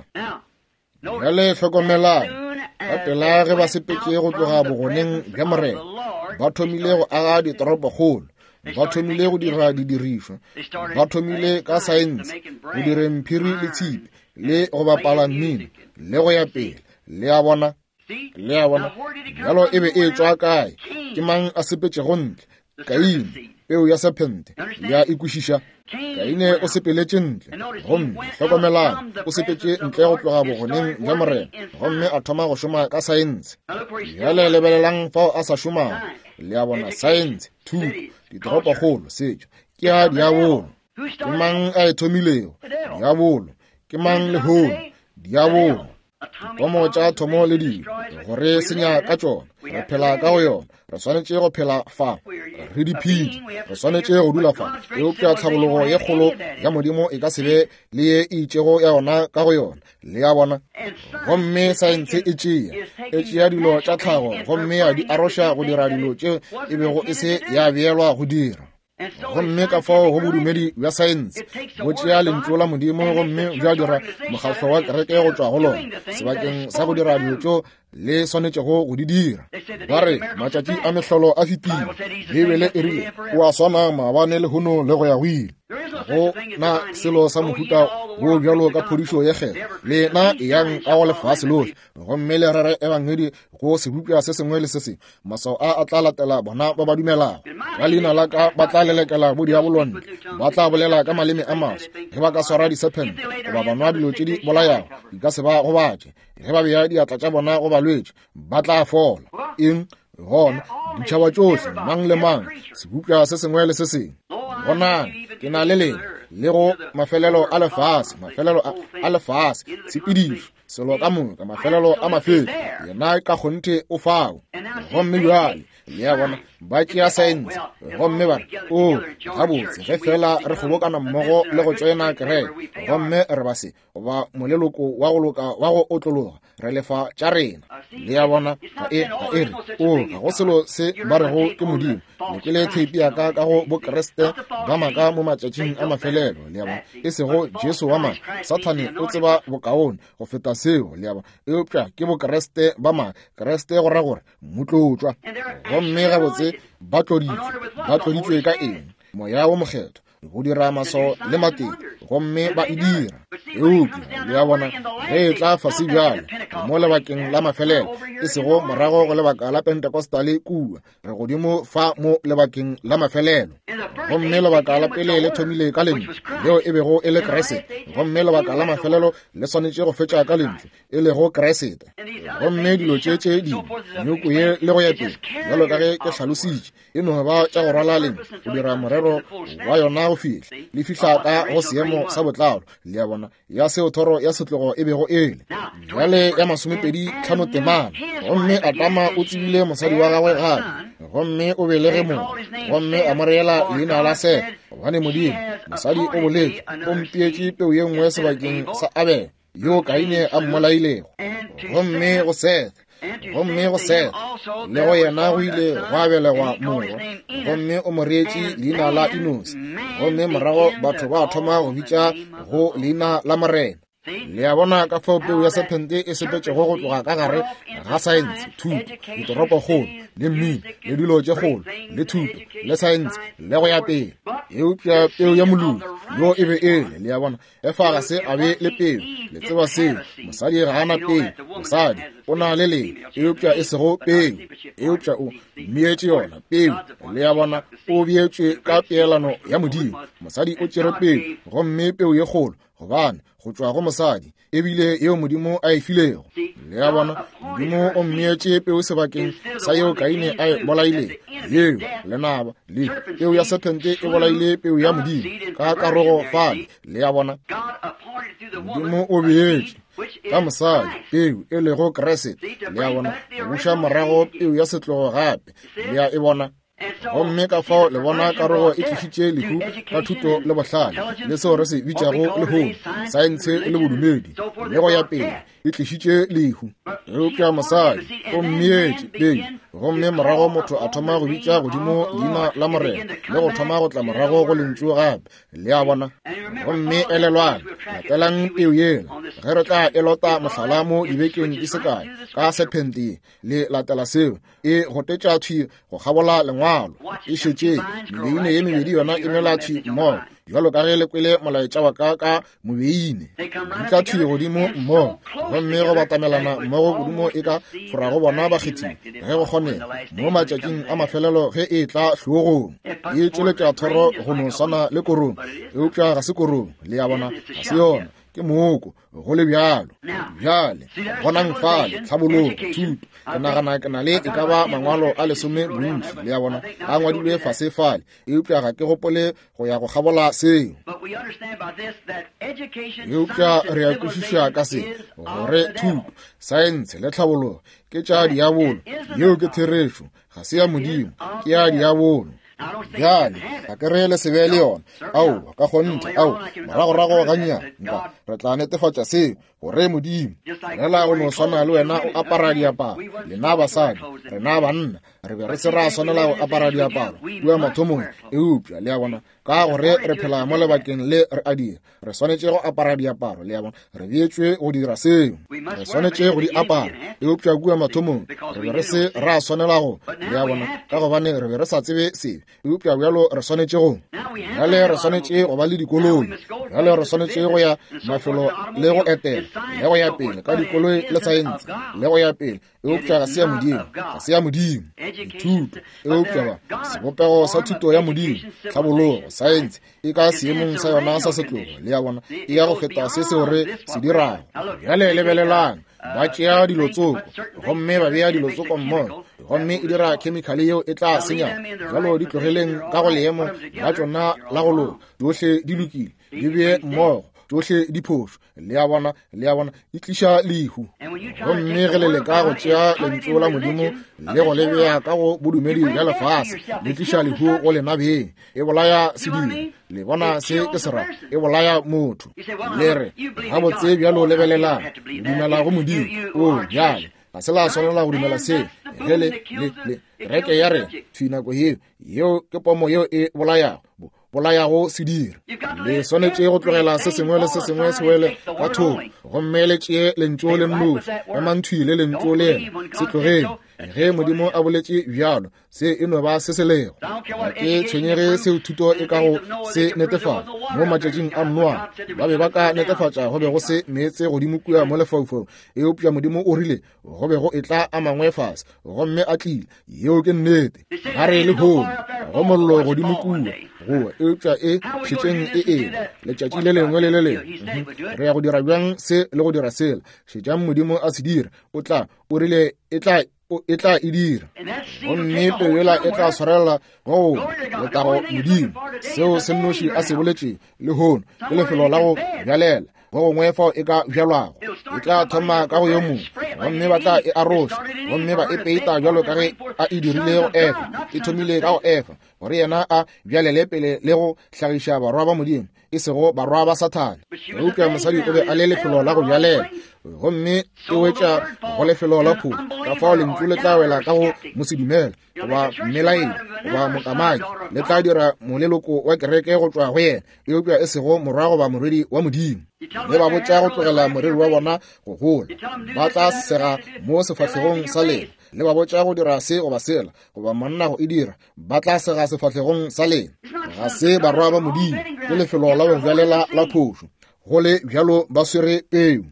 S2: Bjale hlokomelang, ka pela ge ba sepetše go tloga bogoneng bja Morena, ba thomile go aga ditoropokgolo, ba thomile go dira didirišwa, ba thomile ka saense, go direng mphiri le tshipi, le go bapala mmino, le go ya pele. Le a bona? Le a bona? Bjalo e be e tšwa kae? Ke mang a sepetšego ntle? Kaine, peu ya sephente. Le a e kwešiša? Kaine o sepeletše ntle, gomme hlokomelang, o sepetše ntle go tloga bogoneng bja Morena, gomme a thoma go šoma ka saense. Bjale lebelelang fao a sa šomago. Le a bona, saense, thuto, ditoropokgolo, setšo, ke ya diabolo. Ke mang a e thomilego? Diabolo. Ke mang lehono? Diabolo. Dipomo tša thomo le dilo go re senya ka tšona. Re phela ka go yona, re swanetše go phela fa, re diphedi, re swanetše go dula fa. Eupša tlhabologo ye kgolo ya Modimo e ka se be le ye e itšego ya yona ka go yona. Le a bona? Gomme saense e tšea dilo tša tlhago gomme ya di aroša go dira dilo tše e bego e se ya beelwa go dira. Gomme ka fao go bodumedi bja saense bo tšea lentšu la Modimo gomme bja dira mokgatlo wa kereke go tšwa go lona, sebakeng sa go dira dilo tšeo le swanetšego go di dira. Ba re matšatši a mehlolo a fetile. Beibele e rile o a swana maabane, lehono le go ya go ile. Go na selo sa mohuta wo bjalo ka phodišo ye kgethwa. Lena eyang ka go lefase lohle gomme le rere ebangedi go sebopša se sengwe le se sengwe. Maswao a a tla latela bona ba ba dumelago. Ka leina la ka ba tla lelekela bodiabolo ntle, ba tla bolela ka maleme a maswa. Ge ba ka swara disephente goba ba nwa dilo tše di bolayago, di ka se ba gobatše. Ge ba bea diatla tša bona go balwetši, ba tla fola. Eng? Gona ditšhaba tšohle, mang le mang, sebopša se sengwe le se sengwe. Bonang, ke na le lena le go mafelelo a lefase, mafelelo a lefase, tshepedišo, selo ka moka, mafelelo a mafelo. Yena ka kgonthe o fao. Gomme bjale le a bona, ba tšea saense gomme ba re, o gabotse, ge fela re kgobokana mmogo le go tšoena kereke, gomme re ba se goba moleloko wa go loka wa go otlologa, re lefa tša rena. Le a bona, ga e re, o ga go selo se ba rego ke Modimo. Le kwele theipi ya ka ka go Bokreste ba maaka mo matšatšing a mafelelo. Le a bona, e sego Jesu wa maaka. Sathane o tseba bokaone go feta seo. Le a bona, eupša ke Bokreste ba maaka. Kreste go ra gore motlotšwa. Gomme gabotse ba tloditšwe. Ba tloditšwe ka eng? Moya wo Mokgethwa, go dira maswao le matete, gomme ba e dira. Eupša le a bona, ge e tla fase bjale mo lebakeng la mafelelo, e sego morago go lebaka la Pentecostal kua, re godimo fa mo lebakeng la mafelelo. Gomme lebaka la pele le thomile ka lentšu, leo e bego e le Kriste, gomme lebaka la mafelelo le swanetše go fetša ka lentšu, e lego Kriste. Gomme dilo tše tše dingwe, nyoko ye le go ya pele, bjalo ka ge ke hlalositše, e no ba tša go rwala lentšu go dira morero wa yona go fihla le fihla ka go seemo sa botlalo. Le a bona, ya seo thoro ya setlogo e bego e le. Bjale ya 25 temana. Gomme Adama o tsebile mosadi wa gagwe gape, gomme o belege morwa, gomme a mo reela leina la Sete, gobane Modimo, mosadi o boletše, o mpeetše peu ye nngwe sebakeng sa Abele, yo Kaine a mmolailego. Gomme go Sete, gomme go Seth, le go yena go ile gwa belegwa morwa, gomme o mo reetše leina la Enose. Gomme morago batho ba thoma go bitša go leina la Morena. Le a bona ka fao peu ya sephente e sepetšego go tloga ka gare ga saense, thuto, ditoropokgolo, le mmino, le dilo tše kgolo, le thuto, le saense, le go ya pele. Eupša peu ya moloki yo e be e le, le a bona, Efa ga se a be le peu. Le tseba seo. Mosadi ga a na peu. Mosadi o na le leng, eupša e sego peu. Eupša o mmeetše yona peu. Le a bona, o beetšwe ka peelano ya Modimo. Mosadi o tšere peu, gomme peu ye kgolo. gobane go tšwa go mosadi e bile yeo Modimo a e filego. Le a bona, Modimo o mmeetše peu sebakeng sa yeo Kaine a e bolailego. Yeo, lenaba, le peu ya sephente e bolaile peu ya Modimo ka karogo fale. Le a bona, Modimo o beetše ka mosadi peu e lego Kriste. Le a bona, go buša morago peu ya setlogo gape. Le a e bona? Gomme ka fao le bona karogo e tlišitše lehu ka thuto le bohlale le seo re se bitšago lehono saense le bodumedi le go ya pele, e tlišitše lehu. Eupša mosadi o mmeetše peu, gomme morago motho a thoma go bitša godimo leina la Morena le go thoma go tla morago go lentšu gape. Le a bona? Gomme elelwang, latelang peu yela ge re tla e lota mohlala mo dibekeng di se kae ka sephente ye. Le latela seo, e gotetša thwi go kgabola lengwalo. E šetše mebeine ye mebedi yona e mela thwi mmogo, bjalo ka ge le kwele molaetša wa ka ka mobeine. Di tla thwi godimo mmogo, gomme go batamelana mmogo kudu mo e ka forago bona bakgethiwa ge go kgonega mo matšatšing a mafelelo ge e tla hlogong. E tšweletša thoro go no swana le korong, eupša ga se korong. Le a bona, ga se yona, ke mooko. Go le bjalo. Bjale, bonang fale, tlhabologo, thuto. Ke nagana ke na le e ka ba mangwalo a lesome bontši, le a bona, a ngwadilwe fase fale, eupša ga ke gopole go ya go kgabola seo. Eupša re a kwešiša ka se, gore thuto, saense le tlhabologo ke tša diabolo. Yeo ke therešo. Ga se ya Modimo, ke ya diabolo. Bjale, ga ke re le se be le yona. Aowa, ka kgonthe, ao, moragorago gannyane, nka, re tla netefatša seo, gore Modimo, fela go no swana le wena o apara diaparo, lena basadi, rena banna, re be re se ra swanela go apara diaparo kua mathomong, eupša, le a bona, ka gore re phela mo lebakeng le re a dira, re swanetše go apara diaparo, le a bona, re beetšwe go dira seo, re swanetše go di apara. Eupša kua mathomong re be re se ra swanela go, le a bona, ka gobane re be re sa tsebe sebe, eupša bjalo re swanetše go. Bjale re swanetše go ba le dikoloi, bjale re swanetše go ya mafelo le go etela le go ya pele ka dikoloi le saense le go ya pele, eupša ga se ya Modimo, ga se ya Modimo. Dithuto, eupša ba sebopego sa thuto ya Modimo, tlhabologo, saense e ka seemong sa yona sa setlogo, le ya bona, e ya go feta se seo re se dirago. Bjale lebelelang, ba tšea dilo tsoko gomme ba bea dilo tsoko mmogo, gomme e dira khemikhale yeo e tla senya. Bjalo di tlogeleng ka go leemo la tšona la go loka, tšohle di lokile, di bee mmogo, tšohle di phošo. Le a bona, le a bona, e tliša lehu. Gomme ge le leka go tšea lentšu la Modimo le go le bea ka go bodumedi bja lefase, le tliša lehu go lena beng. E bolaya sediri. Le bona se ke se ra? E bolaya motho. Le re, gabotse bjalo lebelelang, le dumela go Modimo. O, bjale, ga se la swanela go dumela seo. Ge le, le, le, kereke ya rena, thwi nako yeo, yeo ke pomo yeo e bolayago. Bolayago sediri. Le swanetše go tlogela se sengwe le se sengwe se wele ka thoko, gomme le tšee lentšu le nnoši, emang thwi le lentšu le yena, se tlogeng. Ge Modimo a boletše bjalo, se e no ba se se lego. Ga ke tshwenyege seo thuto e ka go se netefatša. Mo matšatšing a Noa, ba be ba ka netefatša go be go se meetse godimo kua mo lefaufaung, eupša Modimo o rile go be go etla a mangwe fase, gomme a tlile. Yeo ke nnete. Ba re lehono go mollo godimo kua goa, eupša e šetšeng e ena letšatši le lengwe le le lengwe. Re ya go dira bjang se le go dira sela? Šetšang Modimo a se dira. O tla, o rile e tla, e tla e dira, gomme peu yela e tla swarela go letago Modimo. Seo se nnoši a se boletše lehono ke lefelo la go bjalela go gongwe fao e ka bjalwago. E tla thoma ka go yo mongwe, gomme ba tla e aroša gomme ba e peita bjalo ka ge a e dirile go Efa. E thomile ka go Efa, gore yena a bjalele pele le go hlagiša barwa ba Modimo, e sego barwa ba Sathane. Eupša mosadi o be a le lefelo la go bjalela, gomme e wetša go lefelo la phulo. Ka fao lentšu le tla wela ka go mosedumele goba mmelaedi goba mokamaki, le tla dira moleloko wa kereke go tšwa go yena, eupša e sego morwa goba morwedi wa Modimo. Le ba botša go tlogela moriri wa bona go gola, ba tla sega mo sefahlegong sa lena. Le ba botša go dira se goba sela, goba monna go e dira, ba tla sega sefahlegong sa lena. Ga se barwa ba Modimo, ke lefelo la go bjalela la phošo. Go le bjalo ba swere peu.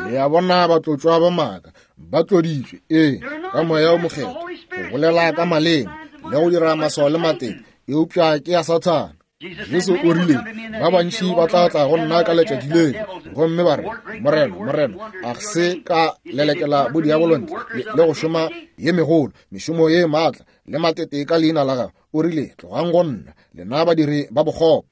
S2: Le a bona, batlotšwa ba maaka ba tloditšwe, ee, ka Moya wo Mokgethwa, go bolela ka maleme le go dira maswao le matete, eupša ke ya Sathane. Jesu o rile, Ba bantši ba tla tla go nna ka letšatši leo, gomme ba re, Morena, Morena, a se ka lelekela bodiabolo ntle le go šoma ye megolo, mešomo ye maatla le matete ka leina la gago? O rile, Tlogang go nna, lena badiri ba bokgopo.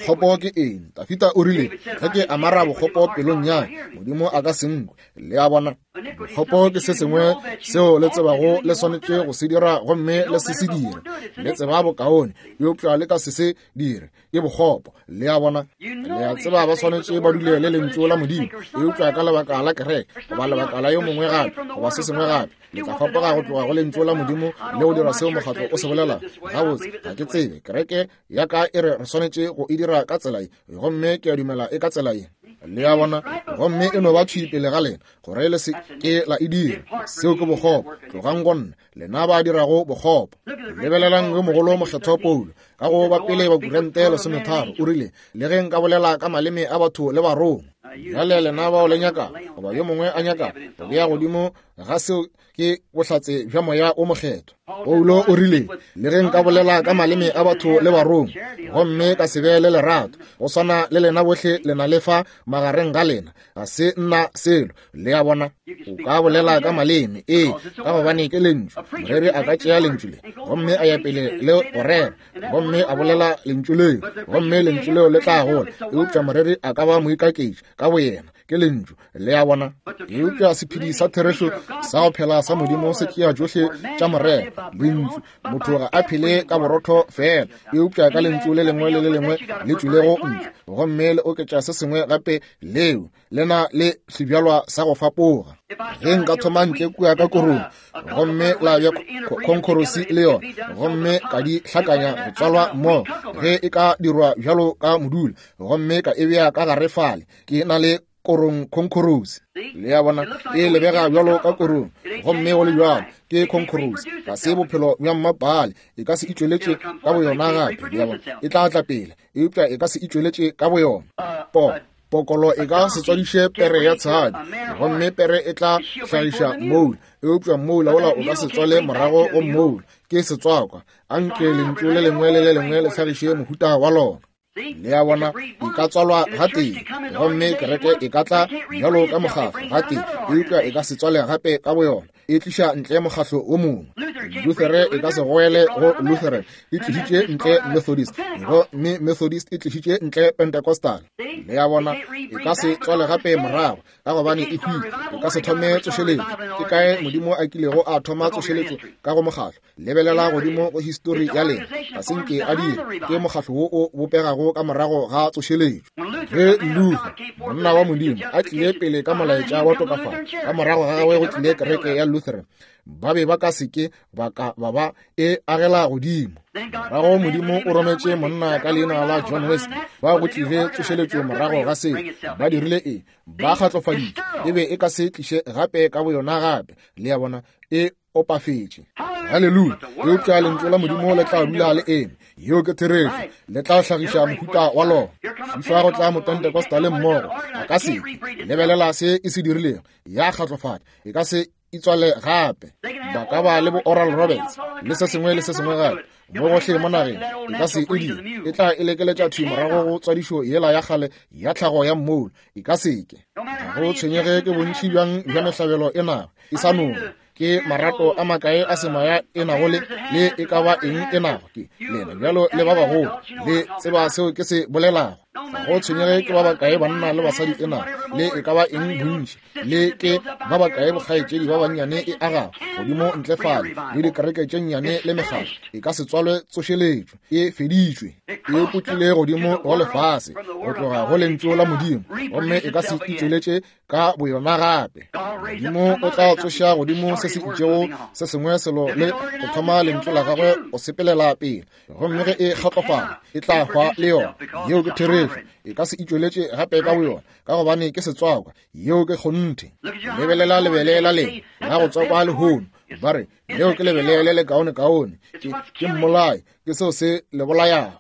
S2: Bokgopo ke eng? Dafida o rile, Ge ke amara bokgopo pelong ya Modimo a ka se nkwe. Le a bona? Bokgopo ke se sengwe seo le tsebago le swanetše go se dira gomme le se se dire. Le tseba bokaone, eupša le ka se se dire. Ke bokgopo. Le a bona? Le a tseba ba swanetše ba dule le lentšu la Modimo, eupša ka lebaka la kereke goba lebaka la yo mongwe gape goba se sengwe gape, le tla fapoga go tloga go lentšu la Modimo le go dira seo mokgatlo o se bolelago. Gabotse, ga ke tsebe. Kereke ya ka e re re swanetše go e dira ka tsela ye, gomme ke a dumela e ka tsela ye. Le a bona? Gomme e no ba thwi pele ga lena gore le se ke la e dira. Seo ke bokgopo. Tlogang go nna, lena ba dirago bokgopo. Lebelelang yo mogolo mokgethwa Paulo, ka go ba pele ba Korinte 13, o rile, Le ge nka bolela ka maleme a batho le barongwa. Bjale lena bao le nyaka, goba yo mongwe a nyaka go bea godimo ga seo, ke bohlatse bja Moya o Mokgethwa. Paulo o rile, Le ge nka bolela ka maleme a batho le barongwa, gomme ka se be le lerato, go swana le lena bohle le na le fa magareng ga lena, ga se nna selo. Le a bona? O ka bolela ka maleme, ee, ka gobane ke lentšu. Moreri a ka tšea lentšu le gomme a ya pele le go rera, gomme a bolela lentšu leo, gomme lentšu leo le tla gola. Eupša moreri a ka ba moikaketši ka boyena, ke lentšu. Le a bona? Eupša sephedi sa therešo sa go phela sa Modimo se tšea tšohle tša morero, lentšu. Motho ga a phele ka borotho fela, eupša ka lentšu le lengwe le le lengwe le tšwilego ntle, gomme le oketša se sengwe gape leo le na le sebjalwa sa go fapoga. Ge nka thoma ntle kua ka korong, gomme la bja khonkhorosi le yona, gomme ka di hlakanya go tswalwa mmogo, ge e ka dirwa bjalo ka modula, gomme ka e bea ka gare fale, ke na le korong khonkhorosi. Le a bona, e lebega bjalo ka korong, gomme go le bjalo ke khonkhorosi. Ga se bophelo bja mmapale, e ka se itšweletše ka boyona gape. Le a bona, e tla tla pele, eupša e ka se itšweletše ka boyona. Po pokolo e ka se tswadiše pere ya tshadi, gomme pere e tla hlagiša moula, eupša moula wola o ka se tswale morago go moula. Ke setswakwa. Anke lentšu le lengwe le le lengwe le hlagiše mohuta wa lona. Le a bona, e ka tswalwa gatee, gomme kereke e ka tla bjalo ka mokgatlo gatee, eupša e ka se tswale gape ka boyona. E tliša ntle mokgatlo wo mongwe. Luthere e ka se goele go Lutheran, e tlišitše ntle Methodist, gomme Methodist e tlišitše ntle Pentecostal. Le a bona, e ka se tswale gape morago, ka gobane e hwile. E ka se thome tsošeletšo. Ke kae Modimo a kilego a thoma tsošeletšo ka go mokgatlo? Lebelela godimo go histori ya lena, ga se nke a dira. Ke mokgatlo wo o bopegago ka morago ga tsošeletšo. Ge Luther, monna wa Modimo, a tlile pele ka molaetša wa tokafalo, ka morago ga gagwe go tlile kereke ya Lutheran. Ba be ba ka se ke ba ka ba ba e agela godimo. Morago Modimo o rometše monna ka leina la John Wesley, ba go tlile tsošeletšo morago ga seo. Ba dirile eng? Ba kgatlofaditše. E be e ka se tliše gape ka boyona gape. Le a bona? E opafetše. Haleluya! Eupša lentšu la Modimo le tla dula le eme. Yeo ke therešo. Le tla hlagiša mohuta wa lona. Fifa go tla Mopentecostal mmogo. A ka se lebelela se e se dirilego. Ya kgatlofatša. E ka se itswale gape. Ba ka ba le bo Oral Roberts le se sengwe le se sengwe gape mo gohle mo nageng. E ka se e dire. E tla e lekeletša thwi morago go tswadišo yela ya kgale ya tlhago ya mmoulo. E ka se ke. Ga go tshwenyege ke bontši bjang bja mehlabelo e nago e sa nongwa, ke marato a makae a semoya e nago le, le e ka ba eng e nago, ke lena bjalo le ba bagolo, le tseba seo ke se bolelago. Ga go tshwenyege ke ba bakae banna le basadi e nago, le e ka ba eng bontši, le ke ba bakae bokgaetšedi ba bannyane e agago godimo ntle fale, le dikereke tše nnyane le mekgatlo, e ka se tswalwe tsošeletšo, e feditšwe, e putlile godimo go lefase go tloga go lentšu la Modimo, gomme e ka se itšweletše ka boyona gape. Modimo o tla tsoša godimo se se itšego se sengwe selo le go thoma lentšu la gagwe go sepelela pele, gomme ge e kgatlofala e tla hwa le yona. Yeo ke therešo. E ka se itšweletše gape ka boyona, ka gobane ke setswakwa. Yeo ke kgonthe. Lebelela lebele la lena la go tswakwa lehono, ba re Leo ke lebele le lekaonekaone. Ke, ke mmolai. Ke seo se le bolayago.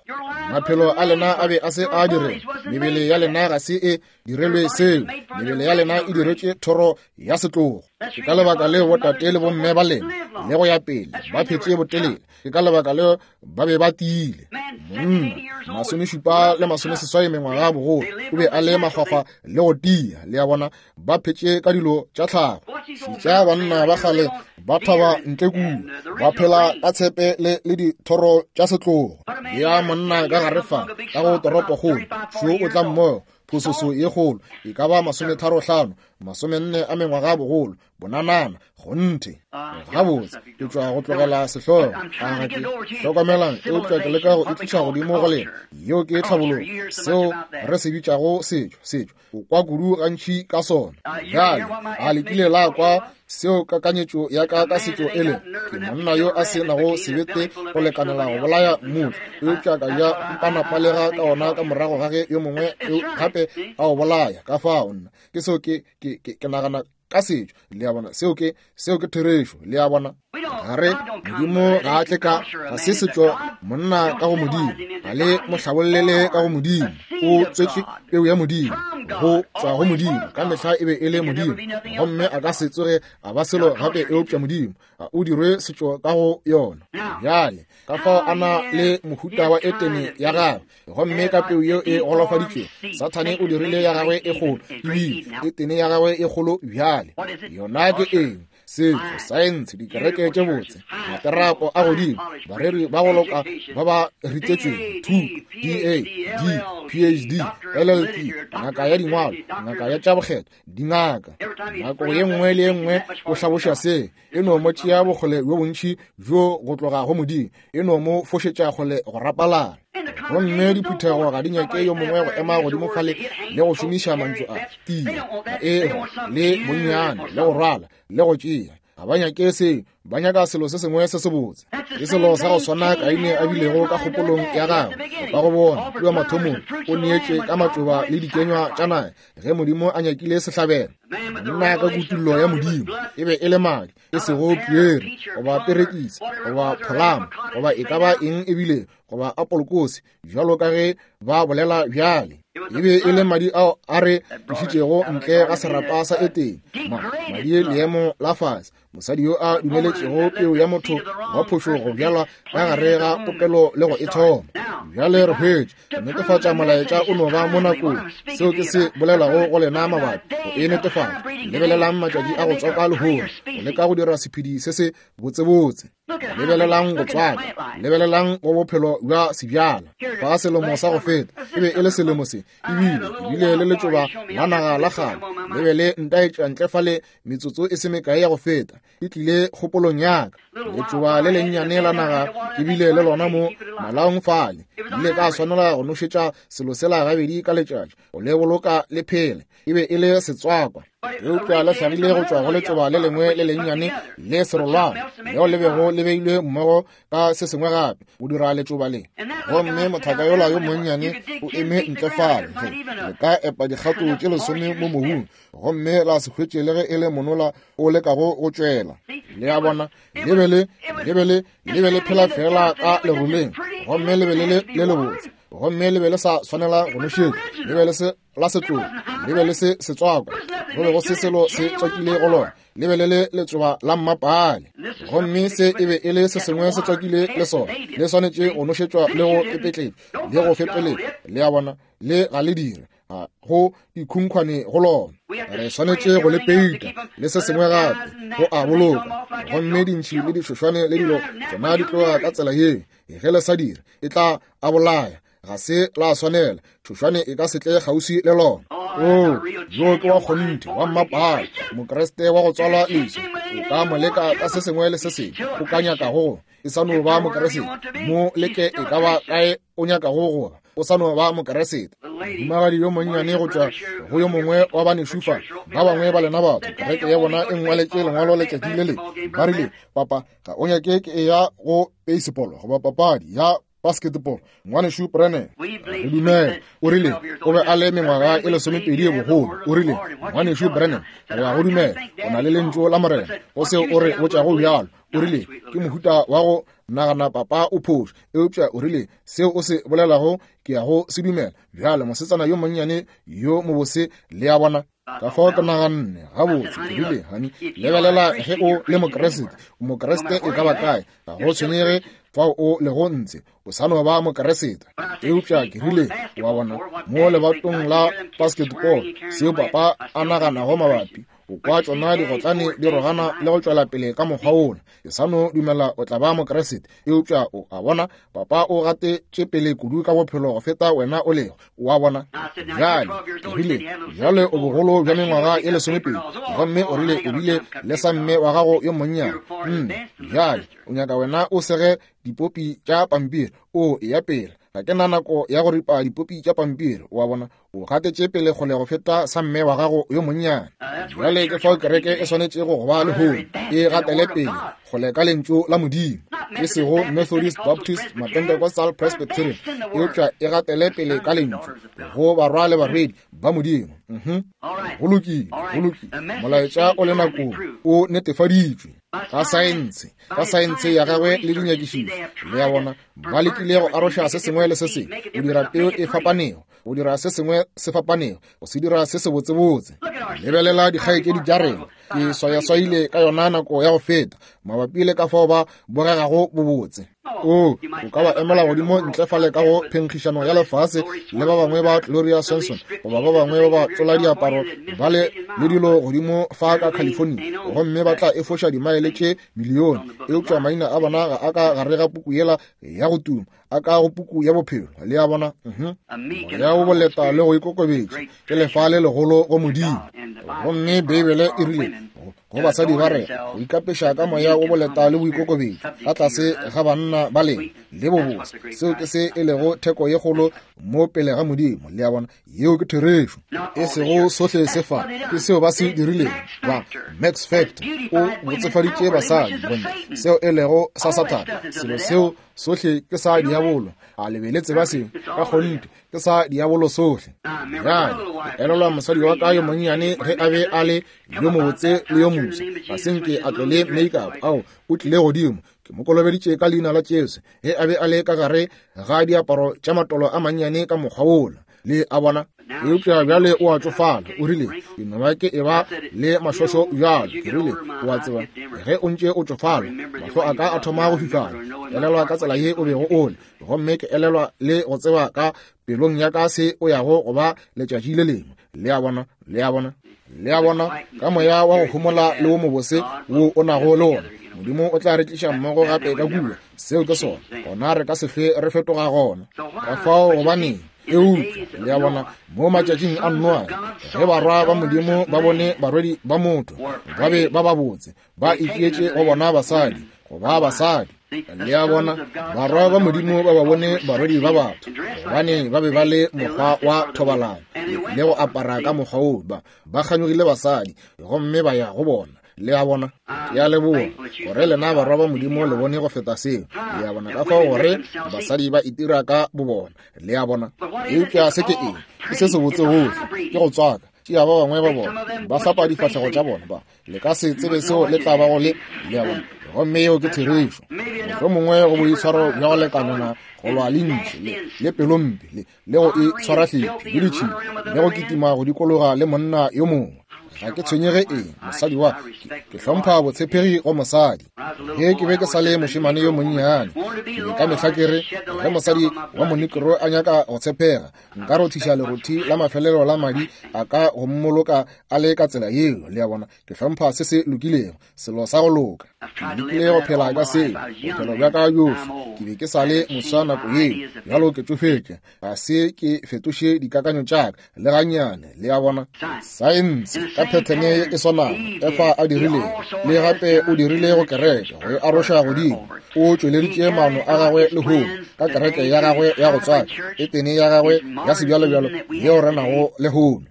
S2: Maphelo a lena a be a se a direlwa. Mebele ya lena ga se e direlwe seo. Mebele ya lena e diretše thoro ya setlogo. Ke ka lebaka leo botate le bomme ba lena le go ya pele ba phetše botelele. Ke ka lebaka leo ba be ba tiile. Monna, 70 le 80 mengwaga bogolo, o be a le makgwakgwa le go tia. Le a bona, ba phetše ka dilo tša tlhago. Šetša banna ba kgale ba thaba ntle kua, ba phela ka tshepe le, le dithoro tša setlogo. Ya monna ka gare fa, ka go toropokgolo, šo o tla mmogo, phososo ye kgolo, e ka ba 35, 40 a mengwaga bogolo, bonanana, kgonthe. Gabotse, ke tšwa go tlogela sehlogo. A ga ke? Hlokomelang, eupša ke leka go e tliša godimo go lena. Yeo ke tlhabologo, seo re se bitšago setšo, setšo. O kwa kudu gantši ka sona. Bjale, a le kile la kwa seo kakanyetšo ya ka ka setšo e lego? Ke monna yo a se nago sebete go lekanela go bolaya mmutla, eupša ka ja mpanapalega ka ona ka morago ga ge yo mongwe gape a o bolaya. Ka fao nna ke seo ke, ke, ke, ke nagana ka setšo. Le a bona, seo ke, seo ke therešo. Le a bona, ga re, Modimo ga a tle ka, ga se setšo monna ka go Modimo, ga le mo hlabollele ka go Modimo. O tswetše peu ya Modimo, go tšwa go Modimo, ka mehla e be e le Modimo, gomme a ka se tsoge a ba selo gape eupša Modimo. A o dirwe setšo ka go yona. Bjale, ka fao a na le mohuta wa Etene ya gagwe, gomme ka peu yeo e golofaditšwego, Sathane o dirile ya gagwe e kgolo, ebile Etene ya gagwe e kgolo bjale. Yona ke eng? Setšo, saense, dikereke tše botse, materapo a godimo, bareri ba go loka ba ba ritetšwego, thuto, DA, D, PhD, LLP, ngaka ya dingwalo, ngaka ya tša bokgethwa, dingaka. Nako ye nngwe le ye nngwe o hlaboša se, e no mo tšea bokgole bjo bontši bjo go tloga go Modimo, e no mo fošetša kgole go rapalala. Gomme diphuthego ga di nyake yo mongwe go ema godimo fale le go šomiša mantšu a tia, a e le bonnyane, le go rwala, le go tšea. Ga ba nyake seo, ba nyaka selo se sengwe se sebotse. Ke selo sa go swana Kaine a bilego ka kgopolong ya gagwe. O ka go bona kua mathomong, o neetše ka matšoba le dikenywa tša naga ge Modimo a nyakile sehlabelo. Monna ka kutullo ya Modimo e be e le madi, e sego piere goba perekisi goba pholamo goba e ka ba eng ebile goba apolokose bjalo ka ge ba bolela bjale. E be e le madi ao a re tlišitšego ntle ga serapa sa Etene, madi leemo la fase, mosadi yo a dumeletšego peu ya motho wa phošo go bjalwa ka gare ga popelo le go e thoma. Bjale re hwetše netefatša molaetša o no ba mo nakong. Seo ke se bolelago go lena mabapi go e netefatša. Lebelelang matšatši a go tswaka lehono, go leka go dira sephedi se se botsebotse. Lebelelang go tswaka, lebelelang go bophelo bja sebjala. Fa selemo sa go feta e be e le selemo se, ebile ebile le letšoba la naga la kgale le be le ntaetša ntle fale metsotso e se mekae ya go feta, e tlile kgopolong ya ka. Letšoba le lennyane la naga ke bile le lona mo malaong fale, ile ka swanela go nošetša selo sela gabedi ka letšatši go le boloka le phele. E be e le setswakwa, eupša le hlagile go tšwa go letšoba le lengwe le lennyane le serolwana leo le bego le beilwe mmogo ka se sengwe gape go dira letšoba le. Gomme mothaka yola yo monnyane o eme ntle fale, ge le ka epa dikgato tše 10 mo mobung gomme la se hwetše le ge e le monola o lekago go tšwela. Le a bona, le be le, le be le, le be le phela fela ka leroleng, gomme le be le le le lebotse, gomme le be le sa swanela go nošetšwa, le be le se la setlogo, le be le se setswakwa, go be go se selo se tswakile go lona, le be le le letšoba la mmapale. Gomme se e be e le se sengwe se tswakile le sona, le swanetše go nošetšwa le go pepetletšwa le go fepeletšwa. Le a bona, le ga le dire, ga go dikhunkhwane go lona. Re swanetše go le peita le se sengwe gape go a boloka, gomme dintšhi le dišošwane le dilo tšona di tloga ka tsela ye. Ge le sa dire, e tla a bolaya. Ga se la swanela, tšhošwane e ka se tle kgauswi le lona. Oo, yo ke wa kgonthe wa mmapale, Mokriste wa go tswalwa leswa. O ka mo leka ka se sengwe le se sengwe o ka nyakago go, e sa no ba Mokriste. Mo leke e ka ba kae o nyakago go ba, o sa no ba Mokriste. Mohumagadi yo monnyane go tšwa go yo mongwe wa banešu fa, ba bangwe ba lena batho, kereke ya bona e ngwaletše lengwalo letšatši le lengwe, ba rile, Papa, ga o nyake ke eya go baseball goba papadi ya basketball? Ngwanešu Branham, re dumela. O rile o be a le mengwaga e 12 ye bogolo. O rile, Ngwanešu Branham, re a go dumela, o na le lentšu la Morena go seo o re botšago bjalo. O rile, Ke mohuta wa go nagana papa o phošo, eupša o rile, seo o se bolelago ke ya go se dumela. Bjale, mosetsana yo monnyane yo mobose, le a bona. Ka fao ke naganne, gabotse, ke rile, Hani, lebelela, ge o le Mokriste, o Mokriste e ka ba kae, ga go tshwenyege fao o lego ntse, o sa no ba Mokriste. Eupša ke rile, wa bona, mo lebatong la basketball, seo papa a naganago mabapi, o kwa tšona digotlane di rogana le go tšwela pele ka mokgwa wola, ke sa no dumela o tla ba Mokriste. Eupša o a bona, papa o gatetše pele kudu ka bophelo go feta wena o lego. O a bona? Bjale, o rile, bjale o bogolo bja mengwaga ye lesomepedi, gomme o rile o bile le sa mme wa gago yo monnyane. Nne, bjale o nyaka wena o sege dipopi tša pampiri, o eya pele. Ga ke na nako ya go ripa dipopi tša pampiri, o a bona. O gatetše pele kgole go feta sa mme wa gago yo monnyane. Bjale ke fao kereke e swanetšego go ba lehono, e gatele pele kgole ka Lentšu la Modimo, e sego Methodist, Baptist, Mapentecostal, Presbyterian, eupša e gatele pele ka Lentšu go barwa le barwedi ba Modimo. Mhm. Go lokile, go lokile. Molaetša o le nakong, o netefaditšwe ka saense, ka saense ya gagwe le dinyakišišo. Le a bona, ba lekile go aroša se sengwe le se sengwe, go dira peo e fapanego, go dira se sengwe se fapanego, go se dira se sebotsebotse. Lebelela dikgaetšedi tša rena, ke swayaswaile ka yona nako ya go feta mabapi le ka fao ba bogegago bobotse. O, o ka ba emela godimo ntle fale ka go phenkgišano ya lefase le ba bangwe ba Gloria Swanson goba ba bangwe ba ba tlola diaparo ba le le dilo godimo fa ka California, gomme ba tla efoša dimaele tše milione, eupša maina a bona ga a ka gare ga puku yela ya go tuma, a ka go puku ya bophelo. Le a bona? Mhm. Moya wo boleta le go ikokobetša ke lefa le legolo go Modimo. Gomme Beibele e rile go basadi ba re go ikapeša ka moya wo boleta le boikokobetšo ka tlase ga banna ba lena le bobose, seo ke se e lego theko ye kgolo mo pele ga Modimo. Le a bona? Yeo ke therešo. E sego sohle se fa, ke seo ba se dirilego. Ba Max Factor o botsefaditše basadi, bontle, seo e lego sa Sathane, selo seo sohle ke sa diabolo. A le be le tseba seo? Ka kgonthe ke sa diabolo sohle. Bjale ke elelwa mosadi wa ka yo monnyane ge a be a le yo mobotse le yo moswa, ga se nke a tlole make-up. Ao, o tlile godimo, ke mo kolobeditše ka leina la Jesu ge a be a le ka gare ga diaparo tša matolo a mannyane ka mokgwa wola. Le a bona? Eupša bjale o a tšofala. O rile, ke no ba ke eba le mašošo bjalo. Ke rile, o a tseba, ge o ntše o tšofala, mahlo a ka a thoma go fifala. Elelwa ka tsela ye o bego o le, gomme ke elelwa le go tseba ka pelong ya ka se o yago go ba letšatši le lengwe. Le a bona? Le a bona? Le a bona? Ka moya wa go homola le wo mobose wo o nago le wona, Modimo o tla re tliša mmogo gape ka kua. Seo ke sona. Gona re ka se hlwe re fetoga gona. Ka fao gobaneng? Eupša, le a bona, mo matšatšing a Noa, ge barwa ba Modimo ba bone barwedi ba motho, ba be ba babotse, ba itšeetše go bona basadi, go ba basadi. Le a bona, barwa ba Modimo ba ba bone barwedi ba batho, gobane ba be ba le mokgwa wa thobalano le go apara ka mokgwa wo, ba kganyogile basadi, gomme ba ya go bona. Le a bona? Ke a leboga gore lena barwa ba Modimo le bone go feta seo. Le a bona? Ka fao gore basadi ba itira ka bobona. Le a bona? Eupša se ke eng? Ke se sebotse gohle. Ke go tswaka. Tšea ba bangwe ba bona ba hlapa difahlego tša bona, ba le ka se tsebe seo le tla bago le. Le a bona? Gomme yeo ke therešo. Mohlomongwe go boitshwaro bja go lekanana go lwa le ntši le pelompe le go itshwara hlephi le ditšhila le go kitima go dikologa le monna yo mongwe. Ga ke tshwenyege eng mosadi wa ke hlompha botshepegi go mosadi. Ge ke be ke sa le mošemane yo monnyane, ke be ka mehla ke re ge mosadi wa monekro a nyaka go tshepega, nka rothiša lerothi la mafelelo la madi a ka go mmoloka a le ka tsela yeo. Le a bona? Ke hlompha se se lokilego, selo sa go loka. Ke lekile go phela ka seo bophelo bja ka bjohle. Ke be ke sa le moswa nako yeo, bjalo ke tšofetše. Ga se ke fetoše dikakanyo tša ka le gannyane. Le a bona? Saense ka phethene ye e swanago Efa a dirilego, le gape o dirile go kereke go e aroša godimo. O tšweleditše maano a gagwe lehono ka kereke ya gagwe ya go tswaka, etene ya gagwe ya sebjalobjalo yeo re nago lehono.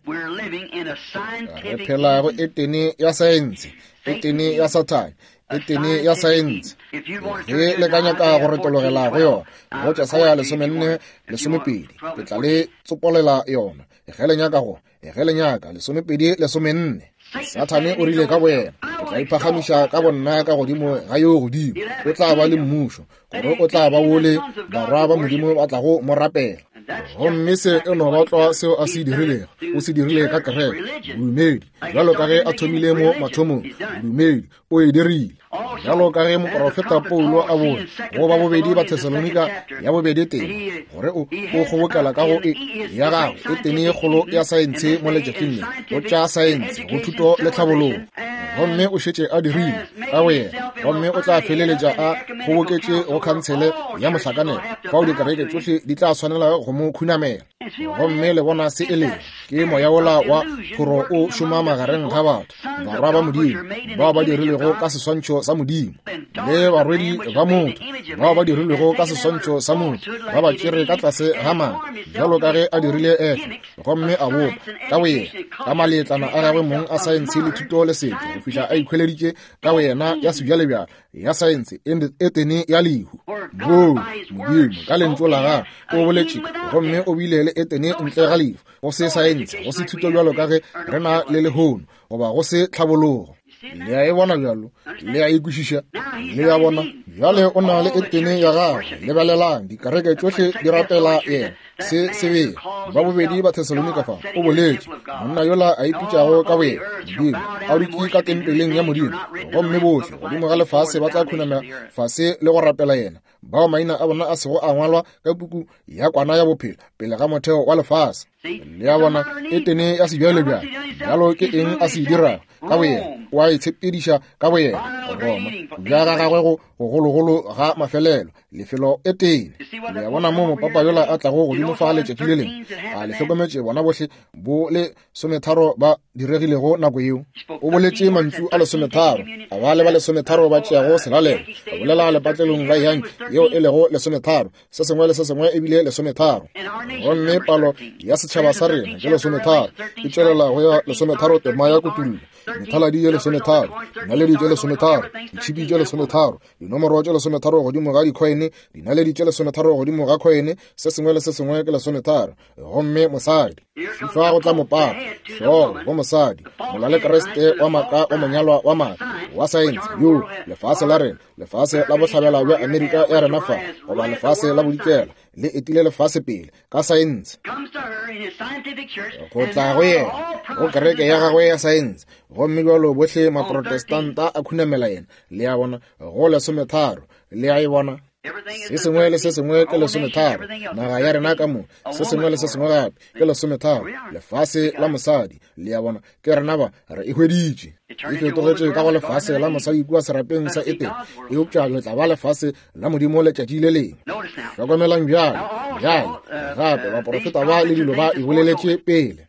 S2: Re phela go etene ya saense, etene ya Sathane, etene ya saense. Ge le ka nyaka go retologela go yona, go Jesaya 14, 12, ke tla le tsopolela yona. Ge le nyaka go, ge le nyaka, 12, 14. Sathane o rile ka boyena, Ke tla iphagamiša ka bonna ka godimo ga yo godimo. O tla ba le mmušo, gore o tla ba wole barwa ba Modimo ba tlago mo rapela. Gomme se e no ba tlwa seo a se dirilego. O se dirile ka kereke, bodumedi, bjalo ka ge a thomile mo mathomong, bodumedi, o e dirile. Bjalo ka ge moprofeta Paulo a bone go ba bobedi ba Thesalonika ya bobedi teng, gore o o kgobokela ka go e ya gagwe e tene ye kgolo ya saense mo letšatšing le, go tša saense, go thuto le tlhabologo. Gomme o šetše a dirile ka go yena, gomme o tla feleletša a kgoboketše go khantshele ya mohlakanelo, fao dikereke tšohle di tla swanela go mo khunamela. Gomme le bona se e lego, ke moya wola wa phoro o šoma magareng ga batho, barwa ba Modimo, bao ba dirilwego ka seswantšho sa Modimo, le barwedi ba motho, bao ba dirilwego ka seswantšho sa motho, ba ba tšere ka tlase ga maaka, bjalo ka ge a dirile Efa, gomme a bopa ka boyena ka maletlana a gagwe mong a saense le thuto le setšo, go fihla a ikhweleditše ka boyena ya sebjalebjale ya saense e tene ya lehu. Boo Modimo ka lentšu la gagwe o boletše, gomme o bile le Etene ntle ga lehu, go se saense, go se thuto bjalo ka ge re na le lehono, goba go se tlhabologo. Le a e bona bjalo, le a e kwešiša, le a bona bjale o na le Etene ya gagwe. Lebelelang, dikereke tšohle di rapela yena. Se sebele ba bobedi ba Thesalonika fa o boletše, monna yola a ipitšago ka boyena Modimo, a dutše ka tempeleng ya Modimo, gomme bohle godimo ga lefase ba tla khunama fase le go rapela yena, bao maina a bona a sego a ngwalwa ka puku ya kwana ya bophelo pele ga motheo wa lefase. Le a bona, Etene ya sebjalebjale. Bjalo ke eng a se dirago ka boyena? O a itshepediša ka boyena, Roma, bja ga gagwe go gogologolo ga mafelelo, lefelo Etene. Le a bona mo mopapa yola a tlago godimo fa letšatši le lengwe? A le hlokometše bona bohle bo le sometharo ba diregilego nako yeo? O boletše mantšu a lesometharo, a ba le ba lesometharo ba tšeago selalelo, a bolela lepatlelong la Yankee yeo e lego lesometharo, se sengwe le se sengwe e bile lesometharo. Gomme palo ya setšhaba sa rena ke lesometharo, e tšwelela go ya lesometharo tema ya kutullo, methaladi ye lesometharo, dinaledi tše lesometharo, ditšhipi tše lesometharo, dinomoro tše lesometharo godimo ga dikhoene, dinaledi tše lesometharo godimo ga khoene, se sengwe le se sengwe ke lesometharo. Gomme mosadi fa go tla mopapa, hlogo go mosadi, molale Kriste wa maaka wa monyalwa wa maaka wa saense, yo lefase la rena, lefase la bohlabela bja Amerika ya rena fa, goba lefase la bodikela, le etile lefase pele ka saense, go tla go yena go kereke ya gagwe ya saense. Gomme bjalo bohle Maprotestanta a khunamela yena. Le a bona, go lesometharo. Le a e bona? Se sengwe le se sengwe ke lesometharo. Naga ya rena ka mo, se sengwe le se sengwe gape ke lesometharo. Lefase la mosadi, le a bona, ke rena ba re e hweditše. E fetogetše ka go lefase la mosadi kua serapeng sa Etene, eupša le tla ba lefase la Modimo letšatši le lengwe. Hlokomelang bjale, bjale gape baprofeta ba le dilo ba e boleletše pele.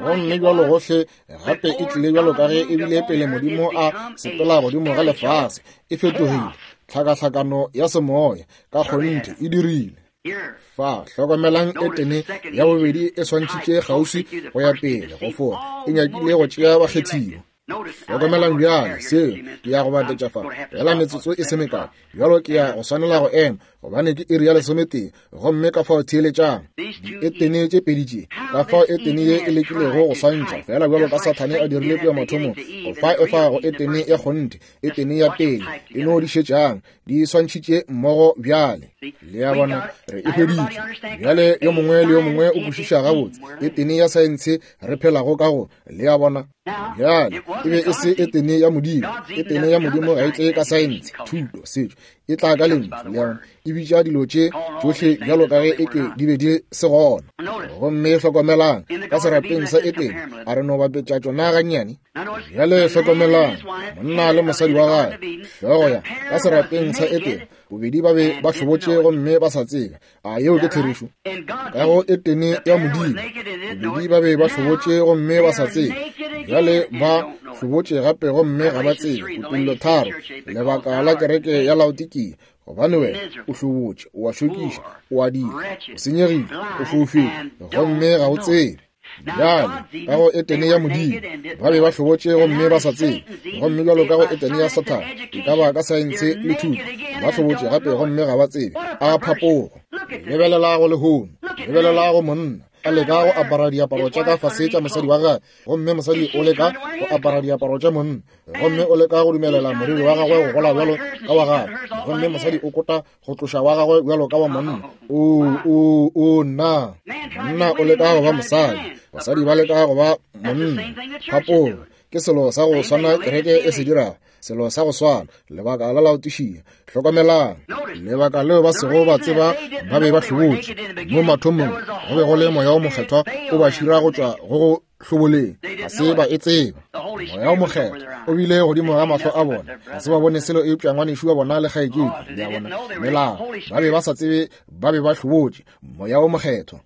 S2: Gomme bjalo gohle gape e tlile bjalo ka ge e bile pele Modimo a sepela godimo ga lefase, e fetogile tlhakahlakano ya semoya ka kgonthe e dirile. Fa hlokomelang Etene ya bobedi e swantšhitše kgauswi go ya pele go fora e nyakile go tšea bakgethiwa. Hlokomelang bjale seo ke ya go batetša fa fela metsotso e se mekae. Bjalo ke ya go swanela go ema, gobane ke iri ya lesometee, gomme ka fao theeletšang dietene tše pedi tše, ka fao etene ye e lekilego go swantšha fela bjalo ka Sathane a dirile kua mathomong, go fa efa go etene ya kgonthe, etene ya pele, e no di šetšang di swantšhitše mmogo bjale. Le a bona, re e hweditše bjale. Yo mongwe le yo mongwe o kwešiša gabotse etene ya saense re phelago ka go. Le a bona bjale, e be e se etene ya Modimo. Etene ya Modimo ga e tle ka saense, thuto, setšo, e tla ka lentšu. Le a bona, e bitša dilo tše tšohle bjalo ka ge e ke di be di se gona. Gomme hlokomelang, ka serapeng sa Etene, a re no bapetša tšona gannyane. Bjale hlokomelang, monna le mosadi wa gagwe, hlogo ya ka serapeng sa Etene, bobedi ba be ba hlobotše gomme ba sa tsebe. A yeo ke therešo? Ka go Etene ya Modimo, bobedi ba be ba hlobotše gomme ba sa tsebe. Bjale ba hlobotše gape gomme ga ba tsebe. Kutollo 3, lebaka la kereke ya Laodikia, gobane wena o hlobotše, o a šokiša, o a dira, o senyegile, o foufetše, gomme ga o tsebe. Bjale ka go Etene ya Modimo ba be ba hlobotše gomme ba sa tsebe, gomme bjalo ka go Etene ya Sathane, e ka ba ka saense le thuto, ba hlobotše gape gomme ga ba tsebe. A phapogo! Lebelela go lehono, lebelela go monna. a leka go apara diaparo tša ka fase tša mosadi wa gagwe, gomme mosadi o leka go apara diaparo tša monna, gomme o leka go dumelela moriri wa gagwe go gola bjalo ka wa gagwe, gomme mosadi o kota go tloša wa gagwe bjalo ka wa monna. O, o, o, nna. Monna o leka go ba mosadi, basadi ba leka go ba monna. Phapolo ke selo sa go swana kereke e se dirago, selo sa go swana, lebaka la laotišia. Hlokomelang, lebaka leo ba sego ba tseba ba be ba hlobotše mo mathomong, go be go le Moya wo Mokgethwa o ba šira go tšwa go go hloboleng, ga se ba e tseba. Moya wo Mokgethwa o bile godimo ga mahlo a bona, ga se ba bone selo eupša ngwanešu wa bona le kgaetšedi, le a bona, melao, ba be ba sa tsebe ba be ba hlobotše. Moya wo Mokgethwa.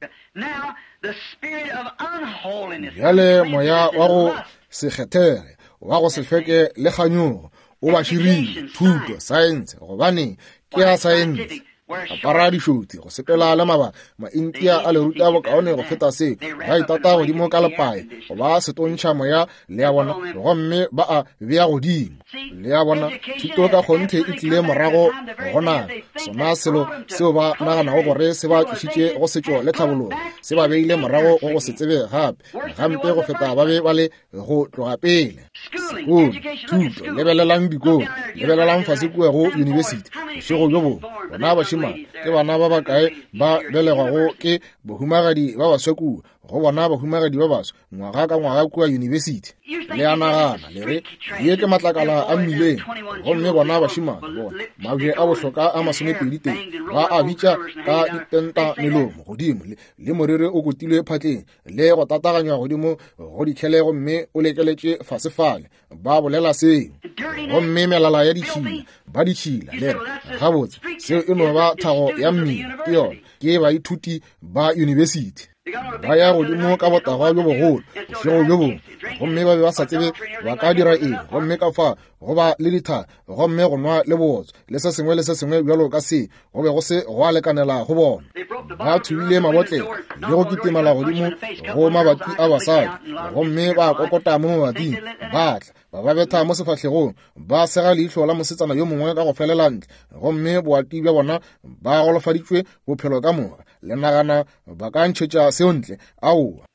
S2: Bjale moya wa go se kgethege, wa go se hlweke le kganyogo o ba širile, thuto, saense, gobane ke ya saense. Apara dišotsi, go sepela le mabaka, Maintia a le ruta bokaone go feta se, ba itata godimo ka lepae, go ba setontšha moya, le a bona, gomme ba a bea godimo. Le a bona, thuto ka kgonthe e tlile morago go na sona selo seo ba naganago gore se ba tlišitše go setšo le tlhabologo, se ba beile morago go go se tsebe gape gampe go feta ba be ba le go tloga pele. Sekolo, thuto, lebelelang dikolo, lebelelang fase kua go yunibesithi bošego bjo bongwe, bona bašemane ke bana ba bakae ba belegwago ke bahumagadi ba baswa kua, go bona bahumagadi ba baswa ngwaga ka ngwaga kua yunibesithi. Le a nagana, le re, ye ke matlakala a mmileng, gomme bona bašemane bona mabje a bohloka a masomepedi tee ba a bitša ka dipenta melomo godimo le, le moriri o kotilwe phatleng le go tataganywa godimo go dikhele gomme o lekeletše fase fale, ba bolela seo. Gomme melala ya ditšhila, ba ditšhila, le re, gabotse, seo e no ba thago ya mmila, ke yona, ke baithuti ba yunibesithi. Ba ya godimo ka botagwa bjo bogolo bošego bjo bongwe, gomme ba be ba sa tsebe ba ka dira eng, gomme ka fa go ba le ditha, gomme go nwa le bootswa le se sengwe le se sengwe bjalo ka se, go be go se gwa lekanela go bona. Ba thubile mabotlelo le go kitimela godimo go mabati a basadi, gomme ba kokota mo mabating, ba tla ba ba betha mo sefahlegong, ba sega leihlo la mosetsana yo mongwe ka go felela ntle, gomme boati bja bona ba golofaditšwe bophelo ka moka. Le nagana ba ka ntšhetša seo ntle? Aowa.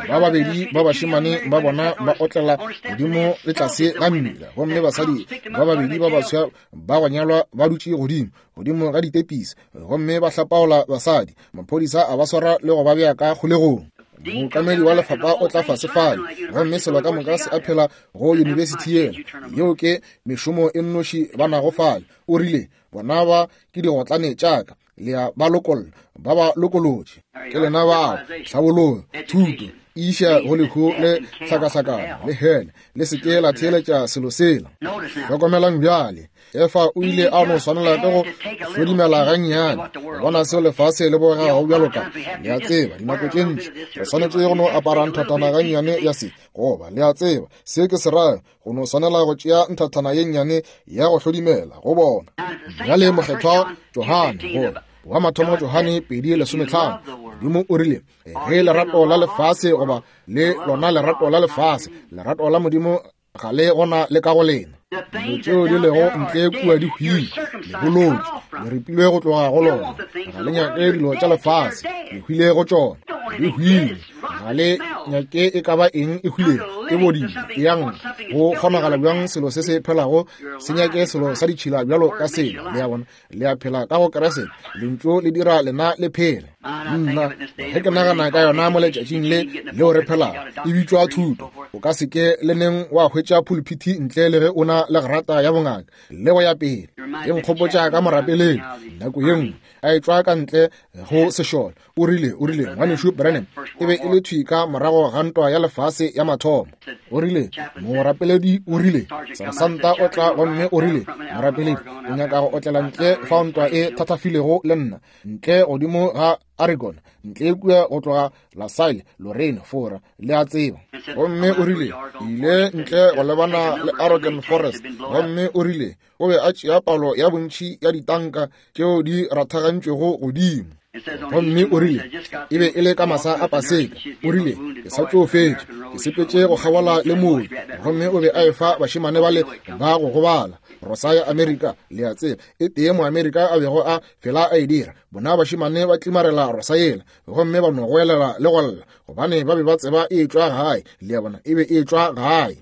S2: Ba babedi ba bašemane ba bona ba otlela godimo le tlase ga mmila, gomme basadi ba babedi ba baswa ba go nyalwa ba dutše godimo godimo ga ditepisi gomme ba hlapaola basadi. Maphodisa a ba swara le go ba bea ka kgolegong. Mookamedi wa lefapha o tla fase fale, gomme selo ka moka se a phela go yunibesithi yela. Yeo ke mešomo e nnoši ba nago fale. O rile, Bona ba ke digotlane tša ka, le a ba lokolla, ba ba lokolotše. Ke lena bao, tlhabologo, thuto, iša go lehu le tlhakahlakano le hele, le se ke la theeletša selo sela. Hlokomelang bjale, Efa o ile a no swanela ke go hlodimela gannyane go bona seo lefase le bogegago bjalo ka, le a tseba, dinako tše ntši re swanetše go no apara nthathana gannyane ya se, goba, le a tseba, se ke se rayo, go no swanela go tšea nthathana ye nnyane ya go hlodimela go bona. Bjale Mokgethwa Johane, gore wa mathomo Johane 2:15, Modimo o rile, ge lerato la lefase goba le lona lerato la lefase, lerato la Modimo ga le gona le ka go lena. Dilo tšeo di lego ntle kua di hwile, le bolotšwe, le ripilwe go tloga go lona. Ga le nyake dilo tša lefase, le hwile go tšona, di hwile. Ga le nyake e ka ba eng e hwilego, e bodile, e yang. Go kgonagala bjang selo se se phelago se nyake selo sa ditšhila bjalo ka sela? Le a bona? Le a phela ka go Kriste, Lentšu le dira lena le phele. Nna, ge ke nagana ka yona mo letšatšing le leo re phelago, e bitšwa thuto. O ka se ke le neng wa hwetša phuluphithi ntle le ge o na le grata ya bongaka le go ya pele. E nkgopotša ka morapeleng nako ye nngwe a etšwa ka ntle go sešole. O rile, o rile, Ngwanešu Branham, e be e le thwi ka morago ga ntwa ya lefase ya mathomo. O rile, morapeledi o rile, sersanta o tla gomme o rile, morapeledi, o nyaka go otlela ntle fao ntwa e thathafilego le nna, ntle godimo ga Oregon, ntle kua go tloga La Salle, Lorraine, Fora, le a tseba. Gomme o rile, ile ntle go lebana le Oregon Forest, gomme o rile, o be a tšea palo ya bontši ya ditanka tšeo di rathagantšwego godimo. Gomme o rile, e be e le ka masa a Paseka. O rile, ke sa tšo fetša, ke sepetše go kgabola le mooki, gomme o be a efa bašemane bale ba go gobala rosa ya Amerika, le a tseba, e tee Moamerika a bego a fela a e dira. Bona bašemane ba tlimarela rosa yela, gomme ba no goelela le go lla, gobane ba be ba tseba e tšwa gae, le a bona, e be e tšwa gae.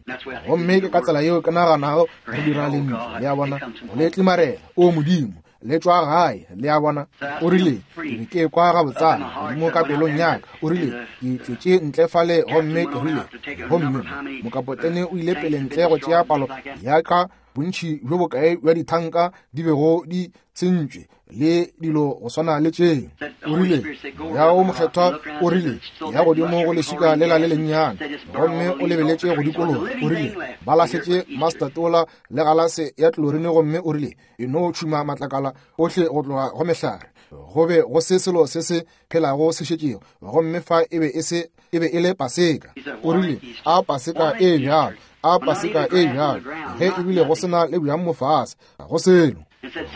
S2: Gomme ke ka tsela yeo ke naganago re dira lentšu, le a bona, go le tlimarela, o Modimo, le tšwa gae, le a bona. O rile, ke be ke kwa gabotsana godimo ka pelong ya ka. O rile, ke tšwetše ntle fale gomme ke rile, gomme mokapotene o ile pele ntle go tšea palo ya ka bontši bjo bokae bja dithanka di bego di sentšwe le dilo go swana le tšeo. O rile, Moya wo Mokgethwa o rile, ya godimo go leswika lela le lennyane, gomme o lebeletše go dikologa. O rile, ba lahletše mastatola le galase ya tlorine, gomme o rile, e no tšhuma matlakala ohle go tloga go mehlare. Go be go se selo se se phelago se šetšego, gomme fa e be e se, e be e le Paseka. O rile, A Paseka e bjalo, a Paseka e bjalo, ge ebile go se na le bjang mo fase, ga go selo.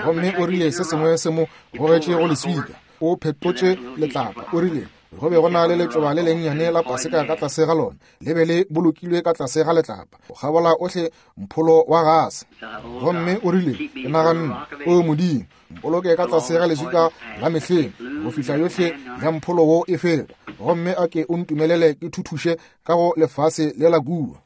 S2: Gomme o rile se sengwe se mo gogetše go leswika, o phetotše letlapa. O rile go be go na le letšoba le lennyane la Paseka ka tlase ga lona, le be le bolokilwe ka tlase ga letlapa, go kgabola ohle mpholo wa gase. Gomme o rile, ke naganne, O Modimo, mpoloke ka tlase ga leswika la mehleng go fihla yohle ya mpholo wo e feta, gomme a ke o ntumelele ke thuthuše ka go lefase le la kua.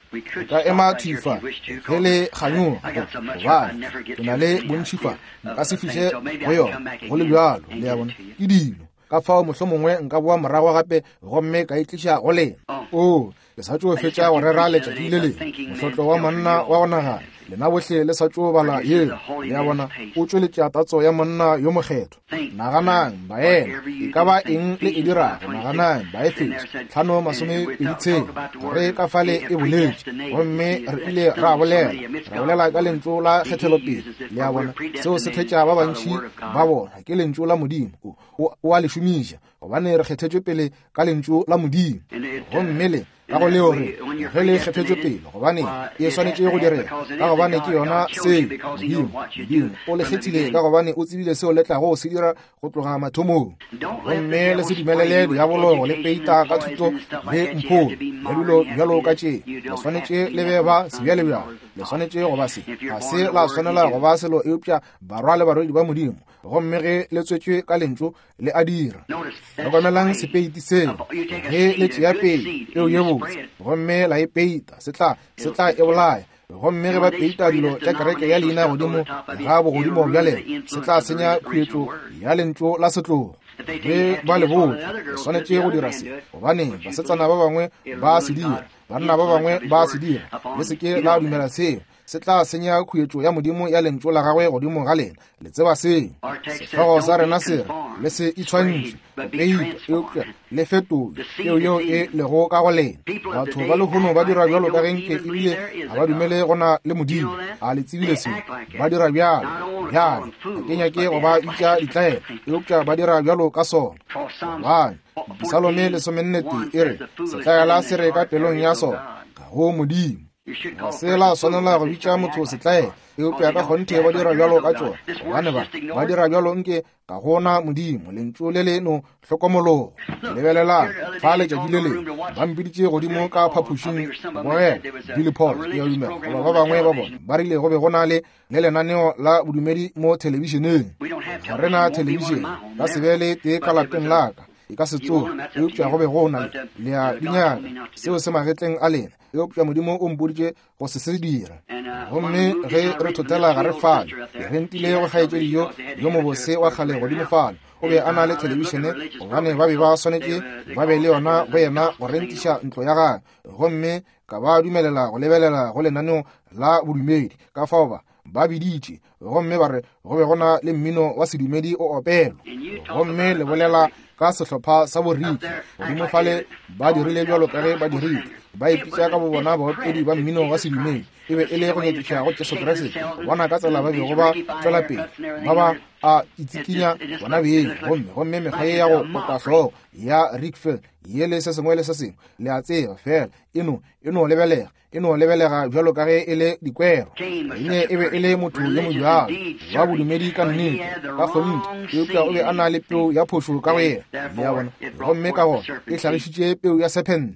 S2: Ka ema thwi fa ge le kganyoga, gobane ke na le bontši fa, nka se fihle go yona go le bjalo, le a bona, ke dilo. Ka fao mohlomongwe nka boa morago gape gomme ka e tliša go lena. Oo, le sa tšo fetša go rera letšatši le lengwe, mohlotlo wa monna wa go nagana. Lena bohle le sa tšo bala yeo, le a bona, o tšweletša tatso ya monna yo mokgethwa. Naganang, baena, e ka ba eng le e dirago, naganang, Baefeso 5:26, re ka fale e boletše, gomme re ile ra bolela, ra bolela ka lentšu la kgethelopele, le a bona, seo se thetša ba bantši ba bona, ke lentšu la Modimo, o a le šomiša, gobane re kgethetšwe pele ka lentšu la Modimo. Gomme le ka go leo re ge le kgethetšwe pele, gobane e swanetše go direga, ka gobane ke yona seo Modimo, Modimo o le kgethile ka gobane o tsebile seo le tlago se dira go tloga mathomong. Gomme le se dumelele diabolo go le peita ka thuto le mpholo le dilo bjalo ka tše. Le swanetše le be ba sebjalebjale, le swanetše go ba se, ga se la swanela go ba selo eupša barwa le barwedi ba Modimo. Gomme ge le tswetšwe ka lentšu, le a dira. Hlokomelang sepeiti seo, ge le tšea pei peo ye botse gomme la e peita, se tla, se tla e bolaya. Gomme ge ba peita dilo tša kereke ya leina godimo ga bogodimo bja lena, se tla senya khuetšo ya lentšu la setlogo. Ge ba le botša, le swanetše go dira se, gobane basetsana ba bangwe ba se dira, banna ba bangwe ba se dira, le se ke la dumela seo. Se tla senya khuetšo ya Modimo ya lentšu la gagwe godimo ga lena. Le tseba seo. Sehlogo sa rena se re, le se itshwantšhe, go peita, eupša le fetolwe peo yeo e lego ka go lena. Batho ba lehono ba dira bjalo ka ge nke ebile ga ba dumele go na le Modimo. A le tsebile seo? Ba dira bjalo. Bjale, ga ke nyake go ba bitša ditlaela, eupša ba dira bjalo ka sona. Gobane, Disalome 44 e re, Setlaela se re ka pelong ya sona, ga go Modimo. Ga se la swanela go bitša motho setlaela, eupša ka kgonthe ba dira bjalo ka tšona, gobane ba, ba dira bjalo nke ga go na Modimo. Lentšu le le no hlokomologo. Lebelelang, fa letšatši le lengwe ba mpiditše godimo ka phapošing go bogela Billy Paul, ke a dumela, goba ba bangwe ba bona, ba rile go be go na le, le lenaneo la bodumedi mo thelebišeneng. Ga re na thelebišene, ka se be le tee ka lapeng la ka, e ka se tsoge, eupša go be go na le, le a di nyaka, seo se magetleng a lena. Eupša Modimo o mpoditše go se se dira. Gomme ge re thothela gare fale, ke rentile go kgaetšedi yo, yo mobose wa kgale godimo fale. O be a na le thelebišene, gobane ba be ba swanetše ba be le yona go yena go rentiša ntlo ya gagwe. Gomme ka ba dumelela go lebelela go lenaneo la bodumedi. Ka fao ba, ba biditše, gomme ba re go be go na le mmino wa sedumedi o opelwa. Gomme le bolela ka sehlopha sa boriki godimo fale, ba dirile bjalo ka ge ba dirile, ba ipitša ka bobona baopedi ba mmino wa sedumedi. E be e le go nyakiša go Jesu Kriste, go bona ka tsela ba bego ba tšwela pele ba ba a itsikinya bona beng, gomme, gomme mekgwa ye ya go kota hlogo ya Rickfield ye le se sengwe le se sengwe, le a tseba, fela e no, e no lebelega, e no lebelega bjalo ka ge e le dikwero. Kaine e be e le motho yo mobjalo. bjalo, wa bodumedi ka nnete, ka kgonthe, eupša o be a na le peu ya phošo ka go yena, le a bona, gomme ka gona e hlagišitše peu ya sephente.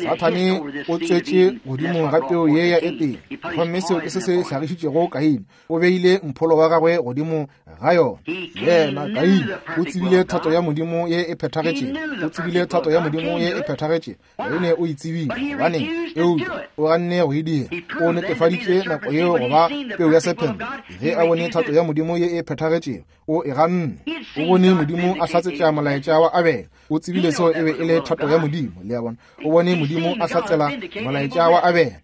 S2: Sathane o tswetše godimo ga peu ye ya Etene, gomme seo ke se se hlagišitšego Kaine. O beile mpholo wa gagwe godimo ga yona. Yena Kaine o tsebile thato ya Modimo ye e phethagetšego, o tsebile thato ya Modimo ye e phethagetšego. Kaine o e tsebile, gobaneng, eupša o ganne go e dira. O netefaditše nako yeo go ba peu ya sephente. Ge a bone thato ya Modimo ye e phethagetšego, o e ganne. O bone Modimo a hlatsetša molaetša wa Abele. O tsebile seo e be e le thato ya Modimo, le a bona. O bone Modimo a hlatsela molaetša wa Abele.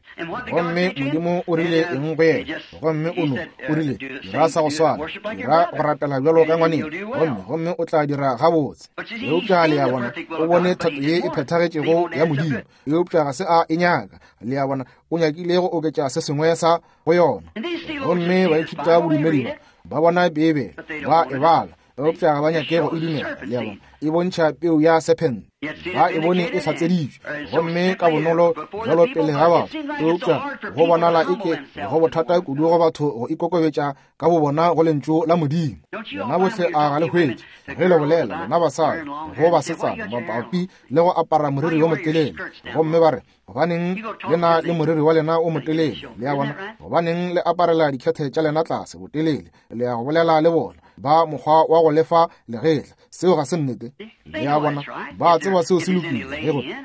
S2: Gomme Modimo o rile eng go yena? Gomme o no, o rile, dira sa go swana, dira go rapela bjalo ka ngwaneng, gomme, gomme o tla dira gabotse. Eupša le a bona, o bone thato ye e phethagetšego ya Modimo, eupša ga se a e nyaka. Le a bona, o nyakile go oketša se sengwe sa go yona. Gomme baithuta bodumedi ba, ba bona Beibele, ba e bala, eupša ga ba nyake go e dumela. Le a bona, e bontšha peu ya sephente. Ba e bone e hlatseditšwe, gomme ka bonolo bjalo pele ga batho, eupša go bonala eke go bothata kudu go batho go ikokobetša ka bobona go lentšu la Modimo. Lena bohle a ga le hwetše ge le bolela, lena basadi go basetsana, mabapi le go apara moriri yo motelele, gomme ba re, Gobaneng le na le moriri wa lena o motelele? Le a bona? Gobaneng le aparela dikhethe tša lena tlase botelele? Le ya go bolela le bona ba mokgwa wa go lefa legetla. Seo ga se nnete. Le a bona? Ba tseba seo se lokile.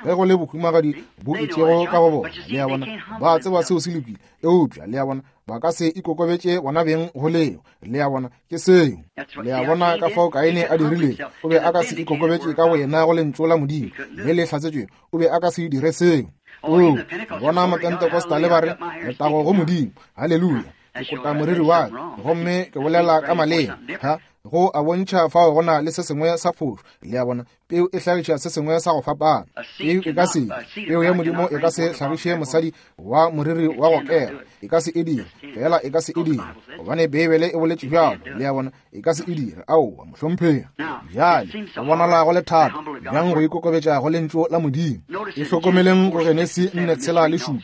S2: Ge go le bohumagadi bo itšego ka go bona. Le a bona? Ba tseba seo se lokile. Eupša, le a bona, ba ka se ikokobetše bona beng go leo. Le a bona, ke seo. Le a bona ka fao Kaine a dirilego. O be a ka se ikokobetše ka boyena go lentšu la Modimo le le hlatsetšwego. O be a ka se dire seo. O bona Mapentecostal ba re, letago go Modimo, haleluya, ke kota moriri wa ka gomme ke bolela ka maleme. Ha, go a bontšha fao go na le se sengwe sa phošo. Le a bona, peu e hlagiša se sengwe sa go fapana. Peu e ka se, peu ya Modimo e ka se hlagiše mosadi wa moriri wa go kera. E ka se e dire, fela e ka se e dire, gobane Beibele e boletše bjalo. Le a bona, e ka se e dire. Aowa, mohlomphegi. Bjale, go bonala go le thata bjang go ikokobetša go lentšu la Modimo. E hlokomeleng go Genesi 4:6-7,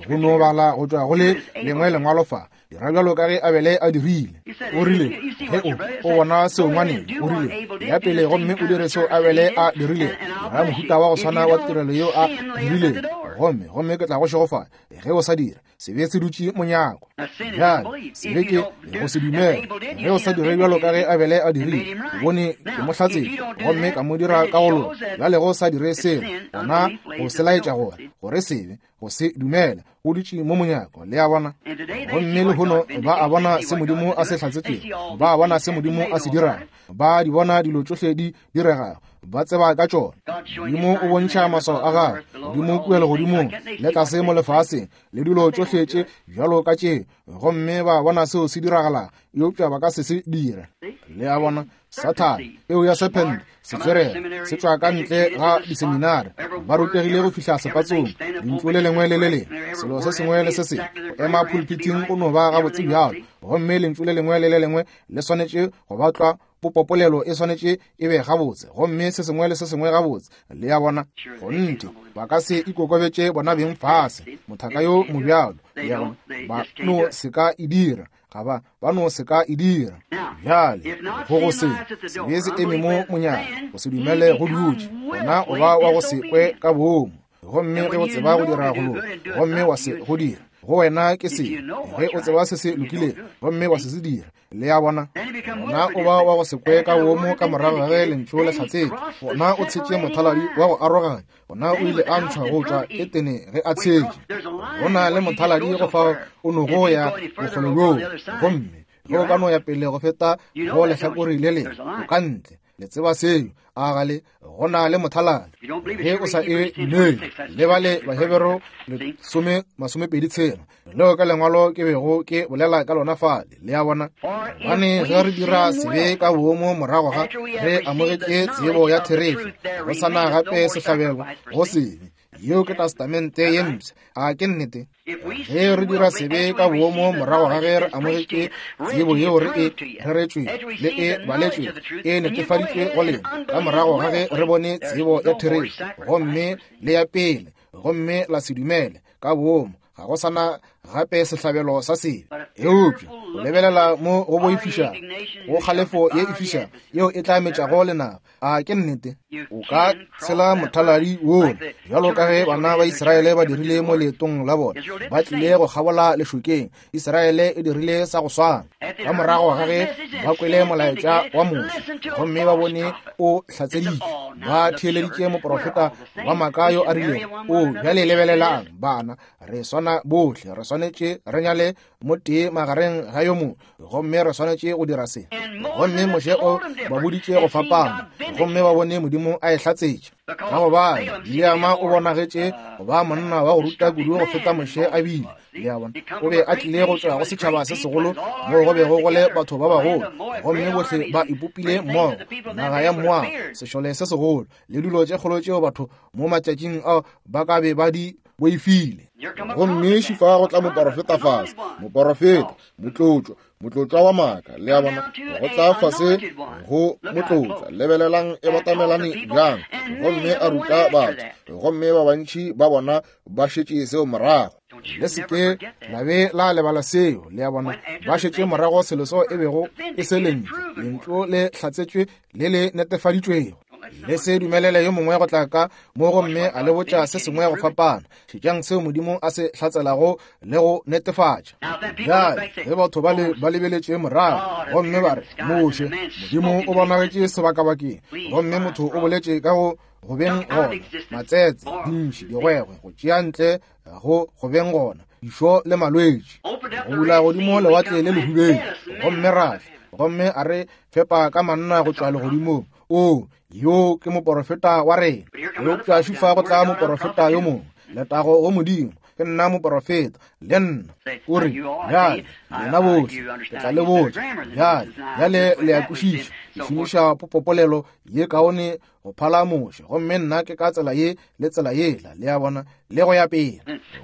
S2: go no bala go tšwa go le lengwe lengwalo fa. Dira bjalo ka ge Abele a dirile. O rile, ge o, o bona seo ngwaneng, o rile, ya pele gomme o dire seo Abele a dirile. Dira mohuta wa go swana wa tirelo yeo a dirile, gomme, gomme ke tla go šegofatša. Ge o sa dire, sebe se dutše monyako. Bjale, sebe ke go se dumele. Ge o sa dire bjalo ka ge Abele a dirile, o bone ke mo hlatsetše, gomme ka mo dira ka go loka. Bjale ge o sa dire seo, gona o se laetša gore, gore sebe, go se dumela, o dutše mo monyako. Le a bona? Gomme lehono ba a bona se Modimo a se hlatsetšego, ba a bona se Modimo a se dirago, ba di bona dilo tšohle di diregago, ba tseba ka tšona. Modimo o bontšha maswao a gagwe godimo kua legodimong le tlase mo lefaseng, le dilo tšohle tše bjalo ka tše, gomme ba bona seo se diragalago, eupša ba ka se se dire. Le a bona? Sathane, peu ya sephente, setswerere, se tšwa ka ntle ga diseminare, ba rutegile go fihla sepatsong, lentšu le lengwe le le lengwe, selo se sengwe le se sengwe, go ema pulpiting go no ba gabotse bjalo, gomme lentšu le lengwe le le lengwe le swanetše go ba tlwa, popopolelo e swanetše e be gabotse, gomme se sengwe le se sengwe gabotse. Le a bona? Kgonthe, ba ka se ikokobetše bona beng fase, mothaka yo mobjalo, le a bona, ba no se ka e dira. Ga ba, ba no se ka e dira. Bjale, go go se, sebe se eme mo monyako, go se dumele go dutše, gona o ba wa go se kwe ka boomo. Gomme ge o tseba go dira go loka, gomme wa se go dira, go wena ke se. Ge o tseba se se lokilego, gomme wa se se dira, le a bona, gona o ba wa go se kwe ka boomo ka morago ga ge lentšu le hlatsetšwe. Gona o tshetše mothaladi wa go aroganya. Gona o ile a ntšhwa go tšwa Etene ge a tshetše. Go na le mothaladi go fao o nogo ya bokgole bjoo, gomme ge o ka no ya pele go feta go lehlakore le lengwe, o ka ntle. Le tseba seo, a ga le? Go na le mothaladi. Ge o sa e dumele, le bale Bahebero 10:26, leo ka lengwalo ke bego ke bolela ka lona fale. Le a bona? Gobane ge re dira sebe ka boomo morago ga re amogetše tsebo ya therešo, go sa na gape sehlabelo go sebe. Yeo ke Testamente ye Mpsha. A ke nnete? Ge re dira sebe ka boomo morago ga ge re amogetše tsebo yeo re e reretšwe le e baletšwe e netefaditšwe go lena, ka morago ga ge re bone tsebo ya therešo gomme le ya pele, gomme la se dumele ka boomo, ga go sa na gape sehlabelo sa sebe. Eupša Go lebelela mo go boifiša, go kgalefo ye e fiša yeo e tla metšago lenaba. A ke nnete? O ka tshela mothaladi wola, bjalo ka ge bana ba Israele ba dirile mo leetong la bona, ba tlile go kgabola lešokeng. Israele e dirile sa go swana. Ka morago ga ge ba kwele molaetša wa Moshe gomme ba bone o hlatseditšwe, ba theeleditše moprofeta wa maaka yo a rilego, O bjale lebelelang, bana, re swana bohle, re swanetše re nyale motee magareng ga yo mongwe, gomme re swanetše go dira se. Gomme Moshe o ba boditše go fapana, gomme ba bone Modimo a e hlatsetša. Ka gobane Bileama o bonagetše go ba monna wa go ruta kudu go feta Moshe a bile. Le a bona, o be a tlile go tšwa go setšhaba se segolo moo go bego go le batho ba bagolo, gomme bohle ba ipopile mmogo, naga ya Moaba, sešole se segolo, le dilo tše kgolo tšeo batho mo matšatšing ao ba ka be ba di boifile.
S1: Gomme šifa go tla moporofeta fase, moporofeta, motlotšwa, motlotšwa wa maaka, le a bona, go tla fase go motlotšwa. Lebelelang e batamelane bjang, gomme a ruta batho, gomme ba bantši ba bona ba šetše seo morago.
S2: Le se ke la be la lebala seo, le a bona, ba šetše morago selo seo e bego e se lentšu, lentšu le hlatsetšwe le le netefaditšwego. Le se dumelele yo mongwe go tla ka mo gomme a le botša se sengwe go fapana. Šetšang seo Modimo a se hlatselago le go netefatša. Bjale, ge batho ba le ba lebeletše morago gomme ba re, Moshe, Modimo o bonagetše sebakabakeng, gomme motho o boletše ka go go beng gona, matsetse, dintši, digwegwe, go tšea ntle go go beng gona, dišo le malwetši, go bula godimo lewatle le lehubedu, gomme ra gomme a re fepa ka manna go tšwa legodimong. O, yo ke moporofeta wa rena. Eupša šufa go tla moporofeta yo mongwe. Letago go Modimo, ke nna moporofeta, le nna. O re, bjale, lena bohle, ke tla le botša. Bjale, bjale le a kwešiša. Ke šomiša popopolelo ye kaone go phala Moshe, gomme nna ke ka tsela ye le tsela yela, le a bona, le go ya pele.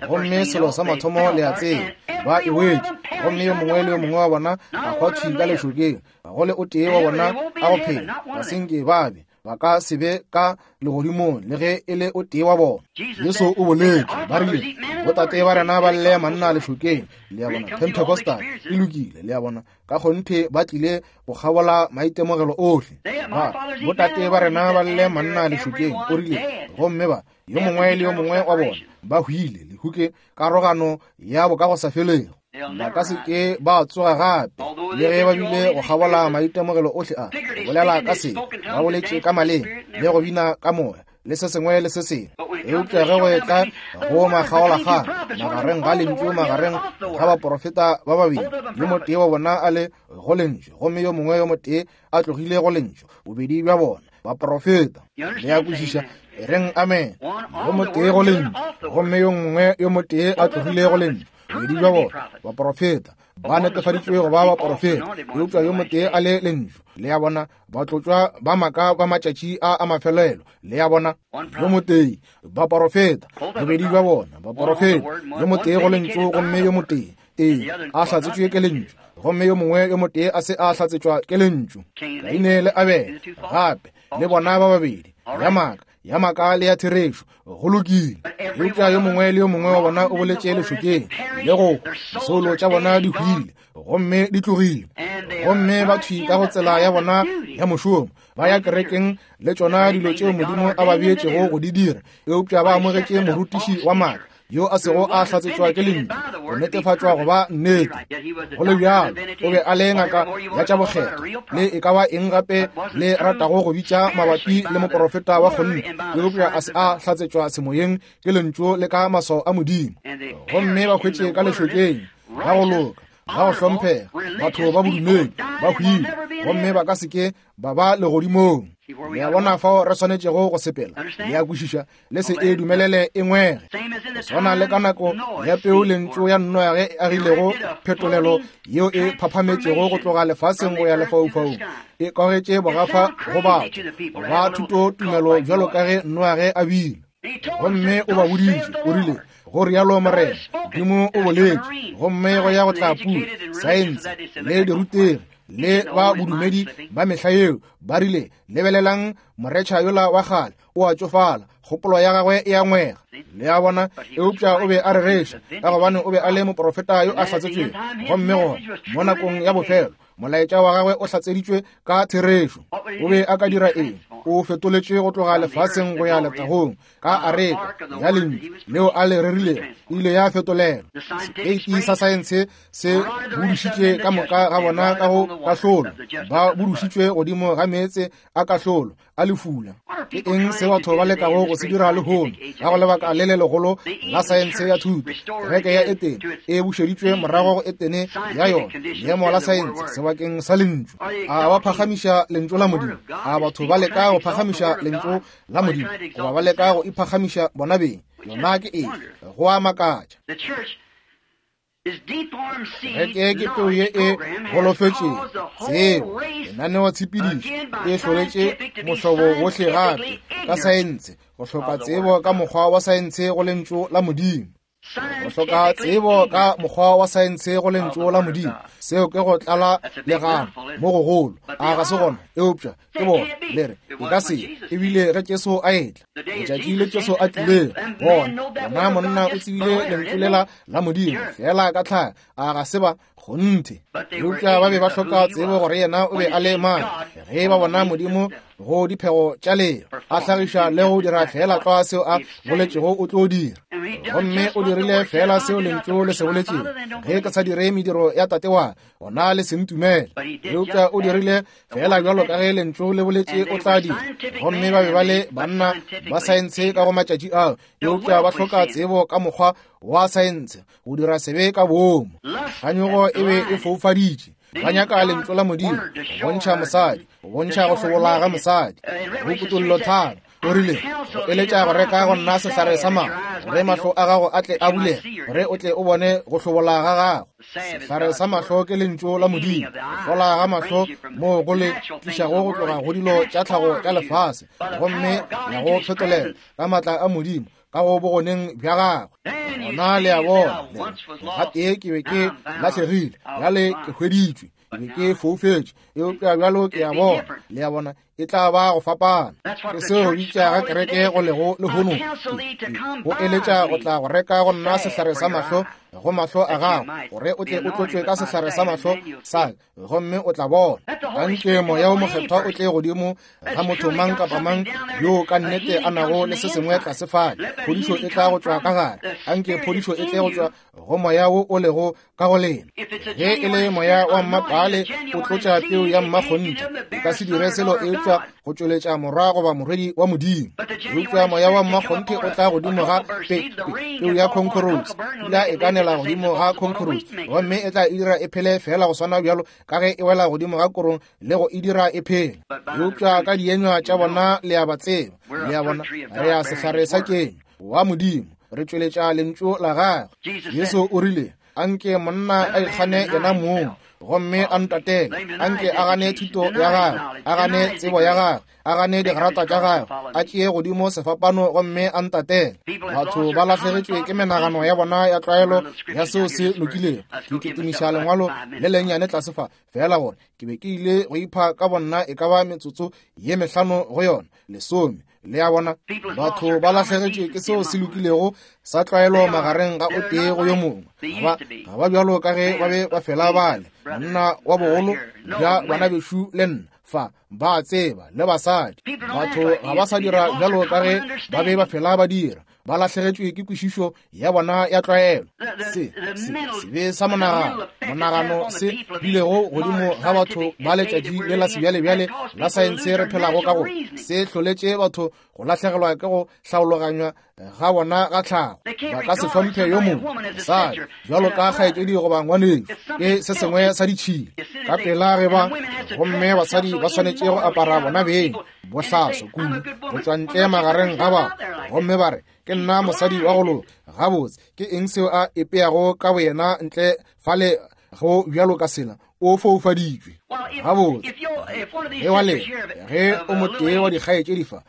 S2: Gomme selo sa mathomo le a tseba, ba e wetše, gomme yo mongwe le yo mongwe wa bona a hwa thwi ka lešokeng, ga go le o tee wa bona a go phela, ga se nke ba be, ba ka se be ka legodimong le ge e le o tee wa bona. Jesu o boletše, ba rile, botate ba rena ba lle manna lešokeng, le a bona, Pentecostal e lokile, le a bona, ka kgonthe ba tlile go kgabola maitemogelo ohle. Ba, botate ba rena ba lle manna lešokeng, o rile, gomme ba, yo mongwe le yo mongwe wa bona, ba hwile, lehu ke karogano ya bokagosafelego. Ba ka se ke ba tsoga gape, le ge ba bile go kgabola maitemogelo ohle a, go bolela ka se, ba boletše ka maleme, le go bina ka moya, le se sengwe le se sengwe. Eupša ge go etla go makgaolakgang magareng ga lentšu, magareng ga baporofeta ba babedi, yo motee wa bona a le go lentšu gomme yo mongwe yo motee a tlogile go lentšu, bobedi bja bona baporofeta. Le a kwešiša? E reng amen. Yo motee go lentšu gomme yo mongwe yo motee a tlogile go lentšu, bobedi bja bona baporofeta ba netefaditšwe go ba baporofeta, eupša yo motee a le lentšu. Le a bona, batlotšwa ba maaka ba matšatši a a mafelelo. Le a bona, yo motee baporofeta, bobedi bja bona baporofeta, yo motee go lentšu gomme yo motee ee a hlatsetšwe ke lentšu, gomme yo mongwe yo motee a se a hlatsetšwa ke lentšu. Kaine le Abele gape le bona ba babedi, ya maaka, ya maaka le ya therešo, go lokile. Eupša yo mongwe le yo mongwe wa bona o boletše lešokeng le go disoulo tša bona di hwile gomme di tlogile, gomme ba thwi ka go tsela ya bona ya mošomo, ba ya kerekeng le tšona dilo tšeo Modimo a ba beetšego go di dira, eupša ba amogetše morutiši wa maaka yo a sego a hlatsetšwa ke lentšu go netefatšwa go ba nnete. Go le bjalo, o be a le ngaka ya tša bokgethwa le e ka ba eng gape le ratago go bitša mabapi le moporofeta wa kgonthe, eupša a se a hlatsetšwa semoyeng ke lentšu le ka maswao a Modimo. Gomme ba hwetše ka lešokeng ba go loka, ba go hlomphega, batho ba bodumedi ba hwile, gomme ba ka se ke ba ba legodimong. Le a bona fao re swanetšego go sepela? Le a kwešiša? Le se e dumelele e ngwege. Go swana le ka nako ya peu lentšu ya Noage e agilego phetolelo yeo e phaphametšego go tloga lefaseng go ya lefaufaung, e kwagetše bogafa go batho ba thuto tumelo bjalo ka ge Noage a bile. Gomme o ba boditše, o rile, go rialo Morena, Modimo o boletše, gomme go ya go tla pula, saense le dirutegi. Le ba bodumedi ba mehla yeo ba rile, lebelelang moretšha yola wa kgale, o a tšofala, kgopolo ya gagwe e a ngwega. Le a bona? Eupša o be a rereša, ka gobane o be a le moprofeta yo a hlatsetšwego. Gomme gona mo nakong ya bofelo, molaetša wa gagwe o hlatseditšwe ka therešo. O be a ka dira eng? O fetoletšwe go tloga lefaseng go ya letagong ka areka ya lentšu leo a le rerilego, e ile ya fetolelwa. Sepeiti sa saense se budušitše ka moka ga bona ka go kahlolo, ba budušitšwe godimo ga meetse a kahlolo a lefula. Ke eng se batho ba lekago go se dira lehono ka go lebaka le le legolo la saense ya thuto? Kereke ya Etene e bušeditšwe morago go Etene ya yona, leemo la saense sebakeng sa Lentšu. A ba phagamiša Lentšu la Modimo? A batho ba leka go phagamiša Lentšu la Modimo, goba ba leka go iphagamiša bona beng? Yona ke eng? Go a makatša. Kereke ke peu ye e golofetšego, tsebo, lenaneotshepedišo e hloletše mohlobo wohle gape ka saense, go hloka tsebo ka mokgwa wa saense go Lentšu la Modimo. Go hloka tsebo ka mokgwa wa saense go Lentšu la Modimo, seo ke go tlala legano mo gogolo. A ga se gona? Eupša ke bona le re e ka se ebile ge Jesu a etla, letšatši le Jesu a tlilego, bona bona monna o tsebile lentšu lela la Modimo fela ka tlhaga. A ga se ba kgonthe? Eupša ba be ba hloka tsebo gore yena o be a le mang ge ba bona Modimo go diphego tša leo a hlagiša le go dira fela tlwa seo a boletšego o tlo dira. Gomme o dirile fela seo lentšu le se boletšego, ge ke sa dire mediro ya Tate wa gona le se ntumele. Eupša o dirile fela bjalo ka ge lentšu le boletše o tla dira. Gomme ba be ba le banna ba saense ka go matšatši ao, eupša ba hloka tsebo ka mokgwa wa saense go dira sebe ka boomo. Kganyogo e be e foufaditše. Ba nyaka lentšu la Modimo go bontšha mosadi, go bontšha go hlobola ga mosadi. Go Kutollo 5 o rile, go eletša go reka go nna sehlare sa mahlo, gore mahlo a gago a tle a bulege, gore o tle o bone go hlobola ga gago. Sehlare sa mahlo ke lentšu la Modimo. Go hlola ga mahlo moo go le tlišago go tloga go dilo tša tlhago tša lefase, gomme ya go fetolela ka maatla a Modimo ka go bogoneng bja gagwe. Gona le a bona, le re, gatee ke be ke lahlegile, bjale ke hweditšwe, ke be ke foufetše, eupša bjalo ke a bona. Le a bona, e tla ba go fapana. Ke seo bitša ga kereke go lego lehono, go eletša go tla go reka go nna sehlare sa mahlo go mahlo a gago, gore o tle o tlotšwe ka sehlare sa mahlo sa, gomme o tla bona. Anke Moya wo Mokgethwa o tle godimo ga motho mang kapa mang yo ka nnete a nago le se sengwe tlase fale. Phodišo e tla go tšwa ka gare. Anke phodišo e tle go tšwa go moya wo o lego ka go lena. Ge e le moya wa mmapaale o tlotša peu ya mmakgonthe, o ka se dire selo eupša go tšweletša morwa goba morwedi wa Modimo. Eupša moya wa mmakgonthe o tla godimo ga peu ya concorose, pula e ka nela godimo ga concorose, gomme e tla e dira e phele feela go swana bjalo ka ge e wela godimo ga korong le go e dira e phele. Eupša ka dienywa tša bona le a ba tseba. Le a bona, re ya sehlare sa kenyo wa Modimo, re tšweletša lentšu la gagwe. Jesu o rile, anke monna a ikgane yena mong gomme a ntatele, anke a gane thuto ya gagwe, a gane tsebo ya gagwe, a gane digrata tša gagwe, a tšee godimo sefapano gomme a ntatele. Batho ba lahlegetšwe ke menagano ya bona ya tlwaelo ya seo se lokilego. Ke kitimiša lengwalo le lennyane tlase fa, feela gore ke be ke ile go ipha ka bonna e ka ba metsotso ye mehlano go yona, lesome. Le a bona, batho ba lahlegetšwe ke seo se lokilego sa tlwaelo magareng ga o tee go yo mongwe. Ga ba bjalo ka ge ba be ba fela bale monna wa bogolo bja bana bešo le nna fa, ba tseba, le basadi. Batho ga ba sa dira bjalo ka ge ba be ba fela ba dira. Ba lahlegetšwe ke kwešišo ya bona ya tlwaelo. Se, se, sebe sa monagano, monagano se bilego godimo ga batho ba letšatši le la sebjalebjale la saense re phelago ka go, se hloletše batho go lahlegelwa ke go hlaologanywa ga bona ga tlhago. Ba ka se hlomphe yo mongwe mosadi bjalo ka kgaetšedi goba ngwanešu, ke se sengwe sa ditšhila ka pela ge ba, gomme basadi ba swanetše go apara bona beng bohlaso kudu go tšwa ntle magareng ga batho, gomme ba re, ke nna mosadi wa go loka. Gabotse, ke eng seo a epeago ka boyena ntle fale go bjalo ka sela? O foufaditšwe. Gabotse, ge wa lena, ge o motee wa dikgaetšedi fa,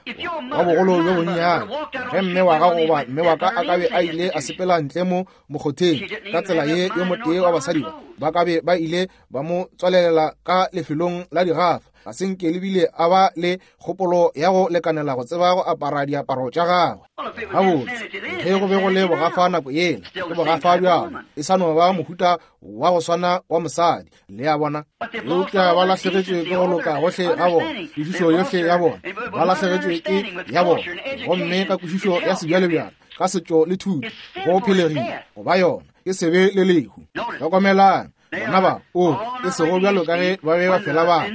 S2: wa bogolo bjo bonnyane, ge mme wa gago goba mme wa ka a ka be a ile a sepela ntle mo mokgotheng ka tsela ye, yo motee wa basadi ba ba ka be ba ile ba mo tswalelela ka lefelong la digafa. Ga se nke le bile a ba le kgopolo ya go lekanela go tseba go apara diaparo tša gagwe. Gabotse, ge go be go le bogafa nako yela, ke bogafa bjalo, e sa no ba mohuta wa go swana wa mosadi, le a bona. Eupša ba lahlegetšwe ke go loka gohle ga bona, kwešišo yohle ya bona, ba lahlegetšwe ke ya bona, gomme ka kwešišo ya sebjalebjale, ka setšo le thuto, go phelegile go ba yona, ke sebe le lehu. Hlokomelang, bona ba, o, e sego bjalo ka ge ba be ba fela ba.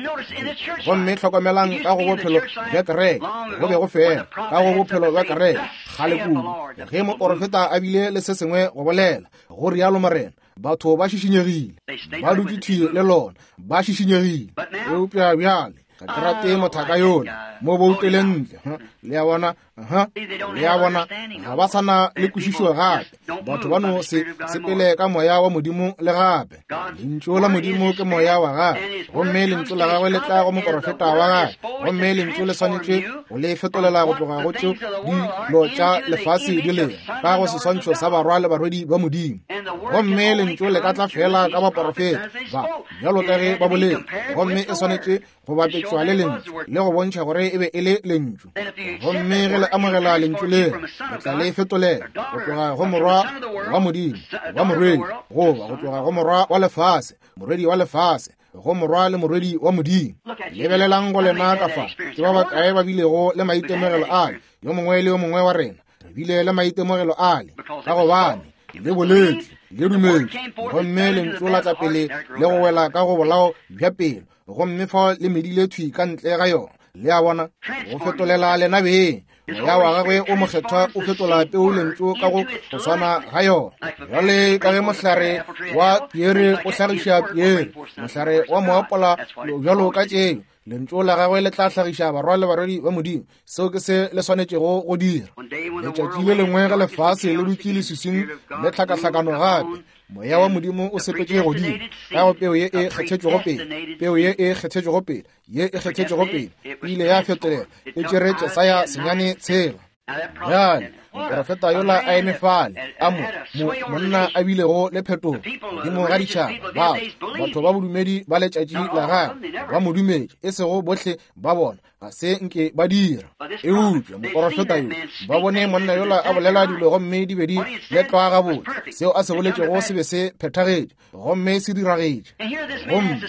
S2: Gomme hlokomelang ka go bophelo bja kereke, go be go fela ka go bophelo bja kereke kgale kudu, ge moporofeta a bile le se sengwe go bolela, go rialo Morena, batho ba šišinyegile, ba dutše thwi le lona, ba šišinyegile. Eupša bjale ga ke rate mothaka yola, mo boutele ntle. Le a bona? Ha, le a bona, ga ba sa na le kwešišo gape. Batho ba no se sepele ka moya wa Modimo le gape. Lentšu la Modimo ke moya wa gagwe, gomme lentšu la gagwe le tla go moporofeta wa gagwe, gomme lentšu le swanetše go le fetolela go tloga go tšeo dilo tša lefase di lego ka go seswantšho sa barwa le barwedi ba Modimo. Gomme lentšu le ka tla fela ka baporofeta ba, bjalo ka ge ba boletše, gomme e swanetše go bapetšwa le lentšu le go bontšha gore e be e le lentšu. Gomme ge le amogela lentšu leo, le tla le fetolela go tloga go morwa wa Modimo wa morwedi, goba go tloga go morwa wa lefase, morwedi wa lefase, go morwa le morwedi wa Modimo. Lebelelang go lena ka fa, ke ba bakae ba bilego le maitemogelo ale? Yo mongwe le yo mongwe wa rena re bile le maitemogelo ale, ka gobane le boletše, le dumetše, gomme lentšu la tla pele le go wela ka go bolao bja pelo, gomme fao le medile thwi ka ntle ga yona. Le a bona, go fetolela lena beng. Moya wa gagwe o mokgethwa o fetola peu lentšu ka go go swana ga yona. Bjale ka ge mohlare wa piere o hlagiša piere, mohlare wa moapola bjalo ka tšeo, lentšu la gagwe le tla hlagiša barwa le barwedi ba Modimo. Seo ke se le swanetšego go dira. Letšatši le lengwe ge lefase le dutše leswiswing le tlhakahlakano gape, moya wa Modimo o sepetše godimo ka go peu ye e kgethetšwego pele, peu ye e kgethetšwego pele, ye e kgethetšwego pele e ile ya fetolela, e tšere Jesaya 9:6. Bjale moprofeta yola a eme fale, a mo, mo monna a bilego le phetogo godimo ga ditšhaba, batho, batho ba bodumedi ba letšatši la gagwe ba mo dumetše, e sego bohle ba bona, ga se nke ba dira. Eupša moprofeta yo, ba bone monna yola a bolela dilo gomme di be di letlwa gabotse, seo a se boletšego se be se phethagetše gomme se diragetše. Gomme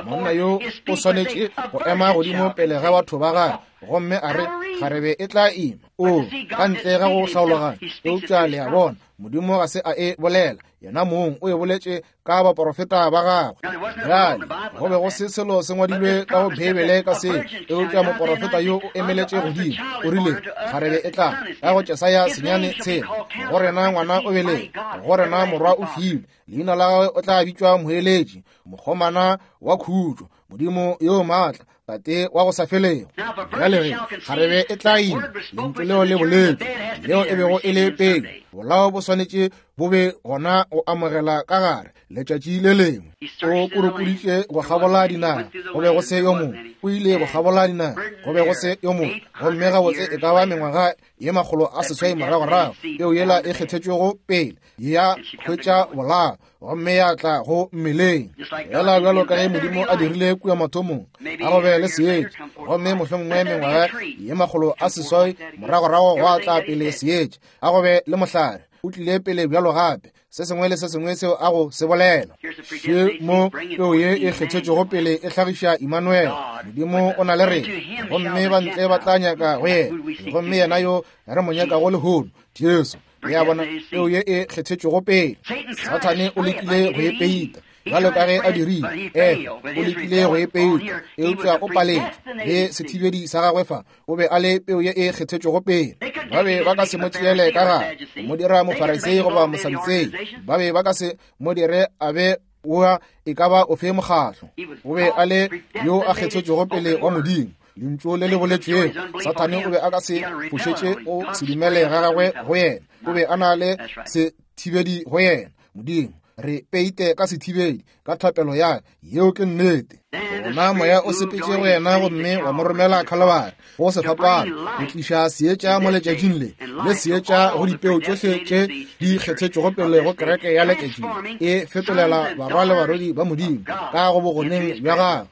S2: monna yo o swanetše go ema godimo pele ga batho ba gagwe gomme a re, kgarebe e tla ima. O, ka ntle ga go hlaologanya. Eupša le a bona, Modimo ga se a e bolela, yena mong o e boletše ka baporofeta ba gagwe. Bjale, go be go se selo se ngwadilwe ka go Beibele ka se, eupša moporofeta yo o emeletše godimo, o rile, kgarebe e tla, ka go Jesaya 9:6, go rena ngwana o belegwe, go rena morwa o filwe, leina la gagwe o tla bitšwa Moeletši, Mokgomana wa Khutšo, Modimo yo maatla, Tate wa go sa felego. Bjale ge kgarebe e tla ima, lentšu leo le boletšwe, leo e bego e le pele, bolao bo swanetše bo be gona go amogela ka gare letšatši le lengwe. O purupuditše go kgabola dinaga, go be go se yo mongwe. O ile go kgabola dinaga, go be go se yo mongwe. Gomme gabotse e ka ba mengwaga ye 800 moragorago, peo yela e kgethetšwego pele ya hwetša bolao gomme ya tla go mmeleng, fela bjalo ka ge Modimo a dirile kua mathomong, a go be le seetša, gomme mohlomongwe mengwaga ye 800 moragorago gwa tla pele seetša, a go be le mohlare, o tlile pele bjalo gape, se sengwe le se sengwe seo a go se bolela. Še mo peo ye e kgethetšwego pele e hlagiša Immanuel, Modimo o na le rena, gomme ba ntle ba tla nyaka go yena, gomme yena yo re mo nyakago lehono, Jesu. Le a bona, peo ye e kgethetšwego pele. Sathane o lekile go e peita, bjalo ka ge a dirile Efa, o lekile go e peita, eupša o paletšwe. Le sethibedi sa gagwe fa, o be a le peo ye e kgethetšwego pele. Ba be ba ka se mo tšeele ka gare, go mo dira Mofarisei goba Mosadutsei. Ba be ba ka se mo dire a be wa e ka ba ofe mokgatlo. O be a le yo a kgethetšwego pele wa Modimo, lentšu le le boletšwego. Sathane o be a ka se fošetše go se dumele ga gagwe go yena. O be a na le sethibedi go yena. Modimo, re peite ka sethibedi ka thapelo ya ka. Yeo ke nnete. Gona Moya o sepetše go yena gomme wa mo romela Khalabari, go sefapano, go tliša seetša mo letšatšing le, le seetša go dipeo tšohle tše di kgethetšwego pele go kereke ya letšatši le, e fetolela barwa le barwedi ba Modimo ka go bogoneng bja gagwe,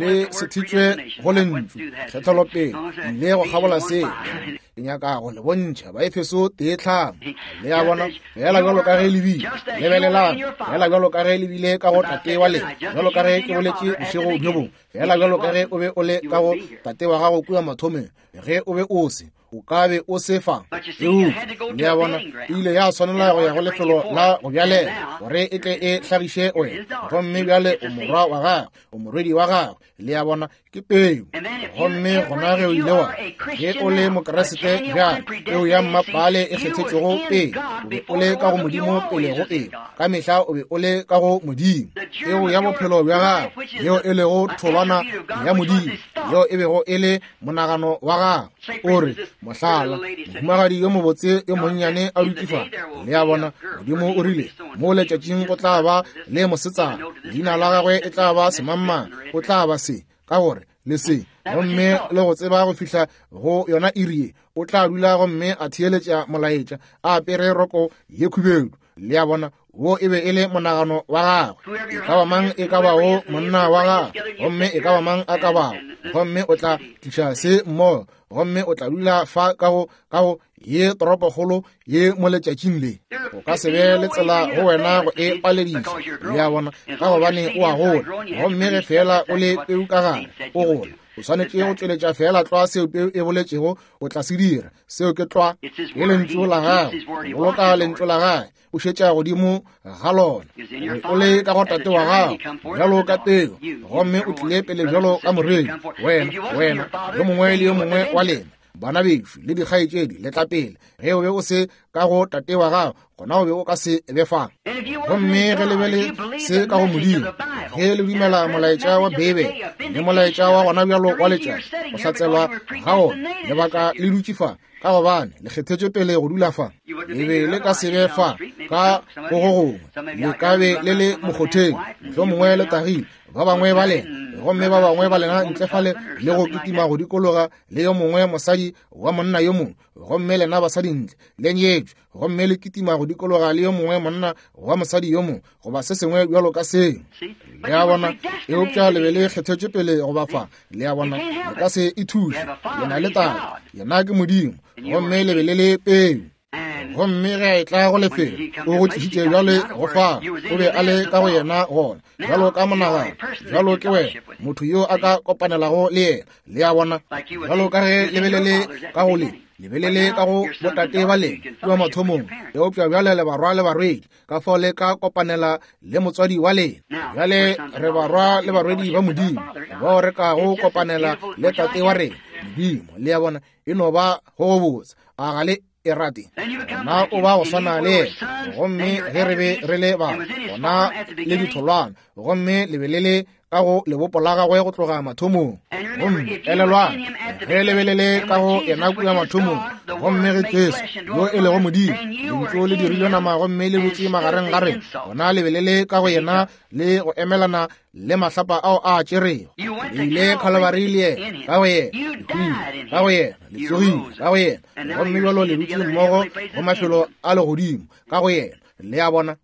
S2: le sethitšwe go Lentšu, kgethelopele, le go kgabola se. Ke nyaka go le bontšha Baefeso 1:5. Le a bona, fela bjalo ka ge le bile, lebelelang, fela bjalo ka ge le bile ka go tate wa lena, bjalo ka ge ke boletše bošego bjo bongwe, fela bjalo ka ge o be o le ka go tate wa gago kua mathomong, ge o be o se, o ka be o se fa. Eupša, le a bona, e ile ya swanela go ya go lefelo la go bjalela, gore e tle e hlagiše wena. Gomme bjale o morwa wa gagwe, o morwedi wa gagwe. Le a bona, ke peu. Gomme gona ge o ile wa, ge o le Mokriste bjale, peu ya mmapale e kgethetšwego pele, o be o le ka go Modimo pele go eo. Ka mehla o be o le ka go Modimo. Peu ya bophelo bja gagwe, yeo e lego tholwana ya Modimo, yeo e bego e le monagano wa gagwe. O re, mohlala, mohumagadi yo mobotse yo monnyane a dutše fa. Le a bona, Modimo o rile, mo letšatšing go tla ba le mosetsana, leina la gagwe e tla ba semangmang, o tla ba se, ka gore le se, gomme le go tseba go fihla go yona iri ye, o tla dula gomme a theeletša molaetša, a apere roko ye khubedu. Le a bona, wo e be e le monagano wa gagwe. E ka ba mang e ka bago monna wa gagwe, gomme e ka ba mang a ka bago, gomme o tla tliša se mmogo, gomme o tla dula fa ka go, ka go ye toropokgolo ye mo letšatšing le. O ka se be le tsela go wena go e palediša, le a bona, ka gobane o a gola. Gomme ge feela o le peu ka gare, o gola. O swanetše go tšweletša feela tlwa seo peu e boletšego o tla se dira. Seo ke tlwa, ke lentšu la gagwe. Boloka lentšu la gagwe, o šetša godimo ga lona. O le ka go tate wa gago bjalo ka peu, gomme o tlile pele bjalo ka morei. Wena, wena, yo mongwe le yo mongwe wa lena, bana bešo le dikgaetšedi, le tla pele. Ge o be o se ka go tate wa gago, gona o be o ka se be fa. Gomme ge le be le se ka go Modimo, ge le dumela molaetša wa Beibele le molaetša wa gona bjalo wa letšatši, go hlatselwa ga ona, lebaka le dutše fa, ka gobane le kgethetšwe pele go dula fa. Le be le ka se be fa ka go go gongwe, le ka be le le mokgotheng, mohlomongwe le tagile, ba bangwe ba lena, gomme ba bangwe ba lena ntle fale le go kitima go dikologa le yo mongwe mosadi wa monna yo mongwe, gomme lena basadi ntle le nyetšwe, gomme le kitima go dikologa le yo mongwe monna wa mosadi yo mongwe, goba se sengwe bjalo ka seo. Le a bona? Eupša le be le kgethetšwe pele go ba fa. Le a bona? Le ka se e thuše. Le na le tate, yena ke Modimo, gomme le be le le peu. Gomme ge a etla go lefelo, o go tlišitše bjale go fa, o be a le ka go yena gona, bjalo ka monagano, bjalo ke wena, motho yo a ka kopanelago le yena. Le a bona? Bjalo ka ge le be le le ka go le, le be le le ka go botate ba lena kua mathomong, eupša bjale le barwa le barwedi, ka fao le ka kopanela le motswadi wa lena. Bjale re barwa le barwedi ba Modimo, bao re kago kopanela le tate wa rena, Modimo. Le a bona? E no ba go go botse. A ga le e rate? Gona o ba go swana le yena. Gomme ge re be re le ba, gona le ditholwana, gomme le be le le ka go lebopo la gagwe go tloga mathomong. Gomme elelwang, ge le be le le ka go yena kua mathomong, gomme ge Jesu yo e lego Modimo, Lentšu le dirilwe nama gomme le dutše magareng ga rena, gona le be le le ka go yena le go emelana le mahlapa ao a tšerego. Le ile Khalabari le yena, ka go yena, le hwile ka go yena, le tsogile ka go yena, gomme bjalo le dutše mmogo go mafelo a legodimo ka go yena. Le a bona?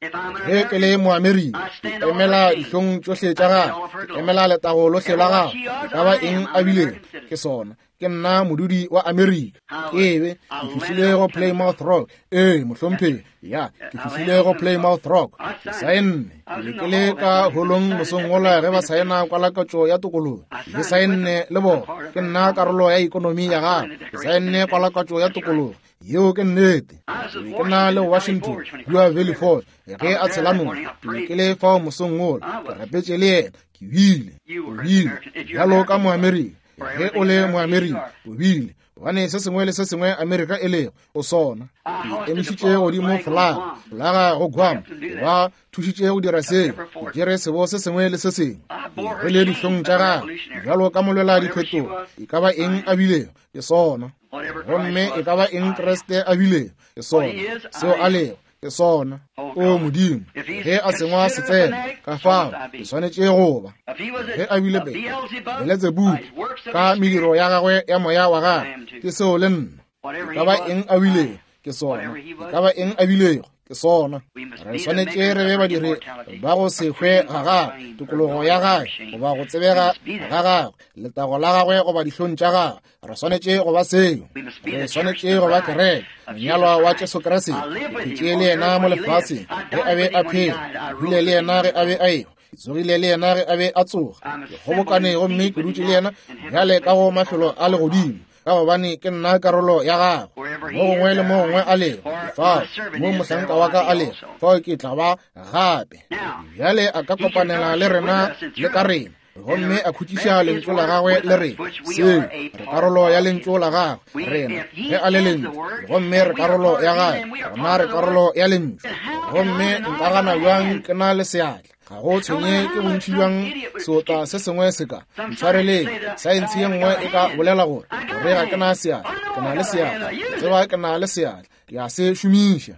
S2: Ge ke le Moamerika, ke emela dihlong tšohle tša gagwe, ke emela letago lohle la gagwe, e ka ba eng a bilego, ke sona. Ke nna modudi wa Amerika. Ke be ke fihlile go Plymouth Rock. Ee, mohlomphegi, ya, ke fihlile go Plymouth Rock. Ke saenne. Ke be ke le ka holong mosong wola ge ba saena kwalakatšo ya tokologo. Ke saenne le bona. Ke nna karolo ya ikonomi ya gagwe. Ke saenne kwalakatšo ya tokologo. Yeo ke nnete. Ke be ke na le Washington kua Valley Forge ge a tshela noka. Ke be ke le fao mosong wola. Ke rapetše le yena. Ke bile, o bile bjalo ka Moamerika. Ge o le Moamerika, o bile, gobane se sengwe le se sengwe Amerika e lego, o sona. Ke emišitše godimo folaga, folaga go Guam, ke ba thušitše go dira seo, ke tšere sebo se sengwe le se sengwe. Ke rwele dihlong tša gagwe bjalo ka molwela diphetogo, e ka ba eng a bilego, ke sona. Gomme e ka ba eng Kriste a bilego, ke sona. Seo a lego, Ke sona. O Modimo, ge a sengwa setsena, ka fao ke swanetše go ba. Ge a bile Beletsebubu ka mediro ya gagwe ya moya wa gagwe, ke seo le nna. E ka ba eng a bilego, ke sona. E ka ba eng a bilego, ke sona. Re swanetše re be badiri ba go se hwe ga gagwe, tokologo ya gagwe, goba go tsebega ga gagwe, letago la gagwe goba dihlong tša gagwe. Re swanetše go ba seo. Re swanetše go ba kereke, monyalwa wa Jesu Kriste. Ke phetše le yena mo lefaseng ge a be a phela, ke hwile le yena ge a be a ehwa, ke tsogile le yena ge a be a tsoga, ke kgobokane gomme ke dutše le yena bjale ka go mafelo a legodimo, ka gobane ke nna karolo ya gagwe. Mo gongwe le mo gongwe a lego, fao mo mohlanka wa ka a lego, fao ke tla ba gape. Bjale a ka kopanela le rena le ka rena, gomme a khutšiša lentšu la gagwe le re seo re karolo ya lentšu la gagwe. Rena ge a le lentšu, gomme re karolo ya gagwe, gona re karolo ya lentšu. Gomme nka gana bjang ke na le seatla? Ga go tshwenye ke bontši bjang seota se sengwe se ka ntshwareleng, saense ye nngwe e ka bolela gore gore ga ke na seatla. Ke na le seatla, ke tseba ke na le seatla, ke a se šomiša.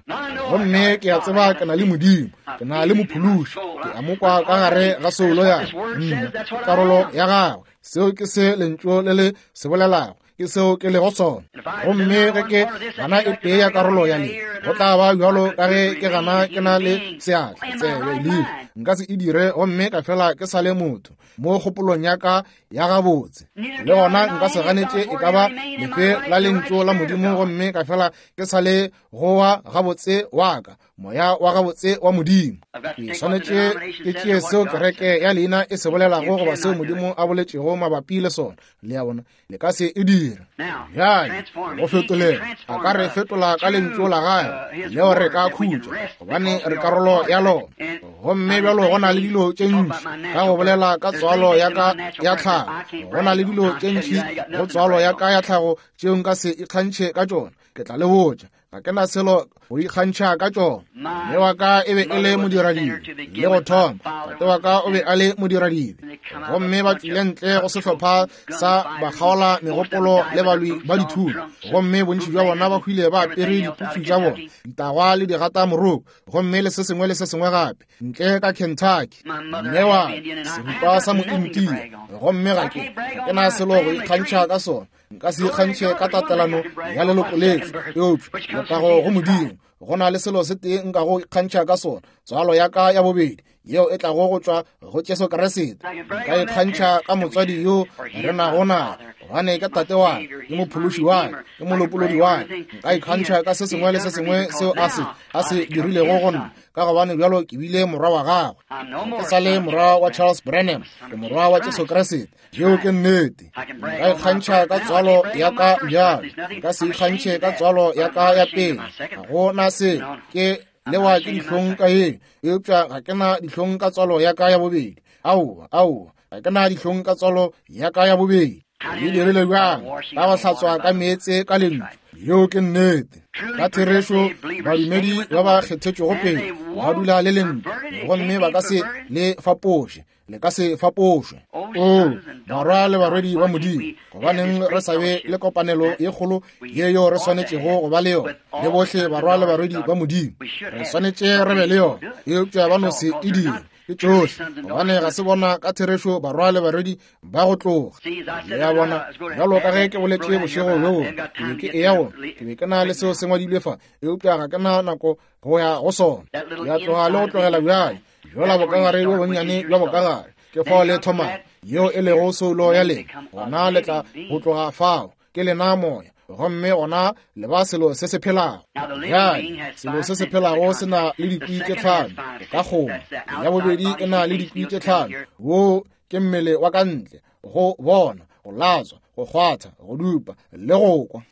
S2: Gomme ke a tseba ke na le Modimo, ke na le Mophološi, ke a mo kwa ka gare ga soulo ya nna, karolo ya gagwe. Seo ke se lentšu le le se bolelago, ke seo ke lego sona. Gomme ge ke gana e tee ya karolo ya le, go tla ba bjalo ka ge ke gana ke na le seatla, tsebe, leihlo. Nka se e dire gomme ka fela ke sa le motho mo kgopolong ya ka ya gabotse. Le gona nka se ganetše e ka ba lefe la lentšu la Modimo gomme ka fela ke sa le gowa gabotse wa ka, moya wa gabotse wa Modimo. Ke swanetše ke tšee seo kereke ya leina e se bolelago goba seo Modimo a boletšego mabapi le sona. Le a bona, le ka se e dira. Bjale go fetolela, a ka re fetola ka lentšu la gagwe leo re ka khutša, gobane re karolo ya lona. Gomme bjalo go na le dilo tše ntši ka go bolela ka tswalo ya ka ya tlhago, go na le dilo tše ntši go tswalo ya ka ya tlhago tšeo nka se ikgantšhe ka tšona. Ke tla le botša, ga ke na selo go ikgantšha ka tšona. Mme wa ka e be e le modiradibe le go thoma, tate wa ka o be a le modiradibe, gomme ba tšwile ntle go sehlopha sa bakgaola megopolo le balwi ba dithunya, gomme bontši bja bona ba hwile ba apere diputsu tša bona, ditagwa le digata moroko, gomme le se sengwe le se sengwe gape, ntle ka Kentucky. Mme wa seripa sa mointia, gomme ga ke na selo go ikgantšha ka sona. Nka se ikgantšhe ka tatelano ya leloko lešo, eupša letago go Modimo, go na le selo se tee nka go ikgantšha ka sona, tswalo ya ka ya bobedi yeo e tlago go tšwa go Jesu Kriste. Nka ikgantšha ka motswadi yo re nago naye, gobane ke tate wa ka, ke mophološi wa ka, ke molopolodi wa ka. Nka ikgantšha ka se sengwe le se sengwe seo a se dirilego go nna, ka gobane bjalo ke bile morwa wa gagwe. Ke sa le morwa wa Charles Branham, ke morwa wa Jesu Kriste. Yeo ke nnete. Nka ikgantšha ka tswalo ya ka bjalo, nka se ikgantšhe ka tswalo ya ka ya pele. Ga go na se ke lewa ke dihlong ka ye, eupša ga ke na dihlong ka tswalo ya ka ya bobedi. Aowa, aowa, ga ke na dihlong ka tswalo ya ka ya bobedi. E dirile bjang? Ka go hlatswa ka meetse ka lentšu. Yeo ke nnete. Ka therešo, badumedi ba ba kgethetšwego pele ba dula le lentšu, gomme ba ka se le fapoše. Le ka se fapošwe. O barwa le barwedi ba Modimo, gobaneng re sa be le kopanelo ye kgolo ye yo re swanetšego go ba le yona le bohle barwa le barwedi ba Modimo? Re swanetše re be le yona, eupša ba no se e dire. Ke tšohle, gobane ga se bona ka therešo barwa le barwedi ba go tloga. Le a bona, bjalo ka ge ke boletše bošego bjo, ke be ke eya go, ke be ke na le seo se ngwadilwe fa, eupša ga ke na nako go ya go sona. Ke a tloga le go tlogela bjale. Bjola bokagare bjo bonnyane bja bokagare, ke fao le thomago, yeo e lego soulo ya lena. Gona le tla go tloga fao, ke lena moya, gomme gona le ba selo se se phelago. Bjale, selo se se phelago se na le dikwi tše tlhano, o ka kgoma. Ya bobedi e na le dikwi tše tlhano, wo ke mmele wa ka ntle, go bona, go latswa, go kgwatha, go dupa le go kwa.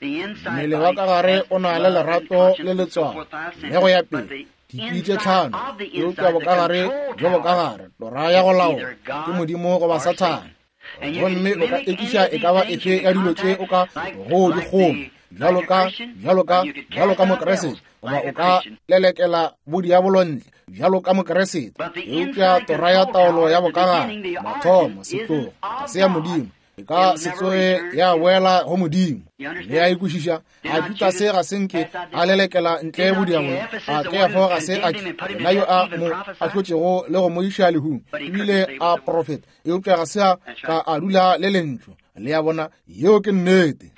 S2: Mmele wa ka gare o na le lerato le letswalo le go ya pele. Dikwi tše tlhano, eupša bokagare bjo bokagare, tora ya go laola, ke Modimo goba Sathane. Gomme o ka ekiša e ka ba efe ya dilo tše o ka go di kgoma, bjalo ka, bjalo ka, bjalo ka Mokriste, goba o ka lelekela bodiabolo ntle, bjalo ka Mokriste. Eupša tora ya taolo ya bokagare, mathomo, setlogo, ga se ya Modimo. E ka se tsoge ya boela go Modimo. Le a e kwešiša? A Judase ga se nke a lelekela ntle bodiabolo? A Kefa ga se a ke yena yo a mo ahlotšego le go mo iša lehung, ebile a profeta, eupša ga se a ka a dula le lentšu? Le a bona, yeo ke nnete.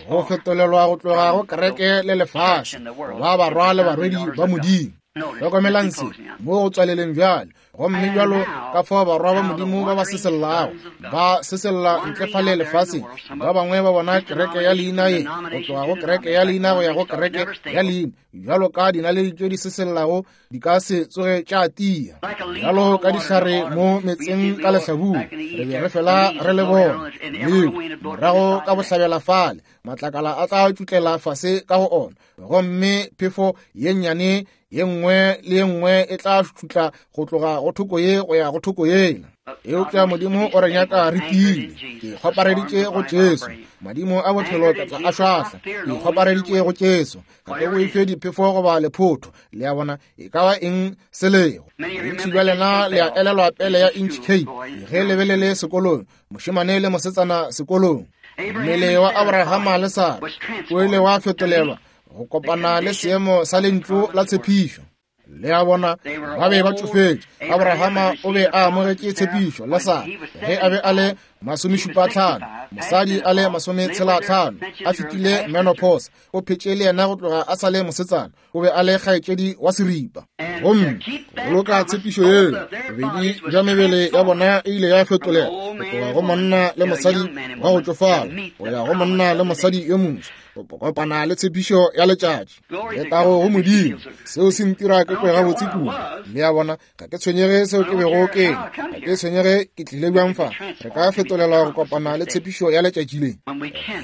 S2: Go fetolelwa go tloga go kereke le lefase, ba barwa le barwedi ba Modimo. Hlokomelang se mo go tswaleleng bjale. Gomme bjalo ka fao barwa ba Modimo ba ba sesellago, ba sesella ntle fale lefaseng, ba bangwe ba bona kereke ya leina ye, go tloga go kereke ya leina go ya go kereke ya leina, bjalo ka dinaledi tše di sesellago di ka se tsoge tša tia, bjalo ka dihlare mo metseng ka lehlabula, re be re fela re le bona leo morago ka bohlabela fale, matlakala a tla tšutlela fase ka go ona, gomme phefo ye nnyane ye nngwe le ye nngwe e tla šutla go tloga go thoko ye go ya go thoko yela. Eupša Modimo o re nyaka re tiile. Ke kgopareditše go Jesu. Madimo a bophelo ke tla a šwahla. Ke kgopareditše go Jesu. Ga ke boife diphefo goba lephotho. Le a bona, e ka ba eng se lego. Bontši bja lena le a elelwa pele ya Inch Cape ge le be le le sekolong, mošemane le mosetsana sekolong. Mmele wa Abrahama le Sara o ile wa fetolelwa go kopana le seemo sa lentšu la tshepišo. Le a bona, ba be ba tšofetše. Abrahama o be a amogetše tshepišo le Sara ge a be a le 75, mosadi a le 65, a fetile menopause. O phetše le yena go tloga a sa le mosetsana. O be a le kgaetšedi wa seripa. Gomme go boloka tshepišo yeo, bobedi bja mebele ya bona e ile ya fetolela go tloga go monna le mosadi wa go tšofala go ya go monna le mosadi yo moswa, go kopana le tshepišo ya letšatši. Letago go Modimo! Seo se ntira ke kwe gabotse kudu. Le a bona, ga ke tshwenyege seo ke bego ke, ga ke tshwenyege ke tlile bjang fa. Re ka fetolela go kopana le tshepišo ya letšatši le.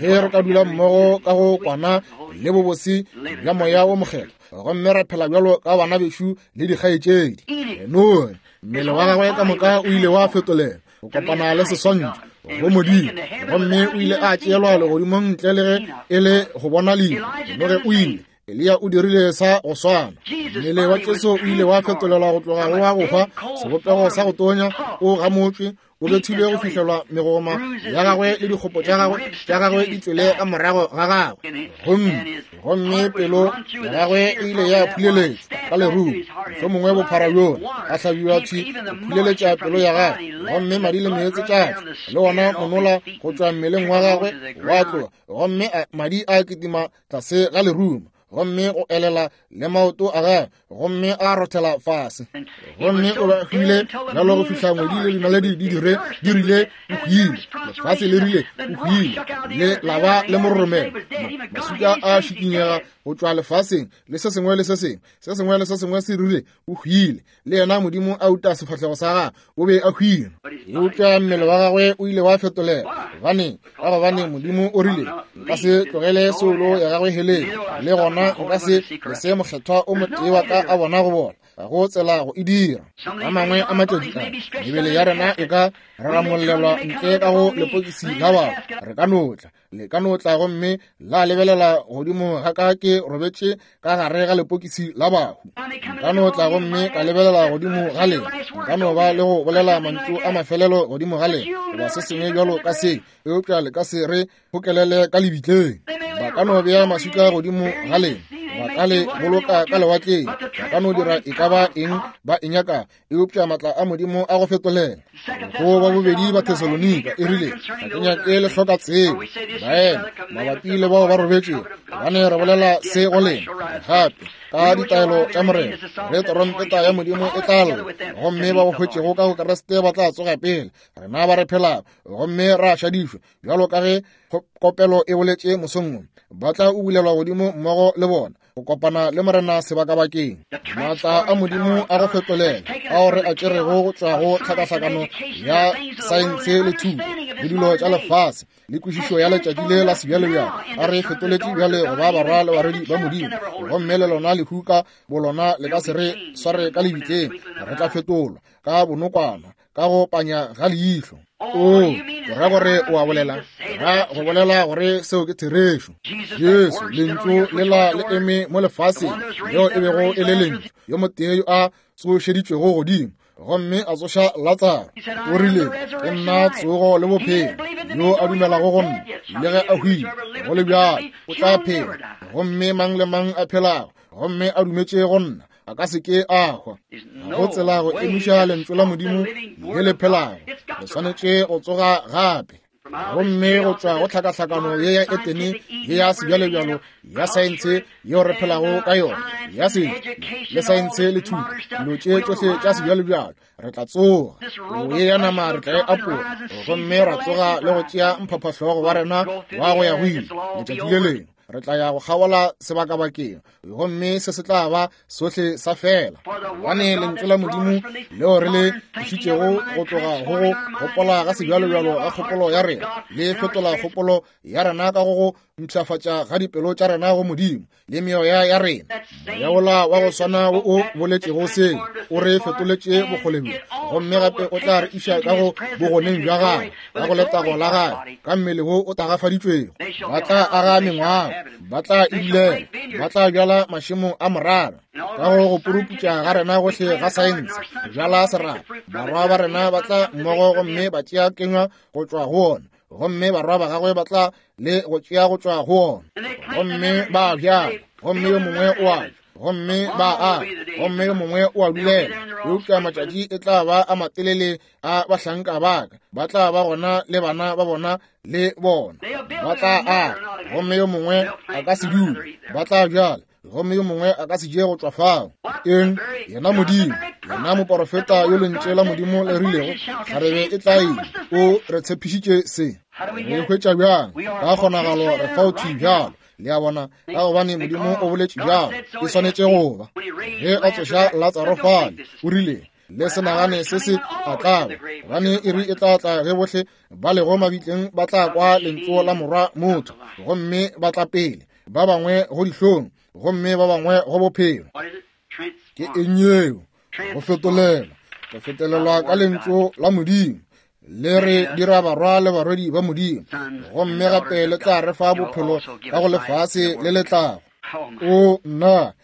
S2: Ge re ka dula mmogo ka go kwana le bobose bja Moya wo Mokgethwa, gomme ra phela bjalo ka bana bešo le dikgaetšedi. Noe, mmele wa gagwe ka moka o ile wa fetolela go kopana le seswantšho go Modimo, gomme o ile a tšeelwa legodimong ntle le ge e le go bona lehu. Noge o ile, Eliya o dirile sa go swana. Mmele wa Jesu o ile wa fetolelwa go tloga go wa go hwa, sebopego sa go tonya, o gamotšwe, o bethilwe go fihlelwa megoma ya gagwe le dikgopo tša gagwe tša gagwe di tšwele ka morago ga gagwe, gomme gomme pelo ya gagwe e ile ya phuleletšwa ka lerumo, mohlomongwe bophara bjola, a hlabiwa thwi go phuleletša pelo ya gagwe, gomme madi le meetse tša tšwa le wona monola go tšwa mmeleng wa gagwe wa tloga, gomme madi a kitima tlase ga lerumo, gomme go elela le maoto a gagwe, gomme a rothela fase, gomme o ba hwile bjalo go fihla ngwedi le dinaledi di dire di rile o hwile, lefase le rile o hwile, le la ba le mororomelo, maswika a šikinyega go tšwa lefaseng, le se sengwe le se sengwe, se sengwe le se sengwe se rile o hwile, le yena Modimo a uta sefahlego sa gagwe, o be a hwile. Eupša mmele wa gagwe o ile wa fetolela. Gobaneng? Ka gobane Modimo o rile, Nka se tlogele soulo ya gagwe heleng, le gona nka se lese mokgethwa o motee wa ka a bona go bola. Ga go tsela go e dira. A mangwe a matšatši a, mebele ya rena e ka raramollelwa ntle ka go lepokisi la batho. Re ka no tla, le ka no tla gomme la lebelela godimo ga ka ke robetše ka gare ga lepokisi la bahu. Nka no tla gomme ka lebelela godimo ga lena, nka no ba le go bolela mantšu a mafelelo godimo ga lena goba se sengwe bjalo ka se, eupša le ka se re gokelele ka lebitleng. Ba ka no bea maswika godimo ga lena, ba ka le boloka ka lewatleng, ba ka no dira e ka ba eng ba e nyaka, eupša matla a Modimo a go fetolela. Go ba bobedi ba Thesalonika e rile, ga ke nyake le hloka tsebo, baena, mabapi le bao ba robetšego, gobane re bolela se go lena gape ka ditaelo tša Morena, ge trompeta ya Modimo e tla lla, gomme ba go hwetšego ka go Kriste ba tla tsoga pele rena ba re phelago, gomme ra šadišwa, bjalo ka ge kopelo e boletše mosong wo, ba tla ubulelwa godimo mmogo le bona, go kopana le Morena sebakabakeng. Maatla a Modimo a go fetolela ao re a tšerego go tšwa go tlhakahlakano ya saense le thuto le dilo tša lefase le kwešišo ya letšatši le la sebjalebjale, a re fetoletše bjale go ba barwa le barwedi ba Modimo, gomme le lona lehu ka bolona le ka se re sware ka lebitleng. Re tla fetolwa ka bonokwana, ka go panya ga leihlo. O ra gore o a bolela, ra go bolela gore seo ke therešo. Jesu, lentšu lela le eme mo lefaseng, leo e bego e le lentšu, yo motee yo a tsošeditšwego godimo. gomme a tsoša Latsaro. O rile, Ke nna tsogo le bophelo. Yo a dumelago go nna, le ge a hwile, go le bjalo o tla phela. Gomme mang le mang a phelago gomme a dumetše go nna a ka se ke a hwa. Ga go tsela go emiša lentšu la Modimo le le phelago. Le swanetše go tsoga gape. Gomme go tšwa go tlhakahlakano ye ya Etene ye ya sebjalebjalo ya saense yeo re phelago ka yona, ya setšo le saense le thuto, dilo tše tšohle tša sebjalebjalo, re tla tsoga. O ye ya nama re tla e apola, gomme ra tsoga le go tšea mphaphahlogo wa rena wa go ya go ile. Letšatši le lengwe re tla ya go kgabola sebakabakeng, gomme se se tla ba sohle sa fela. Gobane lentšu la Modimo leo re le išitšego go tloga go go gopola ga sebjalobjalo ga kgopolo ya rena, le fetola kgopolo ya rena ka go go mpshafatša ga dipelo tša rena go Modimo le meoya ya rena. Moya wola wa go swana wo o boletšego seo o re fetoletše bokgole bjo, gomme gape o tla re iša ka go bogoneng bja gagwe, ka go letago la gagwe, ka mmele wo o tagafaditšwego. Ba tla aga mengwago, ba tla e dulela, ba tla bjala mašemo a morara. Ka go go puruputša ga rena gohle ga saense, go bjala serapa, barwa ba rena ba tla mmogo gomme ba tšea kenywa go tšwa go ona, gomme barwa ba gagwe ba tla le go tšea go tšwa go ona, gomme ba bjala, gomme yo mongwe o a ja, gomme ba a, gomme yo mongwe o a dulela. Eupša matšatši e tla ba a matelele a bahlanka ba ka, ba tla ba gona le bana ba bona le bona ba tla a, gomme yo mongwe a ka se dule, ba tla bjala, gomme yo mongwe a ka se je go tšwa fao. Eng? Yena Modimo, yena moporofeta yo lentše la Modimo le rilego kgarebe e tla ima, o re tshepišitše se. Re hwetša bjang? Ka kgonagalo re fao thwi bjalo. Le a bona, ka gobane Modimo o boletše bjalo, e swanetše go ba. Ge a tsoša Latsaro fale, o rile, Le se nagane se se a tla ba, gobane iri e tla tla ge bohle ba lego mabitleng ba tla kwa lentšu la Morwa motho, gomme ba tla pele, ba bangwe go dihlong, gomme ba bangwe go bophelo. Ke eng yeo? Go fetolela, go fetolelwa ka lentšu la Modimo. Le re dira barwa le barwedi ba Modimo, gomme gape le tla re fa bophelo ka go lefase le le tlago. O nna,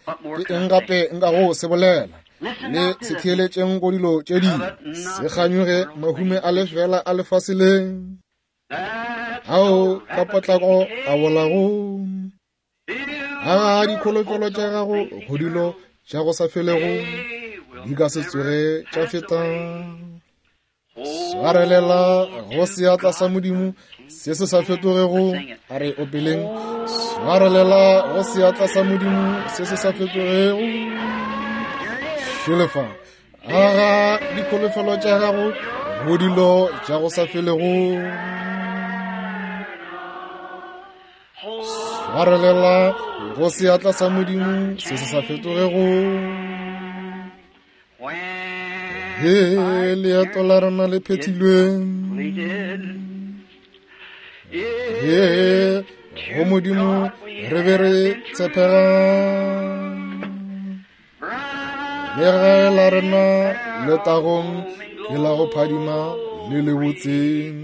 S2: ke eng gape nka go se bolela? Le se theeletšeng go dilo tše dingwe, se kganyoge mahume a lefela a lefase le, ao ka potlako a bolago. A dikholofelo tša gago go dilo tša go sa felego di ka se tsoge tša feta. Swarelela go seatla sa Modimo se se sa fetogego. A re opeleng, swarelela go seatla sa Modimo se se sa fetogego. Šelefa, aga dikholofelo tša gago go dilo tša go sa felego. Swarelela go seatla sa Modimo se se sa fetogego. He leeto la rena le phethilwe, he go Modimo re be re tshepega. Legae la rena letagong ke la go phadima le le botseng.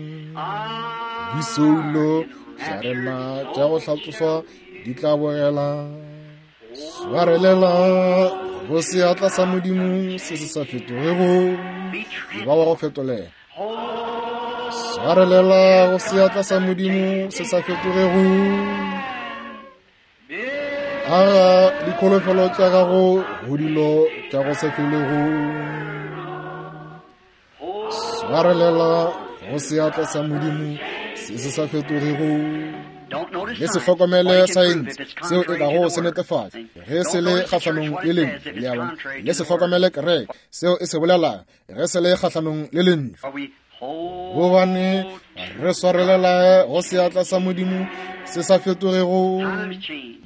S2: Disoulo tša rena tša go hlatsoswa di tla bogela. Swarelela go seatla sa Modimo se se sa fetogego, e ba wa go fetolela. Swarelela go seatla sa Modimo se sa fetogego. Aga dikholofelo tša gago go dilo tša go se felego. Swarelela go seatla sa Modimo se se sa fetogego. Le se hlokomele saense seo e kago se netefatša ge se le kgahlanong le lentšu. Le a bona? Le se hlokomele kereke seo e se bolelang ge se le kgahlanong le lentšu. Gobane re swarelela go seatla sa Modimo se sa fetogego.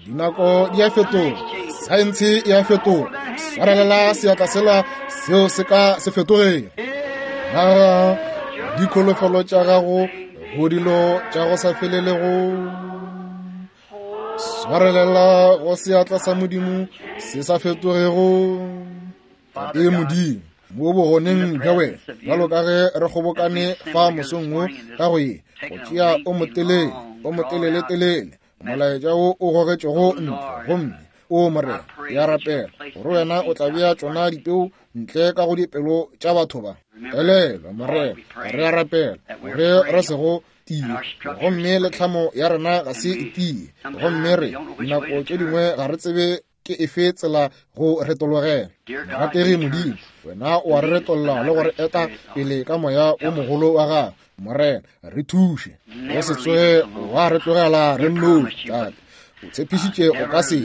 S2: Dinako di a fetoga, saense e a fetoga. Swarelela seatla sela seo se ka se fetogego. Aga dikholofelo tša gago go dilo tša go sa felelego. Swarelela go seatla sa Modimo se sa fetogego. Tate Modimo, mo bogoneng bja wena, bjalo ka ge re kgobokane fa mosong wo ka go ye go tšea o motelele, o motelele-telele molaetša wo o gogetšego ntle, gomme o Morena, Ke a rapela gore Wena o tla bea tšona dipeu ntle ka go dipelo tša batho ba. Elelwa, Morena, re a rapela gore re se go tie, gomme le tlhamo ya rena ga se e tie, gomme re dinako tše dingwe ga re tsebe ke efe tsela go retologela. Morategi Modimo, Wena o a re retolla le go re eta pele ka Moya o mogolo wa Gago. Morena, re thuše. O se tsoge wa re tlogela re nnoši, Tate. O tshepišitše o ka se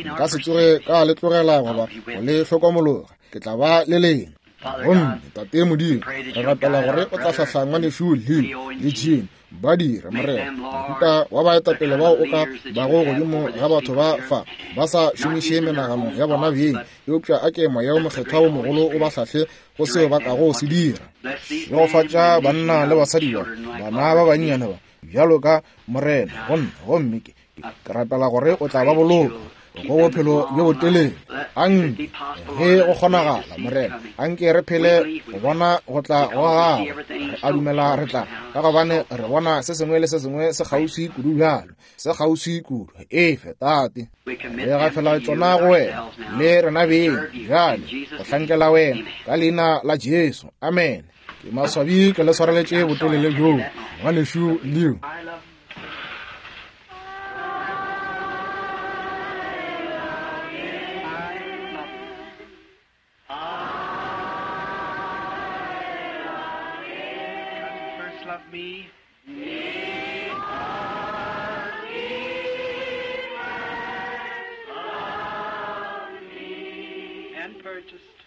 S2: nka se tsoge ka le tlogela goba go le hlokomologa. Ke tla ba le lena. Gomme, Tate Modimo, re rapela gore o tla hlahla ngwanešu Leo le Jean ba dira, Morena, mohuta wa baetapele bao o ka bago godimo ga batho ba fa, ba sa šomiše menagano ya bona beng, eupša a ke Moya wo Mokgethwa wo mogolo o ba hlahle go seo ba kago se dira. Šegofatša banna le basadi ba, bana ba bannyane ba, bjalo ka Morena, gomme, gomme ke, ke rapela gore o tla ba boloka go bophelo bjo botelele. Anke, ge go kgonagala, Morena, anke re phele go bona go tla go Gago. Re a dumela re tla, ka gobane re bona se sengwe le se sengwe se kgauswi kudu bjalo, se kgauswi kudu. Efe, Tate, re gafela tšona go Wena le rena beng bjale, go hlankela Wena, ka Leina la Jesu. Amene. Ke maswabi ke le swareletše botelele bjoo, ngwanešu Leo.
S3: And purchased.